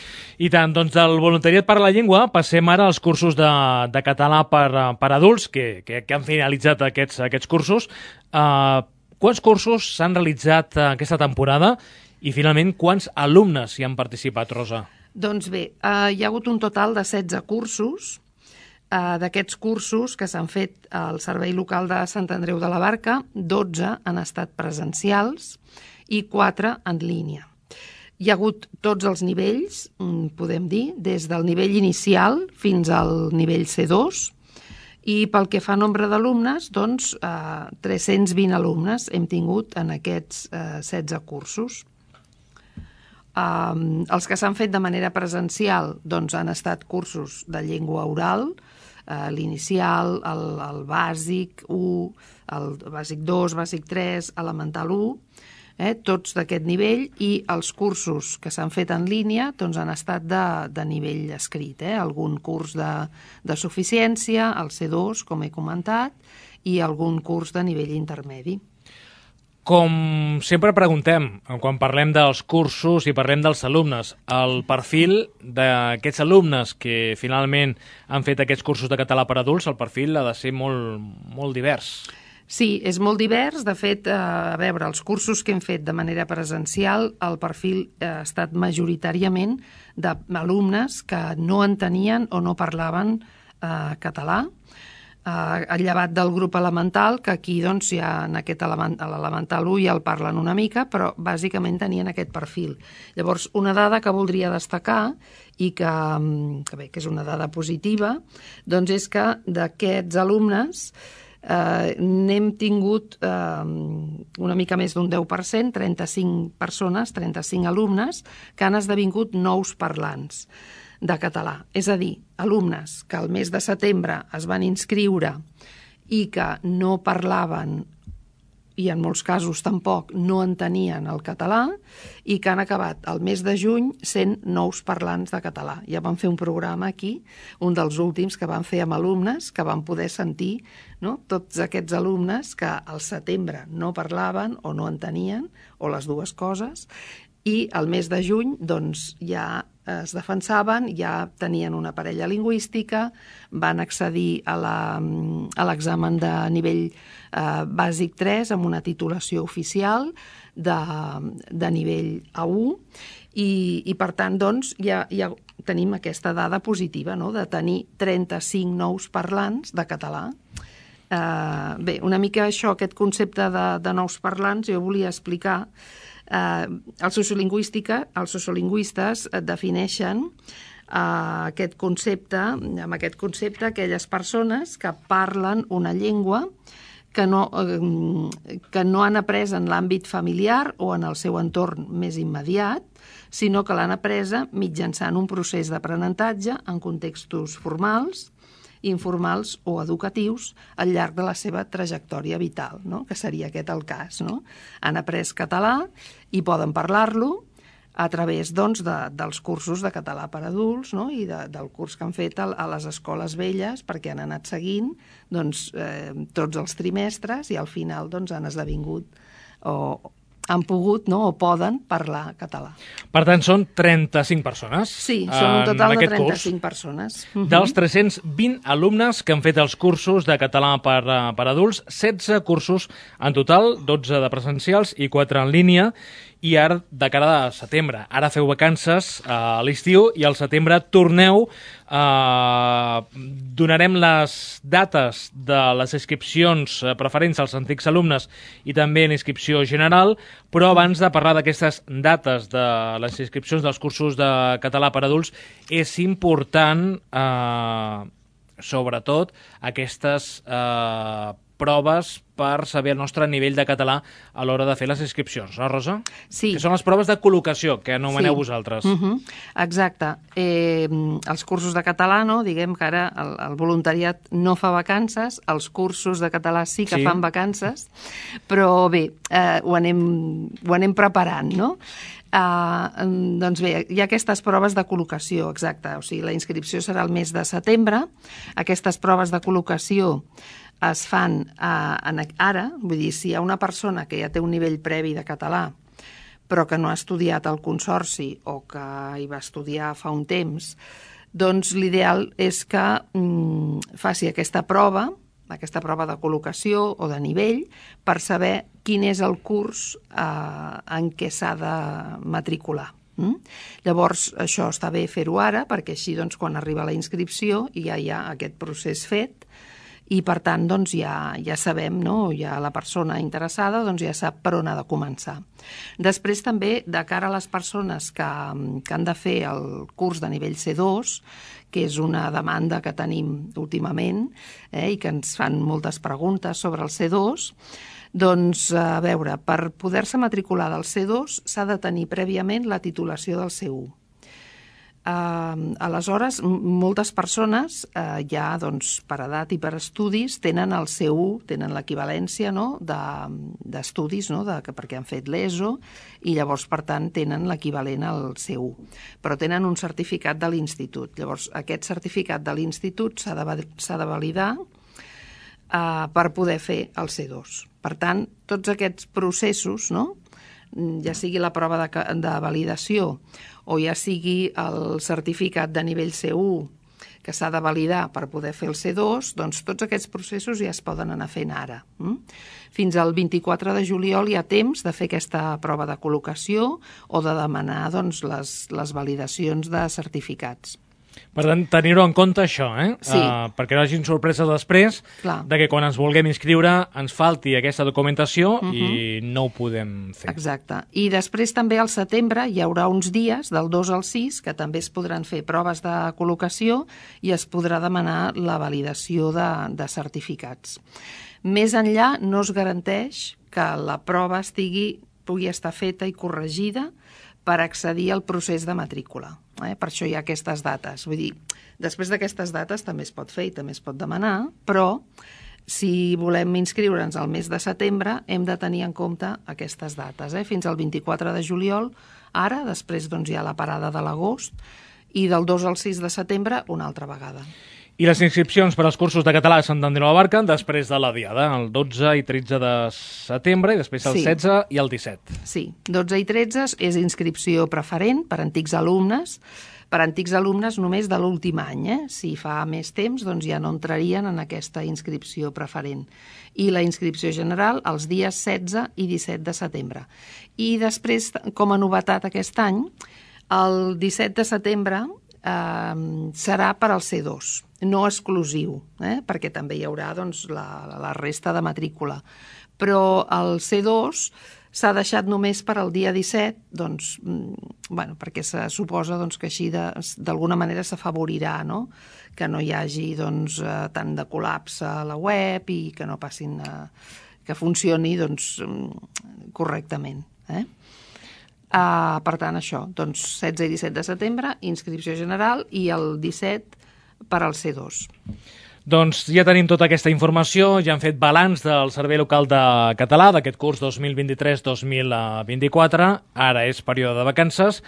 I tant, doncs del voluntariat per la llengua passem ara als cursos de, de català per, per adults, que, que, que han finalitzat aquests, aquests cursos. Uh, quants cursos s'han realitzat aquesta temporada i, finalment, quants alumnes hi han participat, Rosa? Doncs bé, uh, hi ha hagut un total de setze cursos. Uh, d'aquests cursos que s'han fet al Servei Local de Sant Andreu de la Barca, dotze han estat presencials i quatre en línia. Hi ha hagut tots els nivells, podem dir, des del nivell inicial fins al nivell C dos, i pel que fa a nombre d'alumnes, doncs, eh, tres-cents vint alumnes hem tingut en aquests eh, setze cursos. Um, els que s'han fet de manera presencial doncs, han estat cursos de llengua oral, Uh, l'inicial, el, el bàsic u, el bàsic dos, bàsic tres, elemental u. eh, tots d'aquest nivell, i els cursos que s'han fet en línia doncs, han estat de, de nivell escrit. Eh? Algun curs de, de suficiència, el C dos, com he comentat, i algun curs de nivell intermedi. Com sempre preguntem, quan parlem dels cursos i parlem dels alumnes, el perfil d'aquests alumnes que finalment han fet aquests cursos de català per adults, el perfil ha de ser molt, molt divers. Sí, és molt divers. De fet, a veure, els cursos que hem fet de manera presencial, el perfil ha estat majoritàriament d'alumnes que no entenien o no parlaven eh, català, Uh, el llevat del grup elemental, que aquí doncs, ja en aquest element, l'elemental u ja el parlen una mica, però bàsicament tenien aquest perfil. Llavors, una dada que voldria destacar i que, que, bé, que és una dada positiva, doncs és que d'aquests alumnes eh, n'hem tingut eh, una mica més d'un deu per cent, trenta-cinc persones, trenta-cinc alumnes, que han esdevingut nous parlants de català. És a dir, alumnes que al mes de setembre es van inscriure i que no parlaven i en molts casos tampoc no entenien el català i que han acabat el mes de juny sent nous parlants de català. Ja vam fer un programa aquí, un dels últims que vam fer amb alumnes, que van poder sentir, no?, tots aquests alumnes que al setembre no parlaven o no entenien, o les dues coses, i al mes de juny doncs, ja es defensaven, ja tenien una parella lingüística, van accedir a l'examen de nivell eh, bàsic tres amb una titulació oficial de, de nivell A u i, i per tant doncs, ja, ja tenim aquesta dada positiva, no?, de tenir trenta-cinc nous parlants de català. Eh, bé, una mica això, aquest concepte de, de nous parlants, jo volia explicar. Uh, el sociolingüística, els sociolingüistes defineixen uh, aquest concepte, amb aquest concepte aquelles persones que parlen una llengua que no, uh, que no han après en l'àmbit familiar o en el seu entorn més immediat, sinó que l'han apresa mitjançant un procés d'aprenentatge en contextos formals, informals o educatius al llarg de la seva trajectòria vital, no?, que seria aquest el cas. No? Han après català i poden parlar-lo a través doncs, de, dels cursos de català per adults, no?, i de, del curs que han fet a, a les escoles velles, perquè han anat seguint doncs, eh, tots els trimestres i al final doncs, han esdevingut o han pogut, no?, o poden parlar català. Per tant, són trenta-cinc persones. Sí, són un total de trenta-cinc persones. Dels tres-cents vint alumnes que han fet els cursos de català per, per adults, setze cursos en total, dotze de presencials i quatre en línia, i ara de cara a setembre. Ara feu vacances a l'estiu i al setembre torneu. Eh, donarem les dates de les inscripcions preferents als antics alumnes i també en inscripció general, però abans de parlar d'aquestes dates de les inscripcions dels cursos de català per adults, és important, eh, sobretot, aquestes eh, proves per saber el nostre nivell de català a l'hora de fer les inscripcions, no, Rosa? Sí. Que són les proves de col·locació, que anomeneu sí. vosaltres. Uh -huh. Exacte. Eh, els cursos de català, no? Diguem que ara el, el voluntariat no fa vacances, els cursos de català sí que sí. fan vacances, però bé, eh, ho, anem, ho anem preparant, no? Uh, doncs bé, hi ha aquestes proves de col·locació, exacte, o sigui, la inscripció serà el mes de setembre. Aquestes proves de col·locació es fan eh, ara, vull dir, si hi ha una persona que ja té un nivell previ de català però que no ha estudiat al Consorci o que hi va estudiar fa un temps, doncs l'ideal és que mm, faci aquesta prova, aquesta prova de col·locació o de nivell, per saber quin és el curs eh, en què s'ha de matricular. Mm? Llavors, això està bé fer-ho ara, perquè així doncs, quan arriba la inscripció ja hi ha aquest procés fet, i per tant doncs, ja, ja sabem, no? Ja la persona interessada doncs, ja sap per on ha de començar. Després també, de cara a les persones que, que han de fer el curs de nivell C dos, que és una demanda que tenim últimament eh, i que ens fan moltes preguntes sobre el C dos, doncs, a veure, per poder-se matricular del C dos s'ha de tenir prèviament la titulació del C u. Uh, aleshores, moltes persones uh, ja doncs, per edat i per estudis tenen el C u, tenen l'equivalència no? d'estudis, de, no? de, perquè han fet l'ESO i llavors, per tant, tenen l'equivalent al C u. Però tenen un certificat de l'institut. Llavors, aquest certificat de l'institut s'ha de, de validar uh, per poder fer el C dos. Per tant, tots aquests processos, no? Ja sigui la prova de, de validació o ja sigui el certificat de nivell C u que s'ha de validar per poder fer el C dos, doncs tots aquests processos ja es poden anar fent ara. Fins al vint-i-quatre de juliol hi ha temps de fer aquesta prova de col·locació o de demanar doncs, les, les validacions de certificats. Per tant, tenir-ho en compte això, eh? Sí. Uh, perquè no hagin sorpreses després Clar. de que quan ens vulguem inscriure ens falti aquesta documentació Uh-huh. i no ho podem fer. Exacte. I després també al setembre hi haurà uns dies, del dos al sis, que també es podran fer proves de col·locació i es podrà demanar la validació de, de certificats. Més enllà no es garanteix que la prova estigui, pugui estar feta i corregida per accedir al procés de matrícula. Eh? Per això hi ha aquestes dates. Vull dir, després d'aquestes dates també es pot fer i també es pot demanar, però si volem inscriure'ns al mes de setembre hem de tenir en compte aquestes dates. Eh? Fins al vint-i-quatre de juliol, ara, després doncs, hi ha la parada de l'agost, i del dos al sis de setembre una altra vegada. I les inscripcions per als cursos de català a Sant Andreu de la Barca després de la diada, el dotze i tretze de setembre i després el Sí. setze i el disset. Sí, dotze i tretze és inscripció preferent per antics alumnes, per antics alumnes només de l'últim any. Eh? Si fa més temps, doncs ja no entrarien en aquesta inscripció preferent. I la inscripció general els dies setze i disset de setembre. I després, com a novetat aquest any, el disset de setembre eh, serà per al C dos, no exclusiu, eh? perquè també hi haurà doncs, la, la resta de matrícula. Però el C dos s'ha deixat només per al dia disset, doncs, bueno, perquè se suposa doncs, que així d'alguna manera s'afavorirà, no? Que no hi hagi doncs, tant de col·lapse a la web i que no passin a, que funcioni doncs, correctament. Eh? Uh, per tant, això, doncs, setze i disset de setembre, inscripció general, i el disset per al C dos. Doncs ja tenim tota aquesta informació, ja han fet balanç del Servei Local de Català d'aquest curs dos mil vint-i-tres dos mil vint-i-quatre, ara és període de vacances,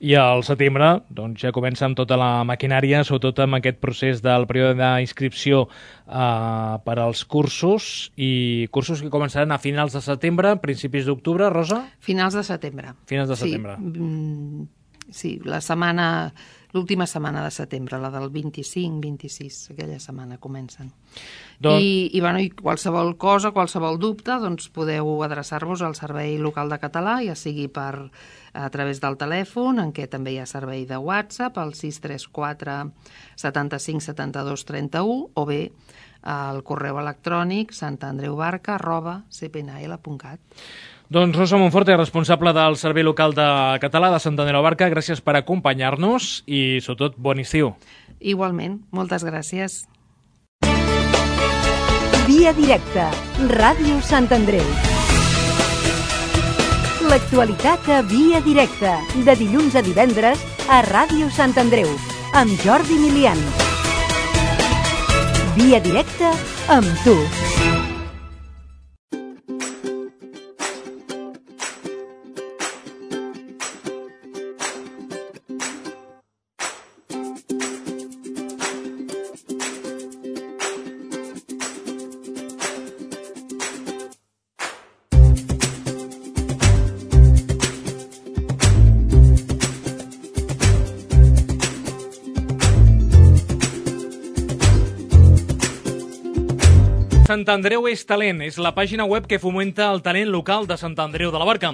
i al setembre doncs, ja comença amb tota la maquinària, sobretot amb aquest procés del període d'inscripció eh, per als cursos, i cursos que començaran a finals de setembre, principis d'octubre, Rosa? Finals de setembre. Finals de setembre. Sí, sí la setmana... L'última setmana de setembre, la del vint-i-cinc vint-i-sis, aquella setmana comencen. Don... I, i, bueno, I qualsevol cosa, qualsevol dubte, doncs podeu adreçar-vos al Servei Local de Català, ja sigui per, a través del telèfon, en què també hi ha servei de WhatsApp, al sis tres quatre setanta-cinc setanta-dos trenta-u, o bé al correu electrònic santandreubarca arroba c p n l punt cat. Doncs Rosa Monforte, responsable del Servei Local de Català de Sant Andreu de la Barca, gràcies per acompanyar-nos i, sobretot, bon estiu. Igualment, moltes gràcies. Via directa, Ràdio Sant Andreu. L'actualitat a Via directa, de dilluns a divendres a Ràdio Sant Andreu, amb Jordi Milian. Via directa amb tu. Sant Andreu és talent, és la pàgina web que fomenta el talent local de Sant Andreu de la Barca.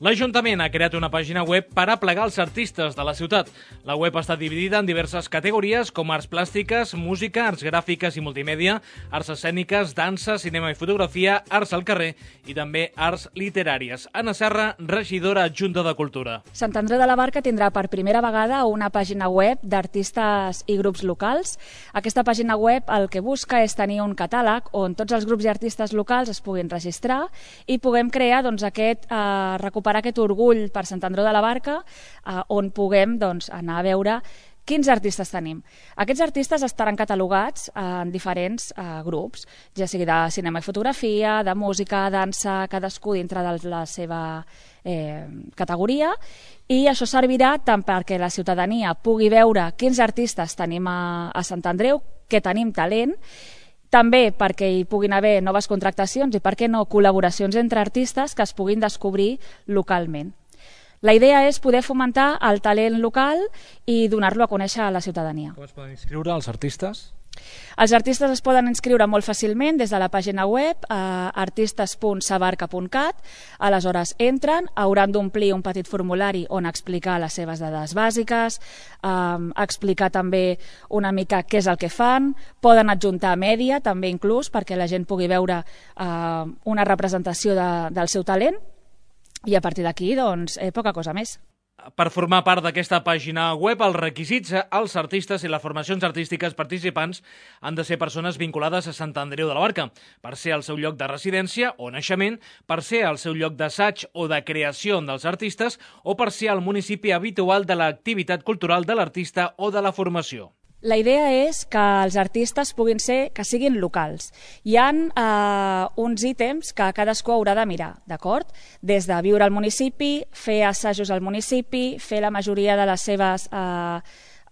L'Ajuntament ha creat una pàgina web per aplegar els artistes de la ciutat. La web està dividida en diverses categories com arts plàstiques, música, arts gràfiques i multimèdia, arts escèniques, dansa, cinema i fotografia, arts al carrer i també arts literàries. Anna Serra, regidora adjunta de Cultura. Sant Andreu de la Barca tindrà per primera vegada una pàgina web d'artistes i grups locals. Aquesta pàgina web el que busca és tenir un catàleg on tots tots els grups i artistes locals es puguin registrar i puguem crear, doncs, aquest, eh, recuperar aquest orgull per Sant Andreu de la Barca, eh, on puguem, doncs, anar a veure quins artistes tenim. Aquests artistes estaran catalogats en diferents eh, grups, ja sigui de cinema i fotografia, de música, dansa, cadascú dintre de la seva eh, categoria, i això servirà tant perquè la ciutadania pugui veure quins artistes tenim a, a Sant Andreu, que tenim talent, també perquè hi puguin haver noves contractacions i, per què no, col·laboracions entre artistes que es puguin descobrir localment. La idea és poder fomentar el talent local i donar-lo a conèixer a la ciutadania. Com es poden inscriure els artistes? Els artistes es poden inscriure molt fàcilment des de la pàgina web eh, artistes punt sabarca punt cat. Aleshores entren, hauran d'omplir un petit formulari on explicar les seves dades bàsiques, eh, explicar també una mica què és el que fan, poden adjuntar mèdia també inclús perquè la gent pugui veure eh, una representació de, del seu talent. I a partir d'aquí, doncs, eh, poca cosa més. Per formar part d'aquesta pàgina web, els requisits als artistes i les formacions artístiques participants han de ser persones vinculades a Sant Andreu de la Barca, per ser el seu lloc de residència o naixement, per ser el seu lloc d'assaig o de creació dels artistes o per ser el municipi habitual de l'activitat cultural de l'artista o de la formació. La idea és que els artistes puguin ser, que siguin locals. Hi ha eh, uns ítems que cadascú haurà de mirar, d'acord? Des de viure al municipi, fer assajos al municipi, fer la majoria de les seves eh,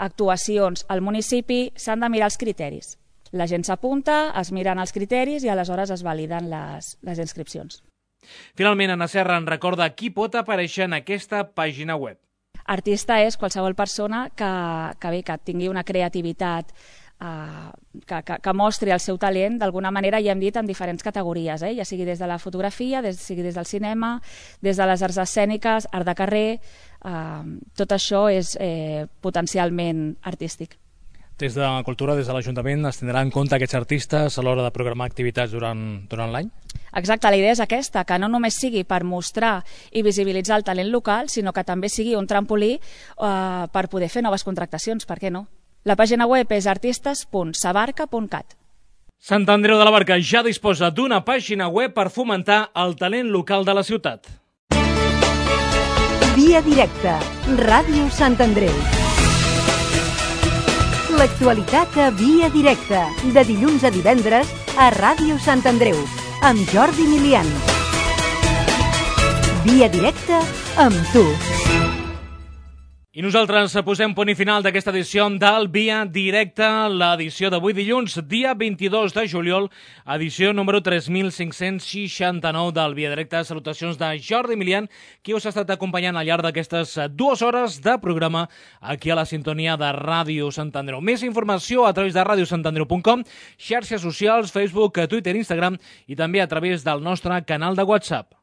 actuacions al municipi, s'han de mirar els criteris. La gent s'apunta, es miren els criteris i aleshores es validen les, les inscripcions. Finalment, Anna Serra en recorda qui pot aparèixer en aquesta pàgina web. Artista és qualsevol persona que, que, bé, que tingui una creativitat, eh, que, que, que mostri el seu talent, d'alguna manera, ja hem dit, en diferents categories, eh? Ja sigui des de la fotografia, des, sigui des del cinema, des de les arts escèniques, art de carrer, eh, tot això és eh, potencialment artístic. Des de Cultura, des de l'Ajuntament, es tindrà en compte aquests artistes a l'hora de programar activitats durant, durant l'any? Exacte, la idea és aquesta, que no només sigui per mostrar i visibilitzar el talent local, sinó que també sigui un trampolí eh, per poder fer noves contractacions, per què no? La pàgina web és artistes punt sabarca punt cat. Sant Andreu de la Barca ja disposa d'una pàgina web per fomentar el talent local de la ciutat. Via directa, Ràdio Sant Andreu. L'actualitat a Via directa, de dilluns a divendres a Ràdio Sant Andreu, amb Jordi Milian. Via directa amb tu. I nosaltres posem punt i final d'aquesta edició del Via Directa, l'edició d'avui dilluns, dia vint-i-dos de juliol, edició número tres mil cinc-cents seixanta-nou del Via Directa. Salutacions de Jordi Milian, qui us ha estat acompanyant al llarg d'aquestes dues hores de programa aquí a la sintonia de Ràdio Sant Andreu. Més informació a través de ràdio sant andreu punt com, xarxes socials, Facebook, Twitter, Instagram i també a través del nostre canal de WhatsApp.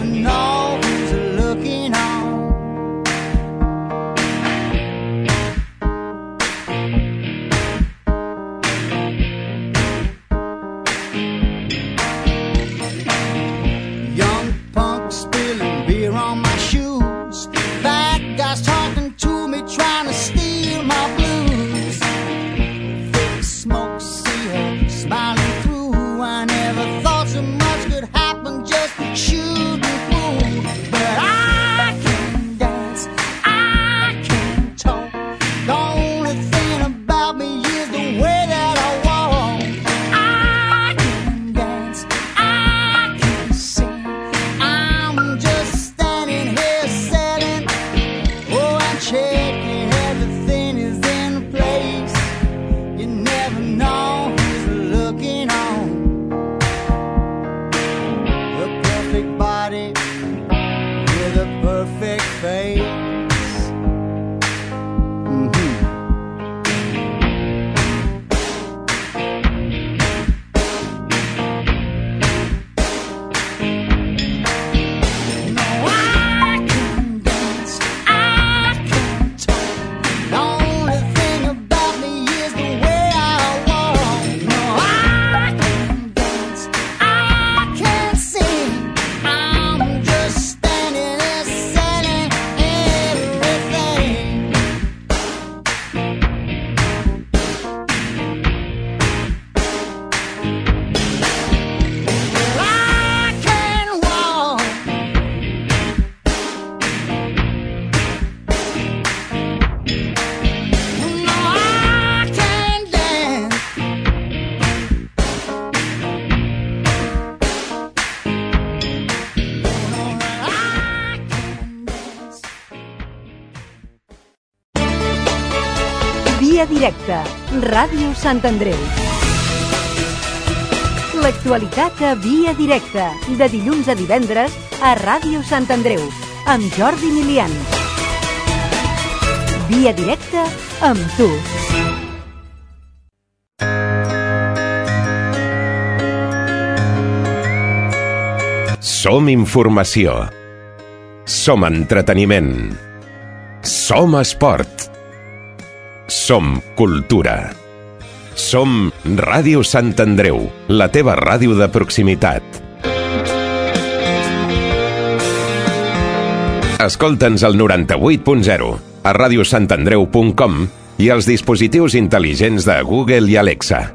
Know who's looking on. perfect face. Mhm. No, I can dance, I can talk. The only thing about me is the way I walk. No, I can dance, I can sing. I'm just standing there selling everything. Well, I can walk. No, I can dance. Via directa, Ràdio Sant Andreu. L'actualitat a Via directa, de dilluns a divendres a Ràdio Sant Andreu, amb Jordi Milian. Via directa amb tu. Som informació. Som entreteniment. Som esport. Som cultura. Som Ràdio Sant Andreu, la teva ràdio de proximitat. Escolta'ns al noranta-vuit punt zero, a radiosantandreu punt com i als dispositius intel·ligents de Google i Alexa.